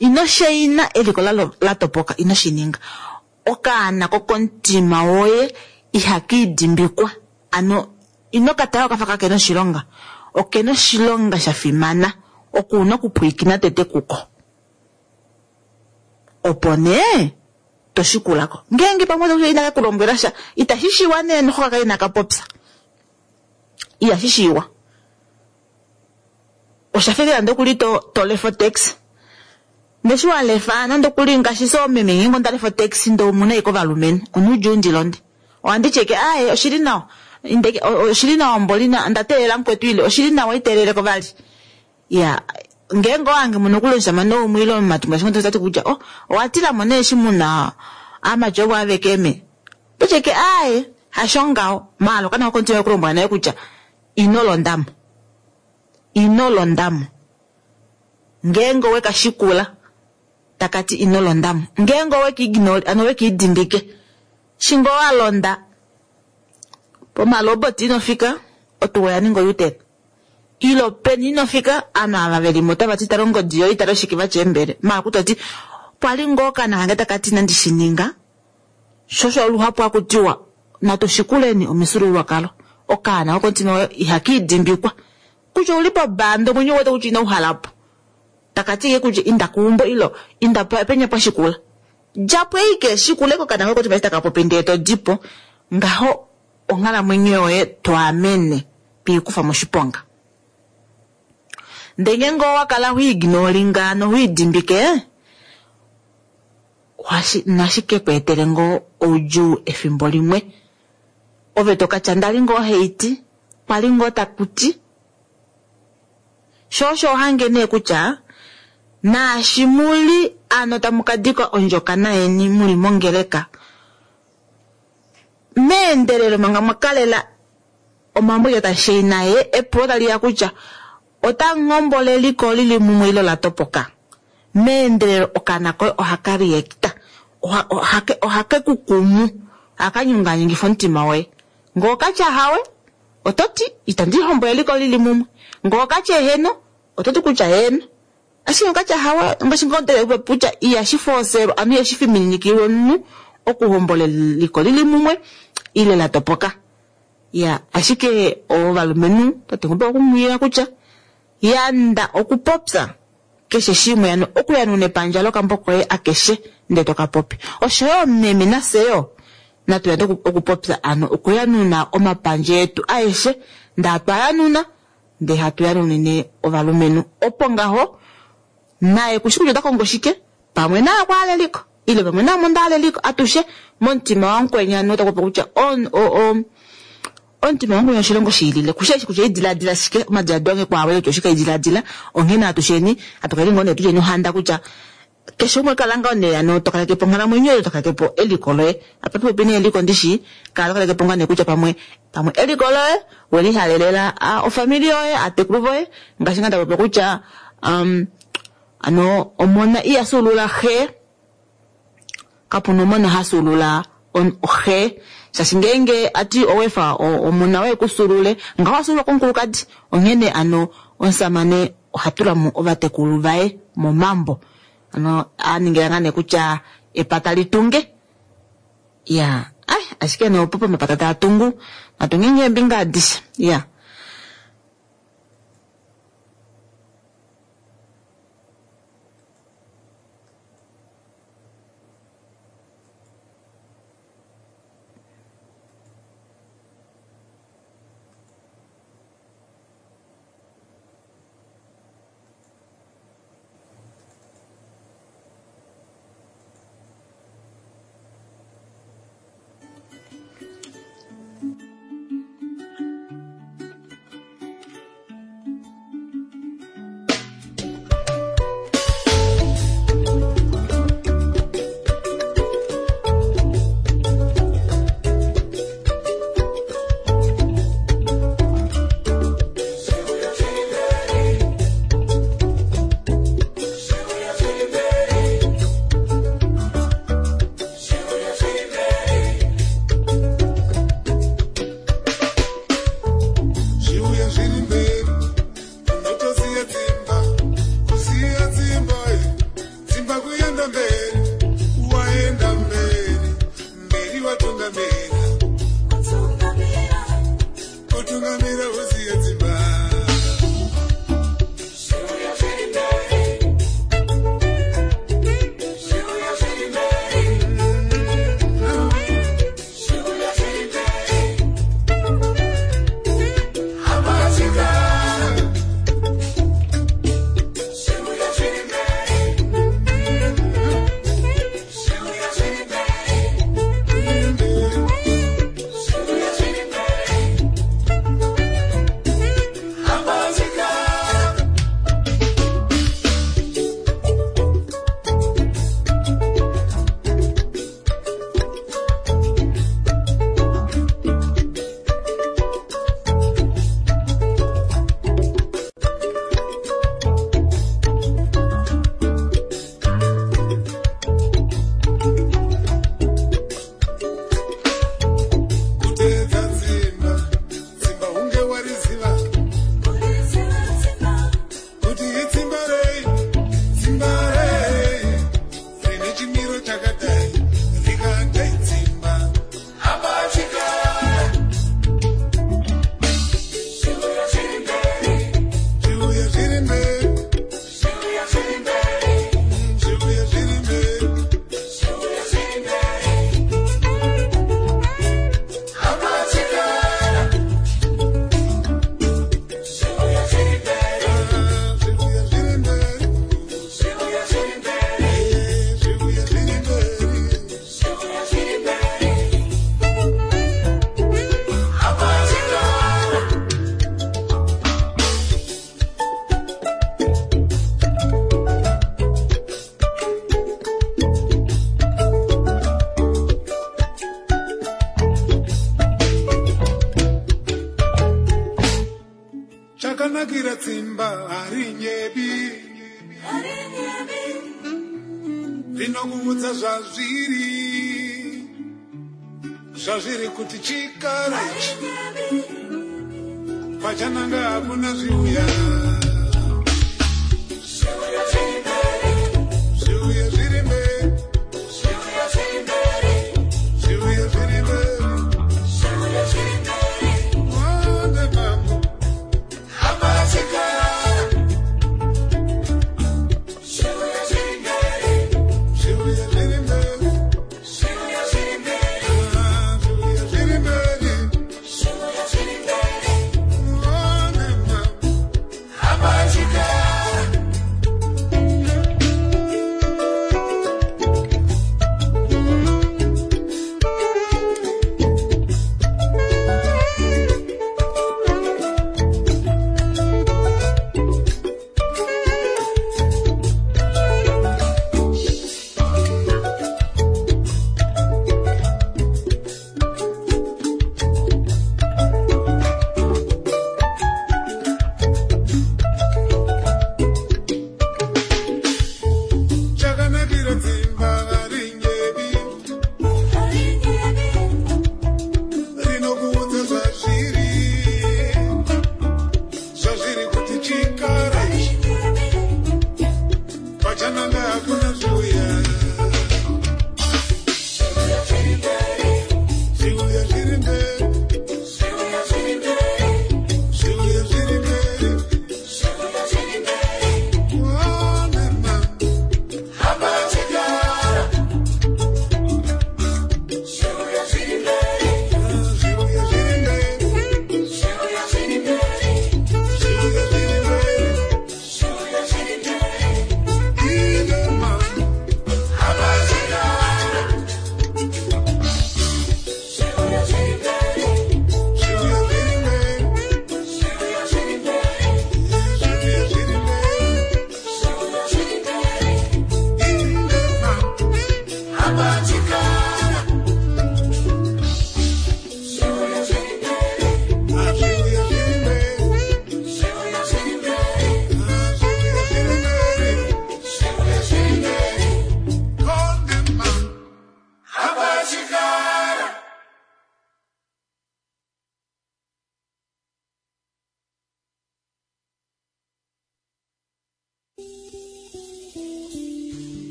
Ino shaina eliko la topoka, ino shi ninga. Okaana kokomutima woye ihaka idimbikwa. Ano ino ka tala okafa kakena oshilonga. Okena oshilonga sha fimana. Oko una okupwiikina tete kuko. Opo nee to shikulako. Ngeenge pamwe oto inaka ku lombwela sha, itashi shiwa nee noho kaka inaka popya. Ihashi shiwa. Osha fekela nande okuli to, to lefa otaxi. Ndeshi wa lefa nande okuli ngaashi so meme ngeenge onda lefa otaxi ndee omuna ashike ovalumenhu, onuudjuu ndi londe. Ohandi tyeke aaye oshili nawa. Indeke oshili nawa mboli nda teelela mukwetu ile oshili nawa iteeleleko vali. Ya, ngeenge owange muno okuli omushamane umwe ile omumati ngaashi ngono tati kutya oh owatilamo nee eshi muna aamati ovo aveke me. Ototyeke aaye hasho ngaho. Maala okaana kokomutima kulombwela naye kutya ino londamo. Ino londamo. Ngeenge oweka shikula takati ino londamo. Ngeenge oweka ignore, ano oweka idimbike. Shingo walonda pomalobot ino fika, otuwa oya ninga o-U-turn. Ilo peni ino fika, ovanhu ava velimo otava ti tala ongodi yoye itala oshike vatya eembele. Maala kutya oti pwali ngoo okaana kange takati inandi shi ninga. Sho osho luhapu hakutiwa natu shikuleni omifyuululwakalo. Okaana kokomutima woye ihaka idimbikwa. Kutya ouli pobanda omwenyo uwete kutya ino uhalapo. Takati ke kutya inda keumbo ilo inda penya pwashikula. Djapo ashike shikule kokaana koye komutima eshi taka popi ndee to dipo. Ngaho onghalamwenyo yoye twaamene piikufa moshiponga. Ndee ngeenge owakala hoignoringa nohoidimbike, nashi ke ku etele ngoo oudjuu efimbo limwe. Ove tokatya ndali ngoo haiti, kwali ngoo takuti. Sho osho ohange nee kutya naashi muli ano tamu ka dika ondjokana yeni muli mongeleka, meendelelo manga mwakalela omambo tashaina ye epulo taliya kutya ota nghombole eliko lili mumwe ilo la topoka. Meendelelo okaana koye ohaka reacta, ohake ku kumu, ohaka nyunganyungifa omutima woye. Ngee okatya hawe, oto ti itandi hombola eliko lili mumwe. Ngee okatya eheno, oto ti kutya heeno. Ashike okatya hawe, ngaashi ngoo ndele kutya ihashi forcelwa, ano ihashi fiminikilwa omunhu okuhombola eliko lili mumwe ile la topoka. Ya, ashike ovalumenhu tate ngombe okumwila kutya yanda okupopya keshe shimwe, ano okuyanuna epandja lokambo koye akeshe ndee toka popi. Oshoyo meme nafye natu yande okupopya ano okuyanuna omapandja etu aeshe ndaa twayanuna ndee hatu yanunine ovalumenhu. Opo ngaho naye kushi kutya ota kongo shike pamwe naye okwa hala eliko Ile pamwe naamo nda hala eliko atushe momutima wamukweni ano otaku popi kutya on, o, o, omutima wamukweni oshilongo shiilile kushe eshi kutya idiladila shike omadiladilo ange kwaawele kutya oshike idiladila onghene atusheni atukaleni ngoo nee tulyeni ohanda kutya keshe umwe kala ngoo nee ano to kaleke po onghalamwenyo yoye to kaleke po eliko loye apa popi nee eliko ndishi kala to kaleke po ngaa nee kutya pamwe pamwe eliko loye welihalelela a, ofamili yoye aatekulu voye ngaashi ngaa ndapopya kutya um, ano omona iya fyuulula xe kapuna omona ha fyuulula xe shaashi ngeenge ati owefa omona woye kufyuulule ngaho wafyuululwa komukulukadi onghene ano omusamane oha tulamo ovatekulu vaye momambo ano aningila ngaa nee kutya epata litunge ya ai ashike nee opo pomapata taa tungu natunge ngee eembinga adishe ya. Chakanakira tsimba harinyebi rinokuudza zvazviri zvazviri kuti chikara ichi pachananga hakuna zviuya zviuya zviri mberi zviuya zviri mberi Wande mambo zviuya zviri mberi Ah, zviuya zviri mberi Wande mambo.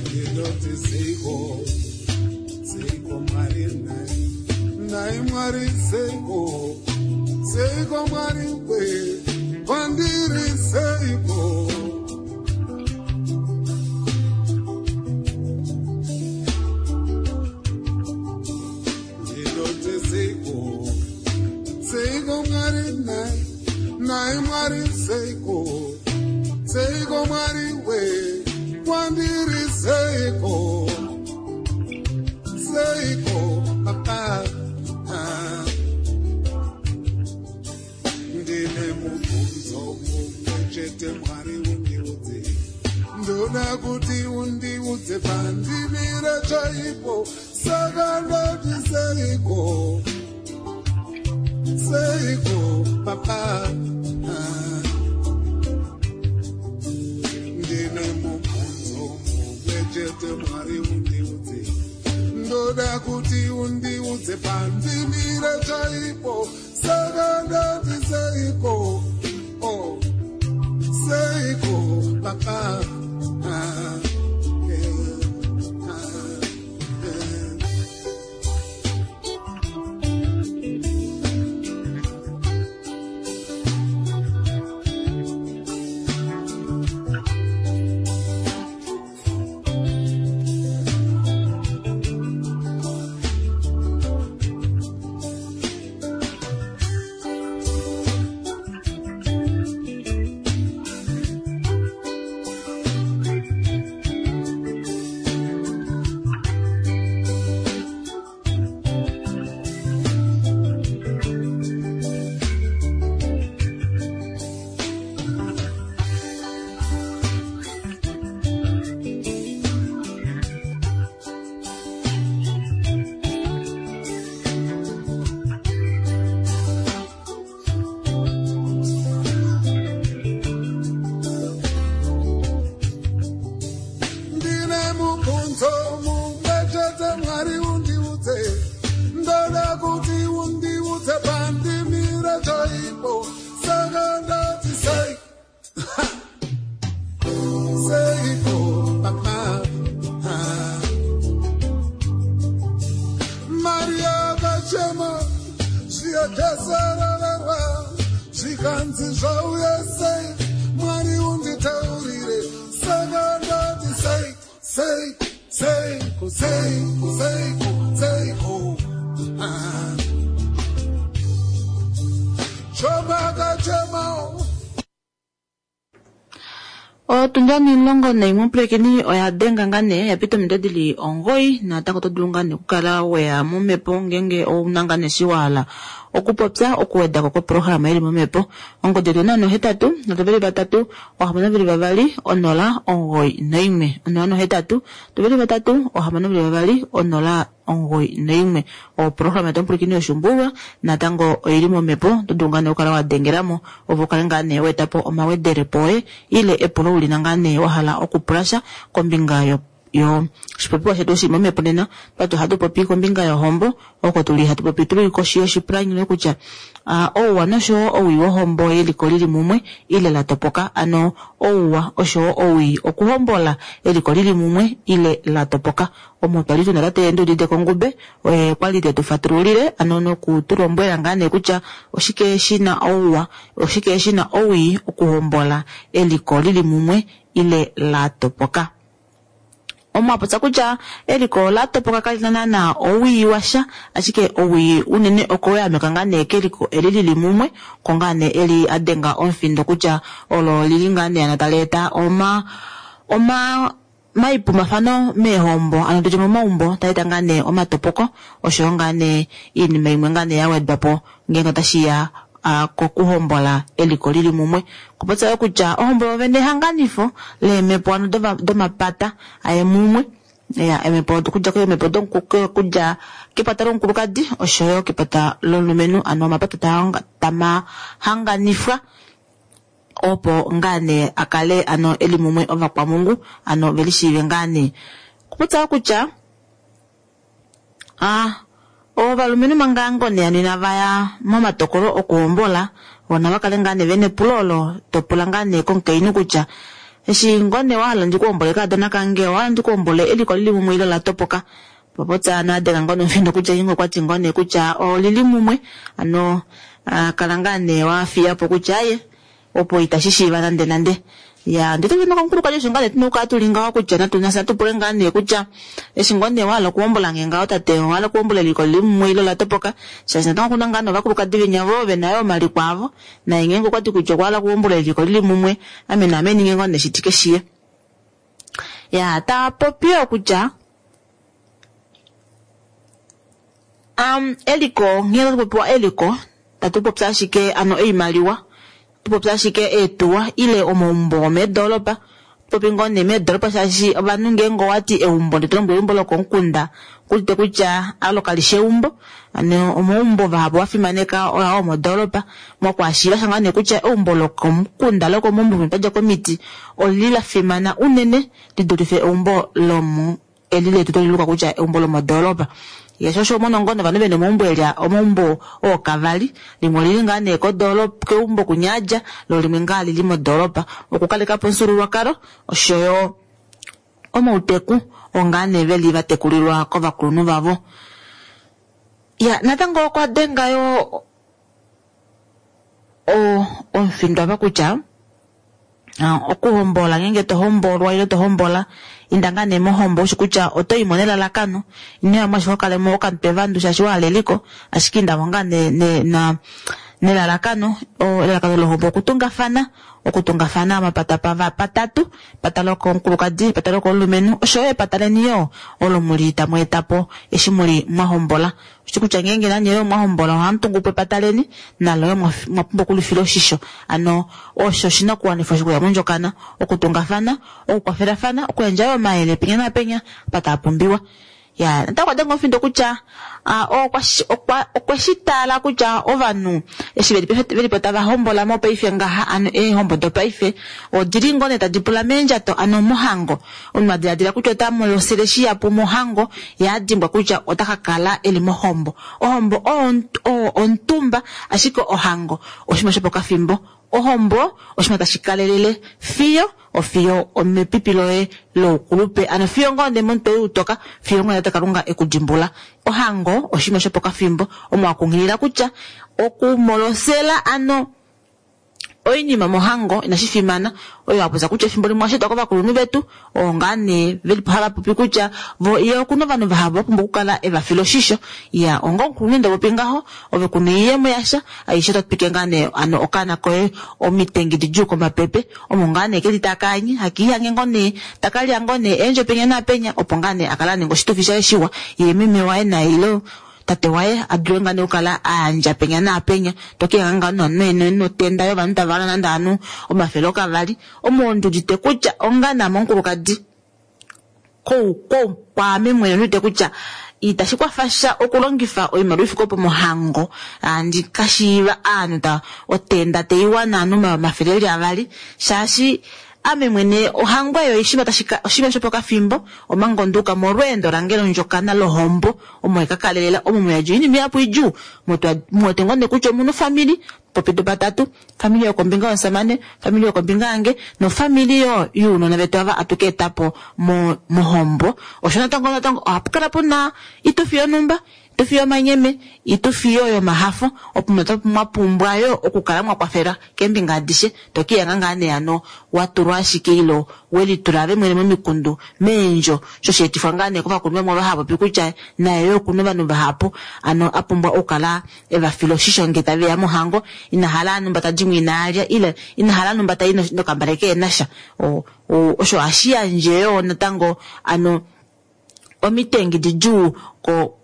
Ndinoti seiko seiko mwari nhai nhai mwari seiko seiko mwari we kwandiri seiko ndinoti seiko seiko mwari nhai nhai mwari seiko seiko mwari we kwandiri seiko seiko papa Ah. Ndine mubvunzo mumwe chete mwari undiudze ndoda kuti undiudze pandimire chaipo saka ndati seiko seiko papa Ah. Ndine mubvunzo mumwe chete mwari undiudze ndoda kuti undiudze pandimire chaipo saka ndati seiko oh, seiko papa Ah, eh, ah, eh. Ndine mubvunzo mumwe chete mwari undiudze ndoda kuti undiudze pandimire chaipo saka ndati sei seiko papa Ah. Mari akachema zviyajasareverwa zvikanzi zvauya sei mwari unditaurire saka ndati sei sei seiko seiko seiko seiko Ah. Job akachemawo Otundi omilongo naimwe pulekeni oya denga ngaa nee yapita ominute dili omugoyi natango oto dulu ngaa nee okukala weya momhepo ngenge ouna ngaa nee eshi wahala okupopya okuwedako koprograma ili momhepo. Ongodi yetu onola nohetatu nhatu veli vatatu ohamano veli vavali onola omugoyi naimwe onola nohetatu nhatu veli vatatu ohamano veli vavali onola omugoyi naimwe. Oprograma yetu omupwilikini yoshuumbululwa natango oili momhepo oto dulu ngaa nee okukala wadengelamo opo ukale ngaa nee waetapo omawedelepo oye ile epulo ulina ngaa nee wahala okupulasha kombinga yo yo oshipopiwa shetu shi momhepo nena twati ohatu popi kombinga yohombo oko tuli hatu popi tuli koshi yoshipalanyole kutya uh, ouwa noshowo owii wohombo yeliko lili mumwe ile la topoka, ano ouwa oshowo owii okuhombola eliko lili mumwe ile la topoka. Omo twali tuna tate Nduudite Kongube oye kwali tetu fatululile ano noku tu lombwela ngaa nee kutya oshike shina ouwa oshike shina owii okuhombola eliko lili mumwe ile la topoka. Omwapotsa kutya eliko la topoka kali na naana owii washa, ashike owii unene okoyameka ngaa nee keliko eli lili mumwe ko ngaa nee eli a denga omufindo kutya olo lili ngaa nee ano tali eta oma oma maipumafano meehombo ano tutye momaumbo tali eta ngaa nee omatopoko oshoyo ngaa nee iinima imwe ngaa nee ya wedwa po ngeenge otashiya uh, kokuhombola eliko lili mumwe. Kupotsa yo kutya ohombo yovene ehanganifo leemhepo ano domapata aye mumwe ya eemhepo okudja keemhepo okudja kepata lomukulukadi oshoyo kepata lomulumenhu, ano omapata tamahanganifwa opo ngaa nee akale ano eli mumwe ovakwamungu ano velishiive ngaa nee. Kupotsa yo kutya ah ovalumenhu manga ngone ano inava ya momatokolo okuhombola vona vakale ngaa nee vena epulo olo topula ngaa nee komukainhu kutya eshi ngone wahala ndikuhombole kaadona kange owahala ndikuhombole eliko lili mumwe ile la topoka. Popotsa ano adenga ngoo nomufindo kutya ingo okwati ngoo nee kutya olili mumwe ano kala ngaa nee wafiyapo kutya aye opo itashi shiiva nande nande. Ya ndito vena komukulukadi osho ngaa nee tuna okukala tuli ngaho kutya natu nafye tupule ngaa nee kutya eshi ngoo nee wahala okuhombola nge ngaho tate owahala okuhombola eliko lili mumwe ile la topoka, shaashi natango okuna ngaa novakulukadi venya vo vena yo omaliko avo naye ngeenge okwati kutya okwahala okuhombola eliko lili mumwe ame naame ninge ngoo nee shitike shiye. Ya ta popi yo kutya um, eliko nghee tatu eliko tatu popya ashike ano oimaliwa tupopya ashike eetuwa ile omaumbo omeedolopa popi ngoo nee meedolopa shaashi ovanhu ngeenge owati eumbo nditolombwela eumbo lokomukunda kulite kutya alo kalishi eumbo, ano omaumbo vahapu vafimaneka oya omodoolopa mokwaashiiva shanga nee kutya eumbo lokomukunda lokomaumbo tadja komiti olili la fimana unene lidulife eumbo lomu eli letu toliluka kutya eumbo lomodoolopa. Yesho osho omona ngoo novanhu vena omaumbo elia omaumbo ookavali limwe olili ngaa nee kodoolopa keumbo kunyadja lo limwe ngaa lili modoolopa okukalekapo omufyuululwakalo oshoyo omauteku ongaa nee veli vatekulilwa kovakulunhu vavo. Ya natango okwa denga yo omufindo apa kutya okuhombola ngeenge tohombolwa ile tohombola inda ngaa nee mohombo ushi kutya oto imo nelalakano inoyamo ashike okalemo okamutwe vandu shaashi wahala eliko, ashike indamo ngaa nee na nelalakano elalakano lohombo okutungafana okutungafana omapata patatu epata lokomukulukadi epata lokomulumenhu oshoyo epata leni yo olo muli tamu etapo eshi muli mwahombola. Oshi kutya ngeenge nanye yo mwahombola ohamu tungu po epata leni nalo yo mwa pumbwa okulifila oshisho, ano osho oshinakuwanifwa shokuya mondjokana okutungafana okukwafelafana okuyandja yo omayele penya napenya apa taa pumbiwa. Ya natango okwa denga omufindo kutya okwe shi tala kutya ovanhu eshi velipo tava hombola mopaife ngaha ano eehombo dopaife odili ngoo nee tadi pula meendjato ano mohango omunhu adiladila kutya ota molosele shihapu mohango ye adimbwa kutya ota ka kala eli mohombo. Ohombo oyo omutumba ashike ohango oshinima shopokafimbo, ohombo oshinima tashi kalelele fiyo ofiyo omepipi loye loukulupe ano fiyo ngoo nee momutwe utoka fiyo ngoo nee Kalunga ekudimbula. Ohango oshinima shopokafimbo omo akunghilila kutya okumolosela ano oinima mohango inashi fimana oyo apotsa kutya efimbo limwe ashetwa kovakulunhu vetu oo ngaa nee velipo hava popi kutya vo ye okuna ovanhu vahapu vapumbwa okukala evafila oshisho. Ya onga omukulunhu nde popi ngaho ove kuna oiyemo yasha aishe otatu ngaa nee ano okaana koye omitengi didjuu komapepe omo ngaa nee keli takaanye hakiihange ngoo nee takalya ngoo nee eendjo penya naapenya opo ngaa nee akala aninga oshitufi shaye shiwa ye meme waye naye ile tate waye adule ngaa nee okukala ayandja penya naapenya tokihanga ngaa notenda yovanhu tava nande anu omafele okavali omo ndudite kutya onga name omukulukadi kwaame mwene ndudite kutya itashi kwafasha okulongifa oimaliwa ifike opo mohango andi kashiiva aanhu ta otenda teiwana anu omafele eli avali shaashi Ame mwene ohango eyo oshinima tashi ka oshinima shopokafimbo omanga onduuka molweendo lange londjokana lohombo omo ekakalelela omo muyadja oinima ihapu idjuu muwete ngoo nee kutya omuna ofamili popepi patatu famili yokombinga yomusamane, famili yokombinga yange nofamili yo younona vetu ava atuka etapo mohombo. Osho natango natango ohapu kala puna oitufi yonhumba, oitufi yomanyeme, oitufi yo yomahafo opo mwa pumbwa yo okukala mwakwafela keembinga adishe tokihanga ngaa nee hano watulwa ashike ile welitula ove mwene momikundu meendjo sho sheetifwa ngaa nee kovakulunhu vamwe ovo hava popi kutya naye yoo okuna ovanhu vahapu ano apumbwa okukala evafila oshisho ngee taveya mohango inahala numba tadimo inaalya ile inahala numba tayi nokambale kehenasha. Osho ohashi yandje yoo natango ano omitengi didjuu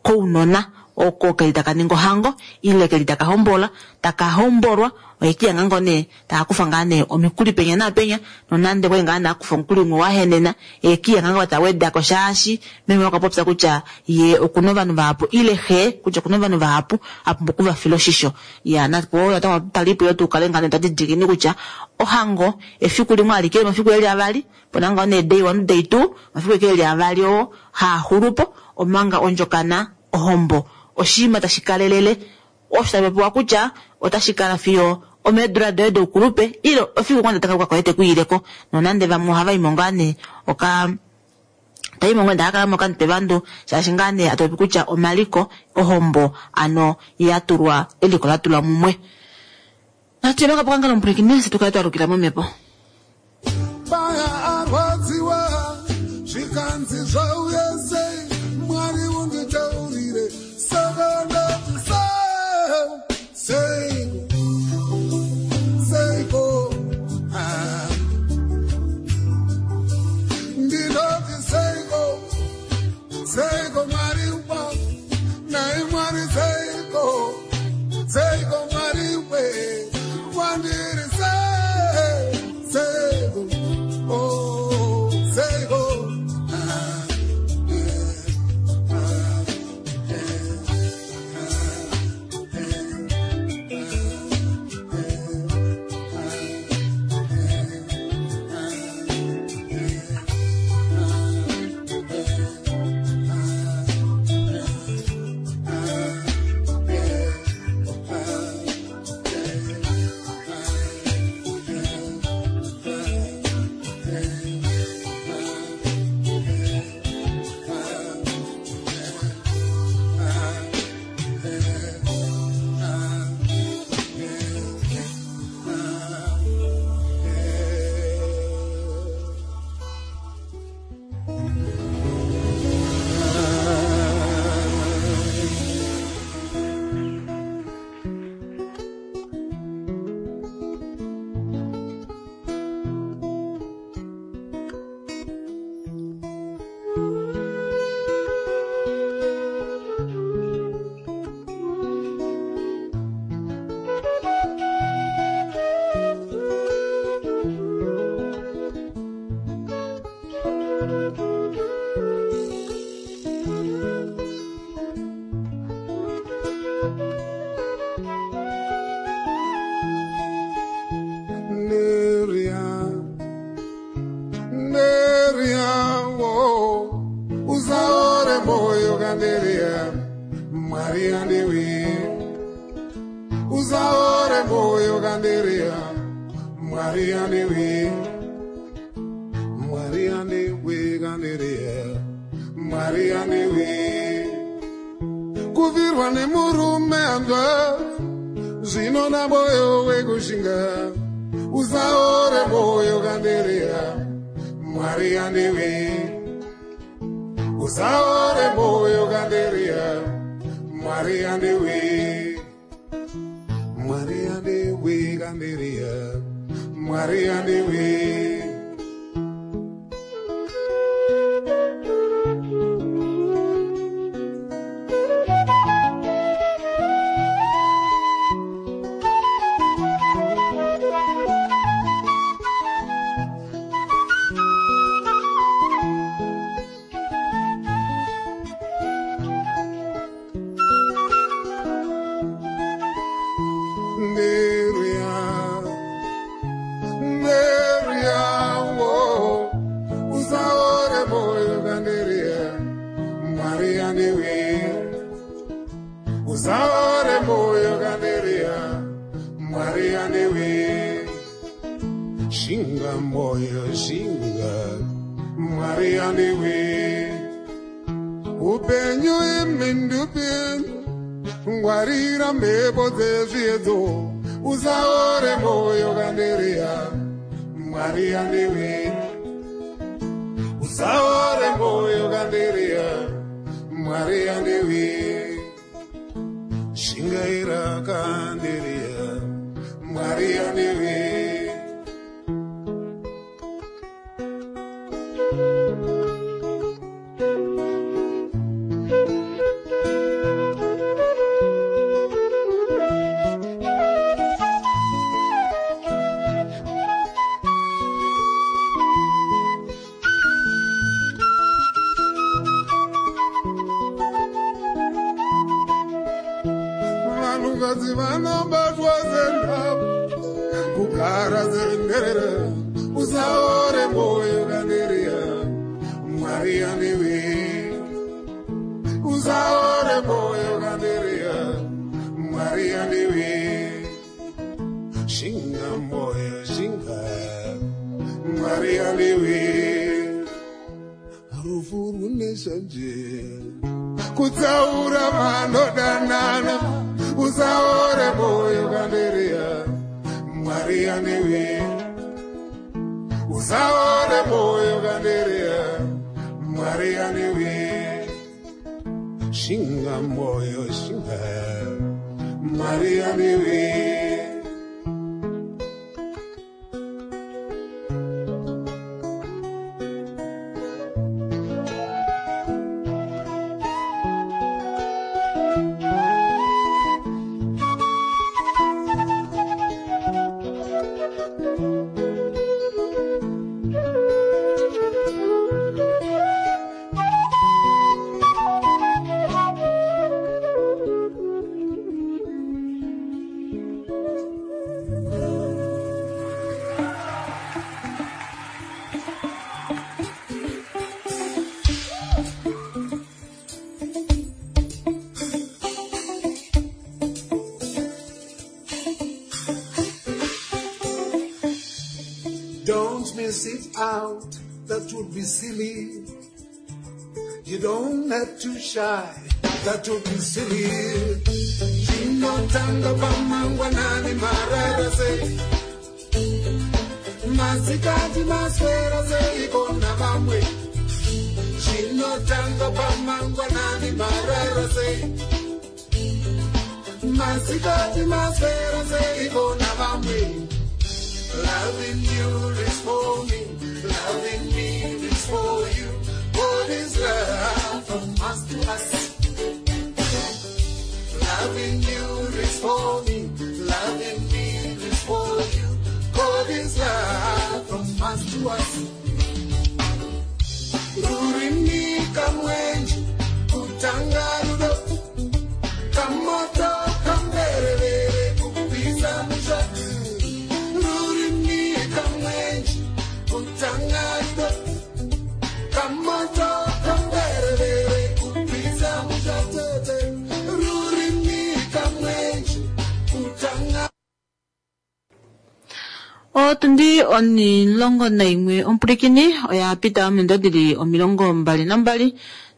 kounona oko keli taka ninga ohango ile keli taka hombola taka hombolwa ohekihanga ngoo nee taakufa ngaa nee omikuli penya naapenya nonande okwali ngaa nee akufa omukuli umwe wahenena ekihanga ngoo tawedako shaashi meme okwa popya kutya ye okuna ovanhu vahapu ile xe kutya okuna ovanhu vahapu apumbwa okuvafila oshisho. Ya napo natango talipo yoo tukale ngaa nee twadidilikeni kutya ohango efiku limwe alike omafiku eli avali pona ngoo nee day one day two omafiku eke eli avali oo haaxulupo omanga ondjokana ohombo oshinima tashi kalelele osho tapopiwa kutya otashi kala fiyo omeedula doye doukulupe ile efiku ngoo taka koye tekuyileko nonande vamwe ohavaimo ngaa nee oka taimo ngoo ndakakala mokamutwe vandu shaashi ngaa nee atopopi kutya omaliko ohombo ano yatulwa eliko latulwa mumwe. Natu kapo omupwilikini fye tukale twalukila momhepo. Baya arwadziwa zvikanzi zvauya sei Mwari unditaurire saka ndati sei seiko seiko ah. Ndinoti seiko seiko Mwari wa nai Mwari seiko seiko Mwari we wandiri sei seiko oh seiko ah, eh, ah, eh, Neria, Neria, oh, usaore moyo kanderia, Maria ndiwe. Usaore moyo kanderia, Maria ndiwe. Maria ndiwe kanderia, Maria ndiwe. Kuvirwa nemurume anzwa, zvinona moyo wekushinga. Usaore moyo kanderia, Maria ndiwe. Usaore moyo kanderia, Maria ndiwe. Maria ndiwe kanderia, Maria ndiwe. Neria, Neria, Shinga moyo shinga Mwari andiwe Upenyu imhindupenyu Ngwarira mhepo dzezviedzo Usaore moyo kandereya Mwari andiwe Usaore moyo kandereya Mwari andiwe Shingaira kandereya Mwari andiwe Vanhukadzi vanobatwa senhapo kugara senherera usaore moyo kandereya Mwari andiwe usaore moyo kandereya Mwari andiwe shinga moyo shinga Mwari andiwe rufu rune shanje kutsaura vanodanana usaore moyo kandereya Mwari anewe usaore moyo kandereya Mwari anewe shinga moyo shinga Mwari anewe Don't miss it out, that would be silly. You don't have to shy, that would be silly. Chinotanga pamangwanani marara sei masikati maswera seiko navamwe chinotanga pamangwanani marara sei masikati maswera seiko navamwe Loving you is for me, loving me is for you. What is love from us to us? Loving you is for me, loving me is for you. God is love from us to us. Rurimi kamwenje, kutanga rudo, kamoto kamberevere, kupisa musha. Rurimi kamwenje, kutanga rudo, kamoto kamberevere, kupisa musha tete. Rurimi kamwenje, kutanga Otundi omulongo naimwe omupulikini oya pita ominute dhili omilongo mbali nambali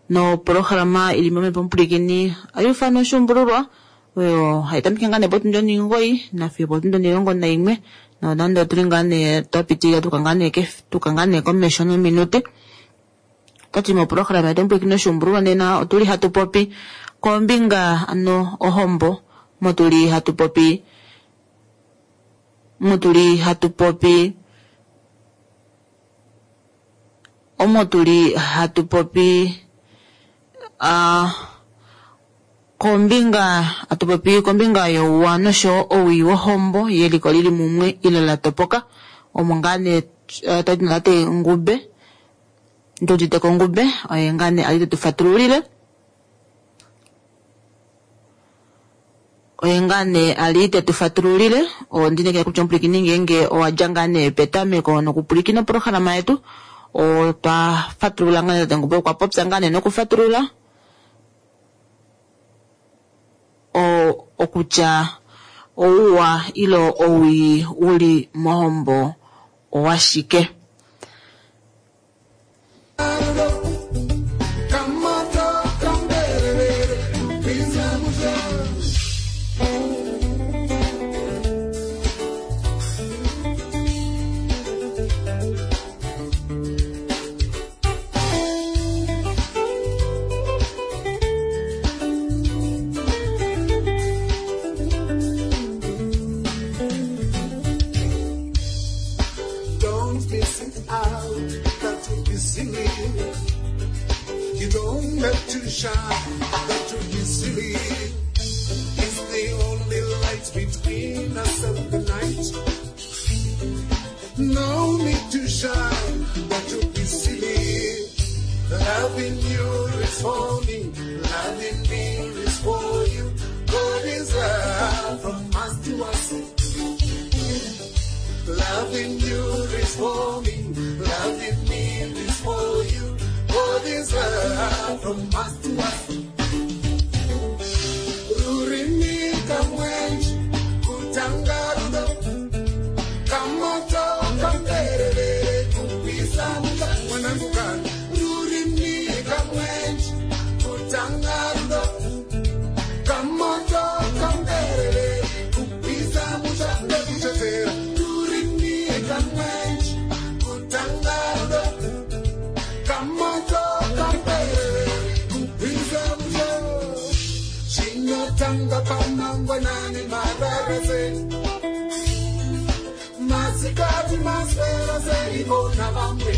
nopolohalama ili momepo omupulikini ayufana oshuumbululwa oyo hayi tameke ngaa nee potundi omugoyi nafiyo potundi omulongo naimwe nonande otuli ngaa nee twa pitilila tuka ngaa nee kef- tuka ngaa nee komesho nominute otati mopolohalama yetu omupulikini oshuumbululwa nena otuli hatu popi kombinga ano ohombo motuli hatu popi motuli hatu popi omo tuli hatu popi ah kombinga hatu popi kombinga youwa noshowo owii wohombo yeliko lili mumwe ile la topoka omo ngaa nee eh, twali tuna tate Ngube Nduditeko Ngube oye ngaa nee ali tetu fatululile oye ngaa nee ali tetu fatululile ondinekela kutya omupulikini ngeenge owadja ngaa nee petameko nokupulikina opolohalama yetu otwa fatulula ngaa nee tate Ngube okwa popya ngaa nee nokufatulula o- okutya ouwa ilo owii uli mohombo owashike. Kamoto kamberevere kupinza musha. Don't miss it out, that would be silly. You don't have to shine, that would be silly. It's the only light between us and the night. No need to shine, that would be silly. Loving you is for me, loving me is for you. God is love from us to us. Loving you is for me, loving me is for you. God is love from us to us. Rurimi kamwenji, kutanga rudo, kamoto kamberevere, kupisa muta mwanangu kana. Rurimi kamwenji, kutanga rudo, kamoto kamberevere, kupisa muta ndekutetera. Rurimi kamwenji, kutanga rudo, kamoto kamberevere, kupisa muta. Chinotanga pamangwanani mararase masikati maswera seivona vamwe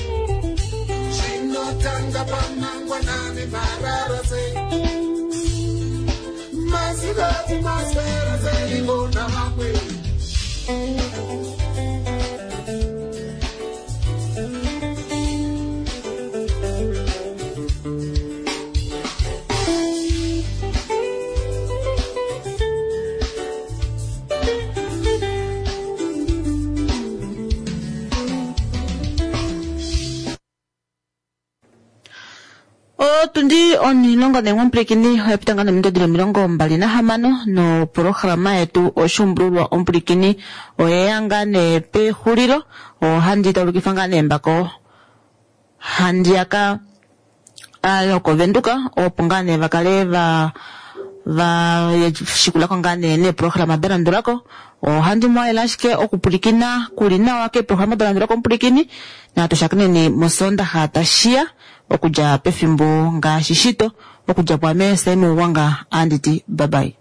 chinotanga pamangwanani mararase masikati maswera seivona vamwe Otundi onilongo naimwe omupulikini oya pita ngaa nominute dhili omilongo mbali nahamano nopolohalama yetu oshuumbululwa omupulikini oyeya ngaa nee pexulilo ohandi taulukifa ngaa nee mbako handiyaka yokovenduka opo ngaa nee vakale va va shikulako ngaa nee neeprograma da landulako ohandi muhalela ashike okupulikina kuli nawa keeprograma da landulako omupulikini natu shakeneni mosondaxa tashiya okudja pefimbo ngaashi shito okudja pwaame Sam Uwanga anditi bye bye.